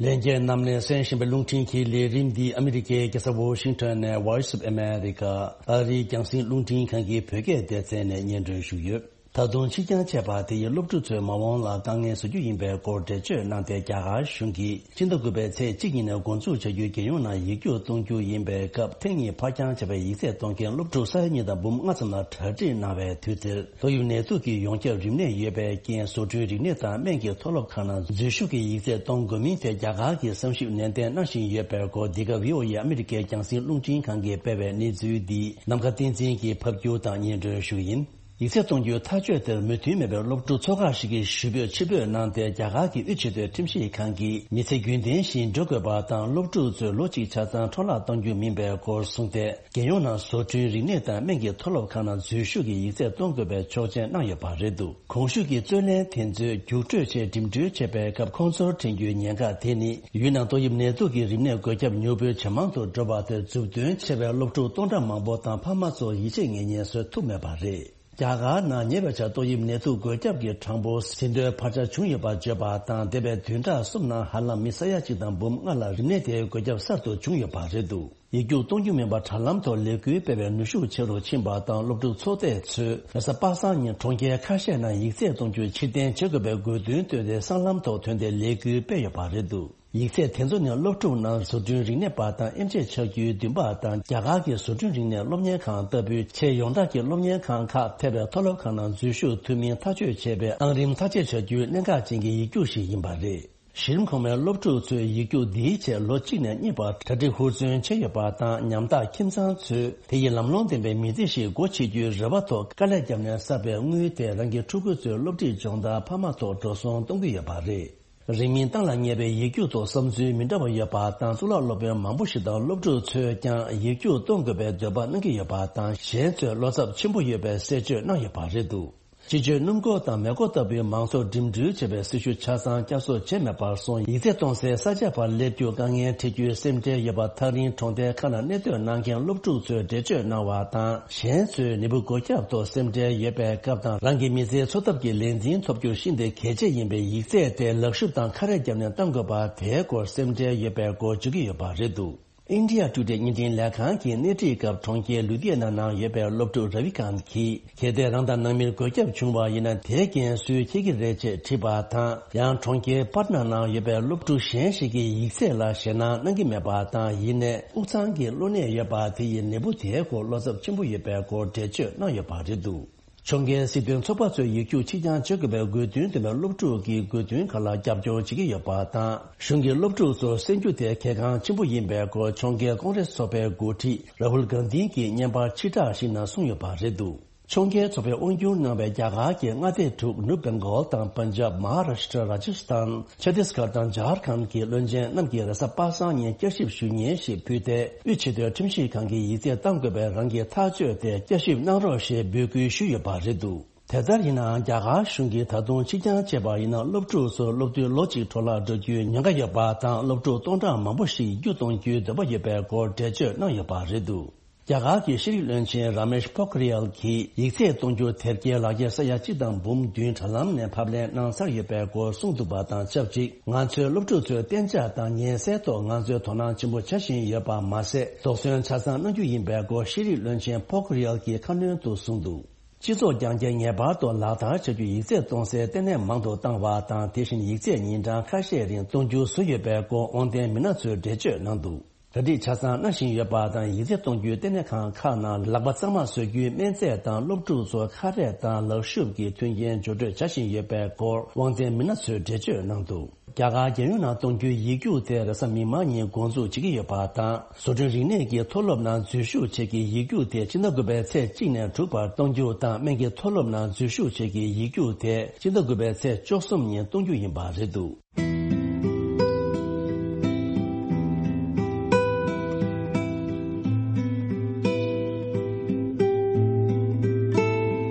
ལྷན་རྒྱས་རྣམས་ནས་གསན་བཞིན་པའི་རླུང་འཕྲིན་གྱི་ལས་རིམ་འདི་ཨ་མི་རི་ཀའི་རྒྱལ་ས་ཝོ་ཤིང་ཊོན་ནས་Voice of America ཨ་རིའི་རྒྱང་སྲིང་རླུང་འཕྲིན་ཁང་གི་བོད་སྐད་སྡེ་ཚན་ནས་སྙན་སྒྲོན་ཞུས་ཡོད། ད་དུང་ཕྱི་རྐྱང་བྱས་པ་དེ་ཡིས་སློབ་ཕྲུག་ཚོའི་མ་འོངས་ལ་དཀའ་ངལ་བཟོ་རྒྱུ་ཡིན་པའི་སྐོར་འགྲེལ་བརྗོད་གནང་སྟེ། རྒྱ་གར་གཞུང་གིས་ཕྱི་ཟླ་དགུ་པའི་ཚེས་གཅིག་ཉིན་ནས་འགོ་འཛུགས་བྱ་རྒྱུའི་རྒྱལ་ཡོངས་ནང་ཡིག་རྒྱུགས་གཏོང་རྒྱུ་ཡིན་པའི་སྐབས། ཐེངས་གཉིས་ཕར་འགྱངས་བྱས་པའི་ཡིག་ཚད་གཏོང་མཁན་སློབ་ཕྲུག་ས་ཡ་གཉིས་དང་འབུམ་ལྔ་ཙམ་ལ་གྲ་སྒྲིག་གནང་བའི་དུས་དེར། ཏོག་དབྱིབས་ནད་དུག་གི་ཡོངས་ཁྱབ་རིམས་ནད་ཡོད་པའི་རྐྱེན། བཟོ་སྐྲུན་རིག་གནས་དང་སྨན་གྱི་མཐོ་སློབ་ཁག་ནང་འཛུལ་ཞུགས་ཀྱི་ཡིག་ཚད་གཏོང་དགོས་མིན་ཐད་རྒྱ་གར་གྱིས་བསམ་ཞིབ་ནན་ཏན་གནང་བཞིན་ཡོད་པའི་སྐོར། འདི་ག་བྷི་ཨོ་ཨེ་ཨ་མི་རི་ཀའི་རྒྱང་སྲིང་རླུང་འཕྲིན་ཁང་གིས་སྤེལ་བའི་གནས་ཚུལ་འདི་ནམ་མཁའ་བསྟན་འཛིན་གྱིས་ཕབ་སྒྱུར་དང་སྙན་སྒྲོན་ཞུ་གི་ཡིན། ཡིག་ཚད་གཏོང་རྒྱུའི་ཐག་གཅོད་དེར་མོས་མཐུན་མེད་པའི་སློབ་ཕྲུག་ཚོ་ཁག་ཞིག་གིས་ཞུ་འབོད་ཕྱིར་འབུད་གནང་སྟེ། རྒྱ་གར་གྱི་དབུས་ཆེས་མཐོའི་ཁྲིམས་ཞིབ་ཁང་གིས་མི་ཚེ་རྒྱུན་ལྡན་བཞིན་འགྲོ་དགོས་པ་དང་། སློབ་ཕྲུག་ཚོའི་ལོ་གཅིག་ཆ་ཚང་འཕྲོ་བརླག་གཏོང་རྒྱུ་མིན་པའི་སྐོར་གསུངས་ཏེ། རྒྱལ་ཡོངས་ནང་བཟོ་སྐྲུན་རིག་གནས་དང་སྨན་གྱི་མཐོ་སློབ་ཁག་ནང་འཛུལ་ཞུགས་ཀྱི་ཡིག་ཚད་གཏོང་དགོས་པའི་ཆོག་མཆན་གནང་ཡོད་པ་རེད་འདུག་གོང་ཞུས་ཀྱི་རྩོད་ལེན་དེ་ཚོས་རྒྱུགས་སྤྲོད་ཆེད་འགྲིམ་འགྲུལ་བྱེད་པའི་སྐབས། ཁོང་ཚོར་འཕྲད་རྒྱུའི་ཉེན་ཁ་དེ་ནི། ཡུལ་ནང་ཏོག་དབྱིབས་ནད་དུག་གི་རིམས་ནད་འགོས་ཁྱབ་མྱུར་པོས་ཇེ་མང་དུ་འགྲོ་བ་དེར་མཛུབ་སྟོན་བྱས་པའི་སློབ་ཕྲུག་སྟོང་ཕྲག་མང་པོ་དང་ཕ་མ་ཚོར་ཡིད་ཆེས་ངེས་རྙེད་བཟོ་ཐུབ་མེད་པ་རེད། རྒྱ་གར་ནང་ཉེ་བའི་ཆར་ཏོག་དབྱིབས་ནད་དུག་འགོས་ཁྱབ་ཀྱི་གྲངས་འབོར་ཟིན་ཐོའི་འཕར་ཆ་བྱུང་ཡོད་པ་བརྗོད་པ་དང་། འདས་པའི་བདུན་ཕྲག་གསུམ་ནང་ཧ་ལམ་མི་ས་ཡ་གཅིག་དང་འབུམ་ལྔ་ལ་རིམས་ནད་དེའི་འགོས་ཁྱབ་གསར་དུ་བྱུང་ཡོད་པ་རེད་འདུག་ཡིག་རྒྱུགས་གཏོང་རྒྱུ་མིན་པར་དྲ་ལམ་ཐོག་ལས་འགུལ་སྤེལ་བའི་ནུས་ཤུགས་ཆེ་རུ་ཕྱིན་པ་དང་། སློབ་ཕྲུག་ཚོགས་སྡེ་ཚོས་རེས་གཟའ་པ་སངས་ཉིན་གྲོང་ཁྱེར་ཁ་ཤས་ནང་ཡིག་ཚད་གཏོང་རྒྱུ་ཕྱིར་འཐེན་བྱེད་དགོས་པའི་དགོས་འདུན་བཏོན་ཏེ། སྲང་ལམ་ཐོག་ཐོན་ཏེ་ལས་འགུལ་སྤེལ་ཡོད་པ་རེད་འདུག་ཡིག་ཚད་དེ་ཚོ་ནི་སློབ་ཕྲུག་རྣམས་བཟོ་སྐྲུན་རིག་གནས་པ་དང་། ཨེམ་ཆི་ཆགས་རྒྱུའི་འདུན་པ་དང་། རྒྱ་གར་གྱི་བཟོ་སྐྲུན་རིག་གནས་སློབ་གཉེར་ཁང་ལྟ་བུའི་ཆེས་ཡོངས་གྲགས་ཀྱི་སློབ་གཉེར་ཁང་ཁག་ཐེ་བའི་མཐོ་སློབ་ཁག་ནང་འཛུལ་ཞུགས་ཐུབ་མིན་ཐག་གཅོད་བྱེད་པའི་གནའ་རིམ་ཐག་བཅད་བྱ་རྒྱུའི་གནད་འགག་ཅན་གྱི་ཡིག་རྒྱུགས་ཤིག་ཡིན་པ་རེད། གཞི་རིམ་གོང་མའི་སློབ་ཕྲུག་ཚོས་ཡིག་རྒྱུགས་འདིའི་ཆེད་ལོ་གཅིག་ནས་གཉིས་བར་གྲ་སྒྲིག་ཧུར་བརྩོན་བྱས་ཡོད་པ་དང་། ཉམ་ཐག་ཁྱིམ་ཚང་ཚོས་དེ་ཡི་ལམ་ལྷོང་ལྡན་པའི་མི་ཚེ་ཞིག་སྒོ་ཕྱེ་རྒྱུའི་རེ་བ་ཐོག་དཀའ་ལས་བརྒྱབ་ནས་བསགས་པའི་དངུལ་དེ་རང་གི་ཕྲུ་གུ་ཚོའི་སློབ་ཁྲིད་སྦྱོང་བརྡར་ཕ་མ་ཐོག་འགྲོ་སོང་གཏོང་གི་ཡོད་པ་རེད། རིང་མིན་གཏན་ལ་ངེས་པའི་ཡིག་རྒྱུགས་ཐོག་བསམ་ཚུལ་མི་འདྲ་བ་ཡོད་པ་དང་། གཙུག་ལག་སློབ་དཔོན་མང་པོ་ཞིག་དང་སློབ་ཕྲུག་ཚོས་ཀྱང་ཡིག་རྒྱུགས་གཏོང་དགོས་པའི་འདོད་པ་གནང་གི་ཡོད་པ་དང་། གཞན་ཚོས་བློ་འཚབ་ཆེན་པོ་ཡོད་པའི་གསལ་བརྗོད་གནང་ཡོད་པ་རེད་འདུག་སྤྱི་སྤྱོད་སྣུམ་འཁོར་དང་མེ་འཁོར་ལྟ་བུའི་མང་ཚོགས་འགྲིམ་འགྲུལ་བྱེད་པའི་སྲི་ཞུ་ཆ་ཚང་བསྐྱར་གསོ་བྱས་མེད་པར་སོང་། ཡིག་ཚད་གཏོང་སའི་ས་ཆ་བར་སླེབས་རྒྱུ་དཀའ་ངལ་འཕྲད་རྒྱུའི་སེམས་ཁྲལ་ཡོད་པ། ཐག་རིང་གྲོང་རྡལ་ཁག་ནང་གནས་སྡོད་གནང་མཁན་སློབ་ཕྲུག་ཚོས་འགྲེལ་བརྗོད་གནང་བ་དང་། གཞན་ཚོས་ནད་འབུ་འགོས་ཁྱབ་ཐོག་སེམས་ཁྲལ་ཡོད་པའི་སྐབས་དང་། རང་གི་མི་ཚེའི་འཚོ་ཐབས་ཀྱི་ལས་འཛིན་ཐོབ་རྒྱུར་ཤིན་ཏུ་གལ་ཆེ་ཡིན་པས། ཡིག་ཚད་དེ་ལག་ཤུབས་དང་ཁ་རས་བརྒྱབ་ནས་གཏོང་དགོས་པ་དེའི་སྐོར་སེམས་ཁྲལ་ཡོད་པའི་སྐོར་བརྗོད་ཀྱི་ཡོད་པ་རེད་འདུག India Today བརྙན་འཕྲིན་ལས་ཁང་གིས་སྣེ་ཁྲིད་སྐབས། གྲོང་ཁྱེར་ལུ་དྷི་ཡ་ན་ནང་ཡོད་པའི་སློབ་ཕྲུག་ར་བི་ཀཱན་གྱིས། གལ་ཏེ་རང་དང་ནང་མིར་འགོས་ཁྱབ་བྱུང་བ་ཡིན་ན། དེའི་འགན་སུས་འཁྱེར་གྱི་རེད་ཅེས་དྲིས་པ་དང་། ཡང་གྲོང་ཁྱེར་པཱ་ཊ་ན་ནང་ཡོད་པའི་སློབ་ཕྲུག་གཞན་ཞིག་གིས་ཡིག་ཚད་ལ་ཞེད་སྣང་གནང་གི་མེད་པ་དང་། ཡིན་ནའི་དབུགས་གཙང་གི་གློ་ནད་ཡོད་པ་དེ་ཡིས་ནད་འབུ་དེའི་སྐོར་བློ་འཚབ་ཆེན་པོ་ཡོད་པའི་སྐོར་འགྲེལ་བརྗོད་གནང་ཡོད་པ་རེད་འདུག་ཕྱོགས་འགལ་སྲིད་དོན་ཚོགས་པ་ཚོས་ཡིག་རྒྱུགས་ཕྱིར་འགྱངས་བྱེད་དགོས་པའི་དགོས་འདུན་བཏོན་པའི་སློབ་ཕྲུག་གི་དགོས་འདུན་ཁག་ལ་རྒྱབ་སྐྱོར་བྱེད་ཀྱི་ཡོད་པ་དང་། གཞུང་གིས་སློབ་ཕྲུག་ཚོར་གསན་རྒྱུ་དེ་གལ་འགངས་ཆེན་པོ་ཡིན་པའི་སྐོར། ཕྱོགས་འགལ་ཀོང་རེས་ཚོགས་པའི་འགོ་ཁྲིད་རཱ་ཧུལ་གྷན་དྷི་གིས་བརྙན་པར་ཕྱིར་བསྒྲགས་ཤིག་ནང་གསུངས་ཡོད་པ་རེད་འདུག་ཕྱོགས་འགལ་ཚོགས་པས་དབང་སྒྱུར་གནང་བའི་རྒྱ་གར་གྱི་མངའ་སྡེ་དྲུག་ནུབ་བེང་གོལ་དང་། པན་ཇབ། མ་ཧཱ་རཱ་ཤི་ཏྲ། རཱ་ཇི་སི་ཐན། ཆ་ཏིས་གྷར་དང་ཇར་ཁན་གྱི་བློན་ཆེན་རྣམས་ཀྱིས་རེས་གཟའ་པ་སངས་ཉིན་བསྐྱར་ཞིབ་ཞུ་སྙན་ཞིག་ཕུལ་ཏེ། དབུས་ཆེས་མཐོའི་ཁྲིམས་ཞིབ་ཁང་གིས་ཡིག་ཚད་གཏང་དགོས་པའི་རང་གི་ཐག་གཅོད་དེ་བསྐྱར་ཞིབ་གནང་རོགས་ཞེས་འབོད་སྐུལ་ཞུས་ཡོད་པ་རེད་འདུག་དེ་ལྟར་ཡིན་ནའང་། རྒྱ་གར་གཞུང་གིས་ད་དུང་ཕྱིར་འགྱངས་བྱས་པ་ཡིན་ན། སློབ་ཕྲུག་ཚོར་སློབ་དུས་ལོ་གཅིག་འཕྲོ་བརླག་འགྲོ་རྒྱུའི་ཉེན་ཁ་ཡོད་པ་དང་། སློབ་ཕྲུག་སྟོང་ཕྲག་མང་པོ་ཞིག་རྒྱུགས་གཏོང་རྒྱུའི་འདོད་པ་ཡོད་པའི་སྐོར་འགྲེལ་བརྗོད་གནང་ཡོད་པ་རེད་འདུག་རྒྱ་གར་གྱི་ཤེས་རིག་བློན་ཆེན་ར་མེཤ་པོ་ཁི་རི་ཡལ་གྱིས། ཡིག་ཚད་གཏོང་རྒྱུ་དེབ་སྐྱེལ་ལག་འཁྱེར་ས་ཡ་གཅིག་དང་འབུམ་བདུན་དྲ་ལམ་ནས་ཕབ་ལེན་གནང་ཚར་ཡོད་པའི་སྐོར་གསུངས་འདུག་པ་དང་ཆབས་ཅིག་ང་ཚོའི་སློབ་ཕྲུག་ཚོའི་གཏན་འཇགས་དང་ཉེན་སེལ་ཐོག་ང་ཚོས་དོ་སྣང་ཆེན་པོ་བྱ་བཞིན་ཡོད་པ་མ་ཟད། དོགས་ཟོན་ཆ་ཚང་གནང་རྒྱུ་ཡིན་པའི་སྐོར། ཤེས་རིག་བློན་ཆེན་པོ་ཁི་རི་ཡལ་གྱིས་ཁ་སྣོན་དུ་གསུངས་འདུག་སྤྱི་ཚོགས་རྐྱང་རྐྱང་ངེས་པར་དུ་ལག་བསྟར་བྱ་རྒྱུ། ཡིག་ཚད་གཏོང་སའི་ལྟེ་གནས་མང་དུ་བཏང་བ་དང་། དེ་བཞིན་ཡིག་ཚད་ཉིན་གྲངས་ཁ་ཤས་རིང་གཏོང་རྒྱུ་བཟོས་ཡོད་པའི་སྐོར། དབང་ལྡན་མི་སྣ་ཚོས་འགྲེལ་བརྗོད་གནང་འདུག་གྲ་སྒྲིག་ཆ་ཚང་གནང་བཞིན་ཡོད་པ་དང་། ཡིག་ཚད་གཏོང་རྒྱུའི་ལྟེ་གནས་ཁང་ཁག་ནང་ལག་པ་གཙང་མ་བཟོ་རྒྱུའི་སྨན་རྫས་དང་། སློབ་ཕྲུག་ཚོར་ཁ་རས་དང་ལག་ཤུབས་ཀྱི་མཐུན་རྐྱེན་འགྱུར་སྤྲོད་བྱ་བཞིན་ཡོད་པའི་སྐོར། དབང་ལྡན་མི་སྣ་ཚོས་འགྲེལ་བརྗོད་གནང་འདུག་རྒྱ་གར་རྒྱལ་ཡོངས་ནང་གཏོང་རྒྱུའི་ཡིག་རྒྱུགས་དེ་རེས་གཟའ་མིག་དམར་ཉིན་འགོ་འཛུགས་བྱེད་ཀྱི་ཡོད་པ་དང་། བཟོ་སྐྲུན་རིག་གནས་ཀྱི་མཐོ་སློབ་ནང་འཛུལ་ཞུགས་བྱེད་ཀྱི་ཡིག་རྒྱུགས་དེ་ཕྱི་ཟླ་དགུ་པའི་ཚེས་གཅིག་ནས་དྲུག་བར་གཏོང་རྒྱུ་དང་། སྨན་གྱི་མཐོ་སློབ་ནང་འཛུལ་ཞུགས་བྱེད་ཀྱི་ཡིག་རྒྱུགས་དེ་ཕྱི་ཟླ་དགུ་པའི་ཚེས་བཅུ་གསུམ་ཉིན་གཏོང་རྒྱུ་ཡིན་པ་རེད་འདུག་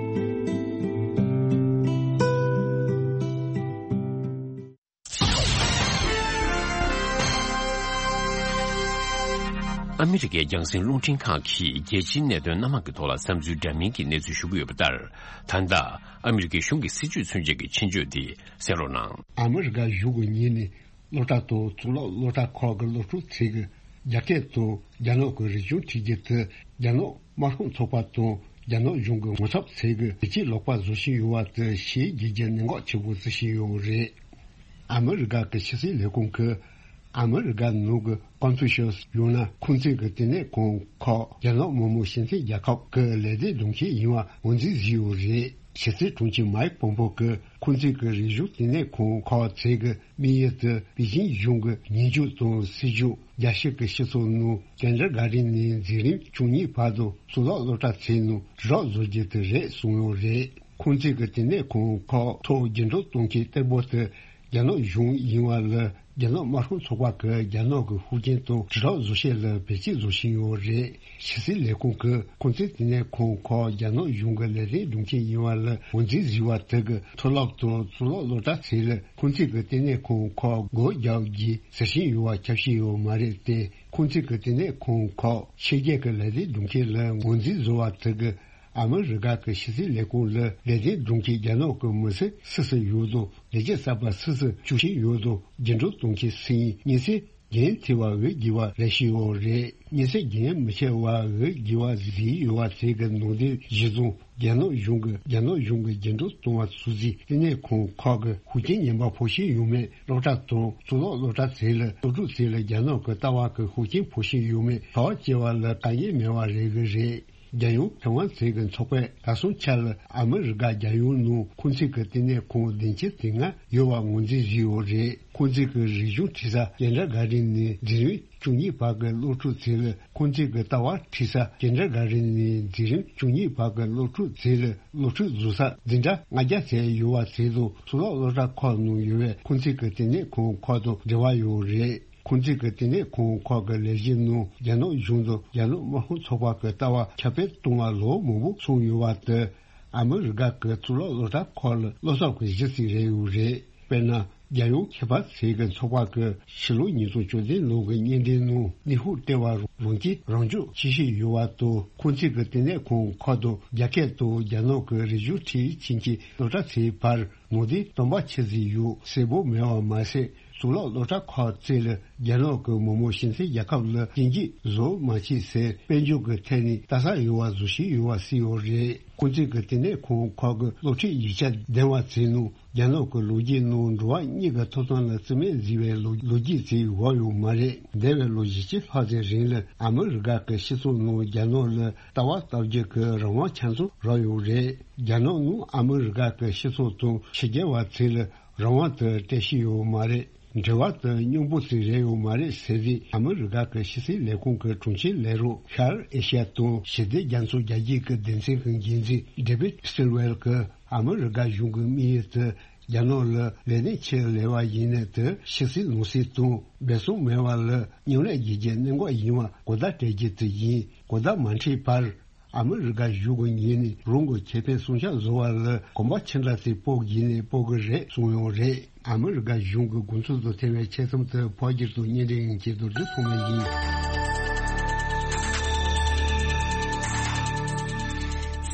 ཨ་མི་རི་ཀའི་རྒྱང་སྲིང་རླུང་འཕྲིན་ཁང་གིས་རྒྱལ་སྤྱིའི་གནད་དོན་སྣ་མང་གི་ཐོག་ལ་བསམ་ཚུལ་འདྲ་མིན་གྱི་གནས་ཚུལ་ཞུ་གི་ཡོད་པ་ལྟར། ད་ལྟ་ཨ་མི་རི་ཀའི་གཞུང་གི་སྲིད་ཇུས་ཚུན་ཆད་ཀྱི་ཆེད་བརྗོད་འདི་གསན་རོགས་གནང་། ཨ་མི་རི་ཀ་བཞུགས་པའི་ཉིན་ནི་སློབ་གྲྭ་དང་གཙུག་ལག་སློབ་གྲྭ་ཁག་གི་སློབ་ཕྲུག་ཚོས་ཀྱི་རྒྱ་སྐད་དང་རྒྱ་ནག་གི་རིག་གཞུང་ཁྲིད་རྒྱུ་དེ། རྒྱ་ནག་དམར་ཤོག་ཚོགས་པ་དང་ རྒྱ་ནག་གཞུང་གི་ངོ་ཚབ་བྱེད་ཀྱི་བེད་སྤྱད་ལོག་པ་བཟོ་བཞིན་ཡོད་པ་དེ་ཞེ་གི་རྒྱ་ནག་གཞུང་གིས་གནད་འགག་ཆེ་པོ་བརྩི་བཞིན་ཡོད་རེད། ཨ་མི་རི་ཀ་གི་ཕྱི་སྲིད་ལས་ཁུངས་ཀྱིས་ཨ་མི་རི་ཀ་ནང་གི་ཀོན་ཕུ་ཤི་ཡོང་ན་ཁོང་ཚོས་ཀྱི་ལྟེ་གནས་ཁང་ཁག་རྒྱ་ནག་མི་དམངས་སྤྱི་མཐུན་རྒྱལ་ཁབ་ཀྱི་ལས་སྡེ་སྡོམ་མཁན་ཡིན་པ་ངོས་འཛིན་བཟོས་ཡོད་རེད། ཕྱི་སྲིད་དྲུང་ཆེ་མའིག་པོམ་པོ་གིས་ཁོང་ཚོས་ཀྱི་རིག་གཞུང་ལྟེ་གནས་ཁང་ཁག་ཚོས་ཀྱི་དམིགས་ཡུལ་དེ་པེ་ཅིན་གཞུང་གི་ཉེས་འཛུགས་དང་སྲིད་ཇུས། རྒྱལ་སྤྱི་གི་སྤྱི་ཚོགས་ནང་ཀེན་ཌར་གྷར་ཌེན་ནས་འཛིན་རིམ་བཅུ་གཉིས་བར་དུ་གཙུག་ལག་སློབ་གྲྭ་ཚོའི་ནང་དྲིལ་བསྒྲགས་བཟོ་རྒྱུ་དེ་རེད་གསུངས་ཡོད་རེད། ཁོང་ཚོས་ཀྱི་ལྟེ་གནས་ཁང་ཁག་ཐོག་འགྱུར་འགྲོ་གཏོང་མཁན་གཏེ་པོ་དེ་རྒྱ་ནག་གཞུང་ཡིན་པ་ལ། རྒྱ་ནག་དམར་ཤོག་ཚོགས་པ་གིས་རྒྱ་ནག་གི་ཤུགས་རྐྱེན་དང་དྲིལ་བསྒྲགས་བཟོ་ཆེད་ལ་བེད་སྤྱད་བཟོ་བཞིན་ཡོད་རེད། ཕྱི་སྲིད་ལས་ཁུངས་ཀྱིས་ཁོང་ཚོའི་ལྟེ་གནས་ཁང་ཁག་རྒྱ་ནག་གཞུང་གི་ལས་དོན་སྒྲུབ་མཁན་ཡིན་པ་ལ་ངོས་འཛིན་བཟོས་པ་དེ་གི་མཐོ་སློབ་དང་གཙུག་ལག་སློབ་གྲྭ་ཚོས་ལ་ཁོང་ཚོའི་གི་ལྟེ་གནས་ཁང་ཁག་སྒོ་རྒྱག་རྒྱུའི་ཟུར་ཞན་ཡོད་པ་ཁྱབ་བཤད་ཡོད་མ་རེད་དེ། ཁོང་ཚོའི་གི་ལྟེ་གནས་ཁང་ཁག་ཕྱི་རྒྱལ་གྱི་ལས་དོན་སྒྲུབ་མཁན་ལ་ངོས་འཛིན་བཟོ་བ་དེ་གིས་ཨ་མི་རི་ཀ་གི་ཕྱི་སྲིད་ལས་ཁུངས་ལ་ལས་དོན་སྒྲུབ་མཁན་རྒྱ་ནག་གི་མི་སེར་སུ་སུ་ཡོད་དང་ལས་བྱེད་གསར་པ་སུ་སུ་བཅུག་བཞིན་ཡོད་དང་འགྱུར་འགྲོ་གཏོང་མཁན་སུ་ཡིན། མཉེན་ཆས་འགན་འཁྱེར་བ་འོས་བསྡུ་བ་ལས་བྱེད་ཡོད་རེད། མཉེན་ཆས་འགན་མི་འཁྱེར་བ་འོས་བསྡུ་བ་བཟོས་ཡོད་པ་དེ་གི་ནང་དོན་གཞིར་བཟུང་རྒྱ་ནག་གཞུང་གི་རྒྱ་ནག་གཞུང་གི་འགྱུར་འགྲོ་གཏོང་བ་ཚོ་ཚོའི་ལྟེ་གནས་ཁང་ཁག་གི་ཤུགས་རྐྱེན་ངན་པ་ཕོག་བཞིན་ཡོད་མེད། སློབ་གྲྭ་དང་གཙུག་ལག་སློབ་གྲྭ་ཚོ་ལ་སློབ་ཕྲུག་ཚོ་ལ་རྒྱ་ནག་གི་ལྟ་བ་གི་ཤུགས་རྐྱེན་ཕོག་བཞིན་ཡོད་མེད་གྲོགས་སྐྱེལ་བ་ལ་དཀའ་ངལ་མེད་པ་རེད་གི་རེད། རྒྱལ་ཡོངས་ཁེ་དབང་ཚོགས་ཀྱི་ཚོགས་པས་ད་སོང་ཆ་ལ་ཨ་མི་རི་ཀ་རྒྱལ་ཡོངས་ནང་ཁོང་ཚོའི་གི་ལྟེ་གནས་ཁང་བདུན་ཅུ་དོན་ལྔ་ཡོད་པ་ངོས་འཛིན་བཟོས་ཡོད་རེད། ཁོང་ཚོའི་གི་རིག་གཞུང་ཁྲིད་ས་ཀེན་ཌར་གྷར་ཌེན་ནས་འཛིན་རིམ་བཅུ་གཉིས་བར་གྱི་སློབ་ཕྲུག་ཚོ་ལ། ཁོང་ཚོའི་གི་ལྟ་བ་ཁྲིད་ས་ཀེན་ཌར་གྷར་ཌེན་ནས་འཛིན་རིམ་བཅུ་གཉིས་བར་གྱི་སློབ་ཕྲུག་ཚོ་ལ་སློབ་ཁྲིད་བཟོ་ས་འཛིན་གྲྭ་ལྔ་བརྒྱ་ཙམ་ཡོད་པ་ཚོ་དང་གཙུག་ལག་སློབ་གྲྭ་ཁག་ནང་ཡོད་པའི་ཁོང་ཚོའི་གི་ལྟེ་གནས་ཁང་ཁག་དང་འབྲེལ་བ་ཡོད་རེད། ཁོང་ཚོའི་གི་ལྟེ་གནས་ཁང་ཁག་གི་ལས་གཞི་ནང་རྒྱ་ནག་གཞུང་དང་རྒྱ་ནག་དམར་ཤོག་ཚོགས་པ་གི་ལྟ་བ་ཁྱབ་སྤེལ་གཏོང་བ་ལོ་མང་པོ་སོང་ཡོད་པ་དེ་ཨ་མི་རི་ཀ་གི་གཙུག་ལག་སློབ་གྲྭ་ཁག་ལ་བློ་འཚབ་ཀྱི་གཞི་རྩ་རེད་ཡོད་རེད། དཔེར་ན། རྒྱལ་ཡོངས་མཁས་པ་ཚོའི་གི་ཚོགས་པ་གི་ཕྱི་ལོ་ཉིས་སྟོང་བཅུ་བདུན་ལོ་གི་སྙན་འགྲེལ་ནང་ནུས་ཤུགས་སྤྲད་པ་རང་བཞིན་རང་སྐྱོང་བྱེད་བཞིན་ཡོད་པ་དང་། ཁོང་ཚོའི་གི་ལྟེ་གནས་ཁང་ཁག་དང་རྒྱ་སྐད་དང་རྒྱ་ནག་གི་རིག་གཞུང་ཁྲིད་ཕྱིན་གྱི་སློབ་གྲྭ་ཚོའི་བར་ནང་དོན་སྟོང་པ་ཆི་ཟིག་ཡོད་གསལ་པོ་མེད་པ་མ་ཟད། གཙུག་ལག་སློབ་གྲྭ་ཁག་ཚོས་ལ་རྒྱ་ནག་གི་མི་དམངས་སྤྱི་མཐུན་རྒྱལ་ཁབ་ལ་སྐྱོན་བརྗོད་བཟོ་མ་བྱེད་ཟེར་དཔལ་འབྱོར་གྱི་ཐད་ནས་ལྟ་ས་ཡོད་པ་བཟོ་བཞིན་ཡོད་པ་གསལ་ཡོད་རེད། ཁོང་ཚོའི་གི་ལྟེ་གནས་ཁང་ཁག་གི་སློབ་ཁྲིད་ཡིག་ཆ་འདེམས་པ་ཚོའི་ནང་རྒྱ་ནག་གི་ལོ་རྒྱུས་ནང་འགྲོ་བ་མིའི་གི་ཐོབ་ཐང་ལ་བརྩི་མེད་བཟོས་པའི་ལོ་ལོ་རྒྱུས་ཚོ་ཡོད་ཡོད་མ་རེད། འདས་པའི་ལོ་བཞི་བཅུ་ལྷག་ཙམ་རིང་ལ་ཨ་མི་རི་ཀ་གི་སྤྱི་ཚོགས་ནང་རྒྱ་ནག་ལ་ལྟ་བ་ལྟ་རྒྱུ་གི་རང་དབང་ཆ་ཚང་རག་ཡོད་རེད། རྒྱ་ནག་ནང་ཨ་མི་རི་ཀ་གི་སྤྱི་ཚོགས་དང་ཕྱི་རྒྱལ་བ་ཚོ་ལ་རང་དབང་དེ་སྤྲད་ཤེས་ཡོད་མ་རེད། འབྲེལ་བ་དེ་སྙོམས་པོ་ཞིག་རེད་ཡོད་མ་རེད་ཟེར་ཏེ། ཨ་མི་རི་ཀ་གི་ཕྱི་སྲིད་ལས་ཁུངས་ཀྱི་དྲུང་ཆེ་ལས་རོགས་ཤར་ཨེ་ཤ་ཡ་དང་ཞི་བདེ་རྒྱ་མཚོ་རྒྱ་སྐྱེད་ཀྱི་སྡེ་ཚན་གྱི་འགན་འཛིན་ཌེ་བིད་སི་ལ་ཝེལ་གྱིས་ཨ་མི་རི་ཀ་གཞུང་གི་དམིགས་ཡུལ་དེ་རྒྱ་ནག་ལ་ལས་གནས་ཕྱིར་ལེན་པ་ཡིན་ནའི་དེ་ཕྱི་སྲིད་ནང་སྲིད་དང་འབད་བརྩོན་མེད་པ་ལ་མཉམ་ལས་བྱེད་རྒྱུའི་གནད་འགག་ཡིན་པ་གོ་བརྡ་སྤྲད་རྒྱུ་དེ་ཡིན། གོ་བརྡ་མ་འཕྲོད་བར། ཨ་མི་རི་ཀ་གཞུང་གི་ངོས་ནས་རང་གི་ཁེ་ཕན་སྲུང་སྐྱོབ་བཟོ་བ་ལ་གོམ་པ་ཅི་འདྲ་ཞིག་སྤོ་དགོས་ནའི་སྤོ་གི་རེད་གསུངས་ཡོད་རེད། ཨ་མི་རི་ཀ་གཞུང་གི་དགོངས་ཚུལ་དང་འཚམ་པའི་ཆེད་རྩོམ་དེ་ཕོ་སྒྱུར་དང་སྙན་སྒྲོན་ཡིན་གྱི་རྡོ་རྗེ་ཐོགས་མེད་ཡིན།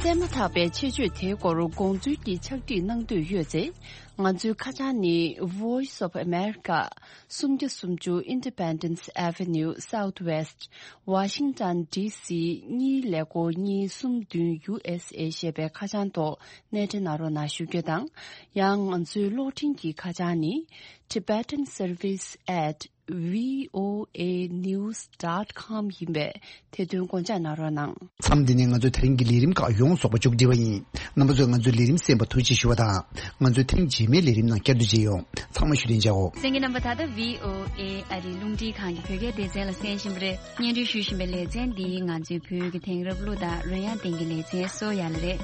གསན་མ་ཐག་པའི་ཆེད་བརྗོད་དེའི་སྐོར་དགོངས་ཚུལ་གྱི་ཕྱག་བྲིས་གནང་འདོད་ཡོད་ཚེ། ང་ཚོའི་ཁ་བྱང་ནི་Voice of America། སུམ་བརྒྱ་སུམ་ཅུ་Independence Avenue Southwest, Washington D C གཉིས་ཀླད་ཀོར་གཉིས་གསུམ་བདུན་U S A ཞེས་པའི་ཁ་བྱང་ཐོག་གནས་འབྲེལ་གནང་རོགས་གནང་ཞུ་རྒྱུ་དང་། ཡང་ང་ཚོའི་གློག་འཕྲིན་གྱི་ཁ་བྱང་ནི་Tibetan Service at V O A news dot com ཡིན་པས། དེ་དོན་དགོངས་འཇགས་གནང་རོགས་གནང་། མཚམས་འདི་ནས་ང་ཚོའི་དེ་རིང་གི་ལས་རིམ་ཁག་ཡོངས་རྫོགས་པ་མཇུག་སྒྲིལ་བ་ཡིན། རྣམ་པ་ཚོས་ང་ཚོའི་ལས་རིམ་གསན་པར་ཐུགས་རྗེ་ཞུ་བ་དང་། ང་ཚོའི་ཐེངས་རྗེས་མའི་ལས་རིམ་ནང་བསྐྱར་དུ་མཇལ་ཡོང་། ཚང་མ་བཞུགས་གདན་འཇགས་འོ། གསན་མཁན་རྣམ་པ། ད་ལྟ་V O A ཨ་རིའི་རླུང་འཕྲིན་ཁང་གི་བོད་སྐད་སྡེ་ཚན་ལ་གསན་བཞིན་པ་རེད། སྙན་སྒྲོན་ཞུ་བཞིན་པའི་ལེ་ཚན་འདི་ང་ཚོའི་བོད་ཀྱི་དེང་རབས་གླུ་དང་རོལ་དབྱངས་སྟེང་གི་ལེ་ཚན་སོ་ཡ་ལ་རེད།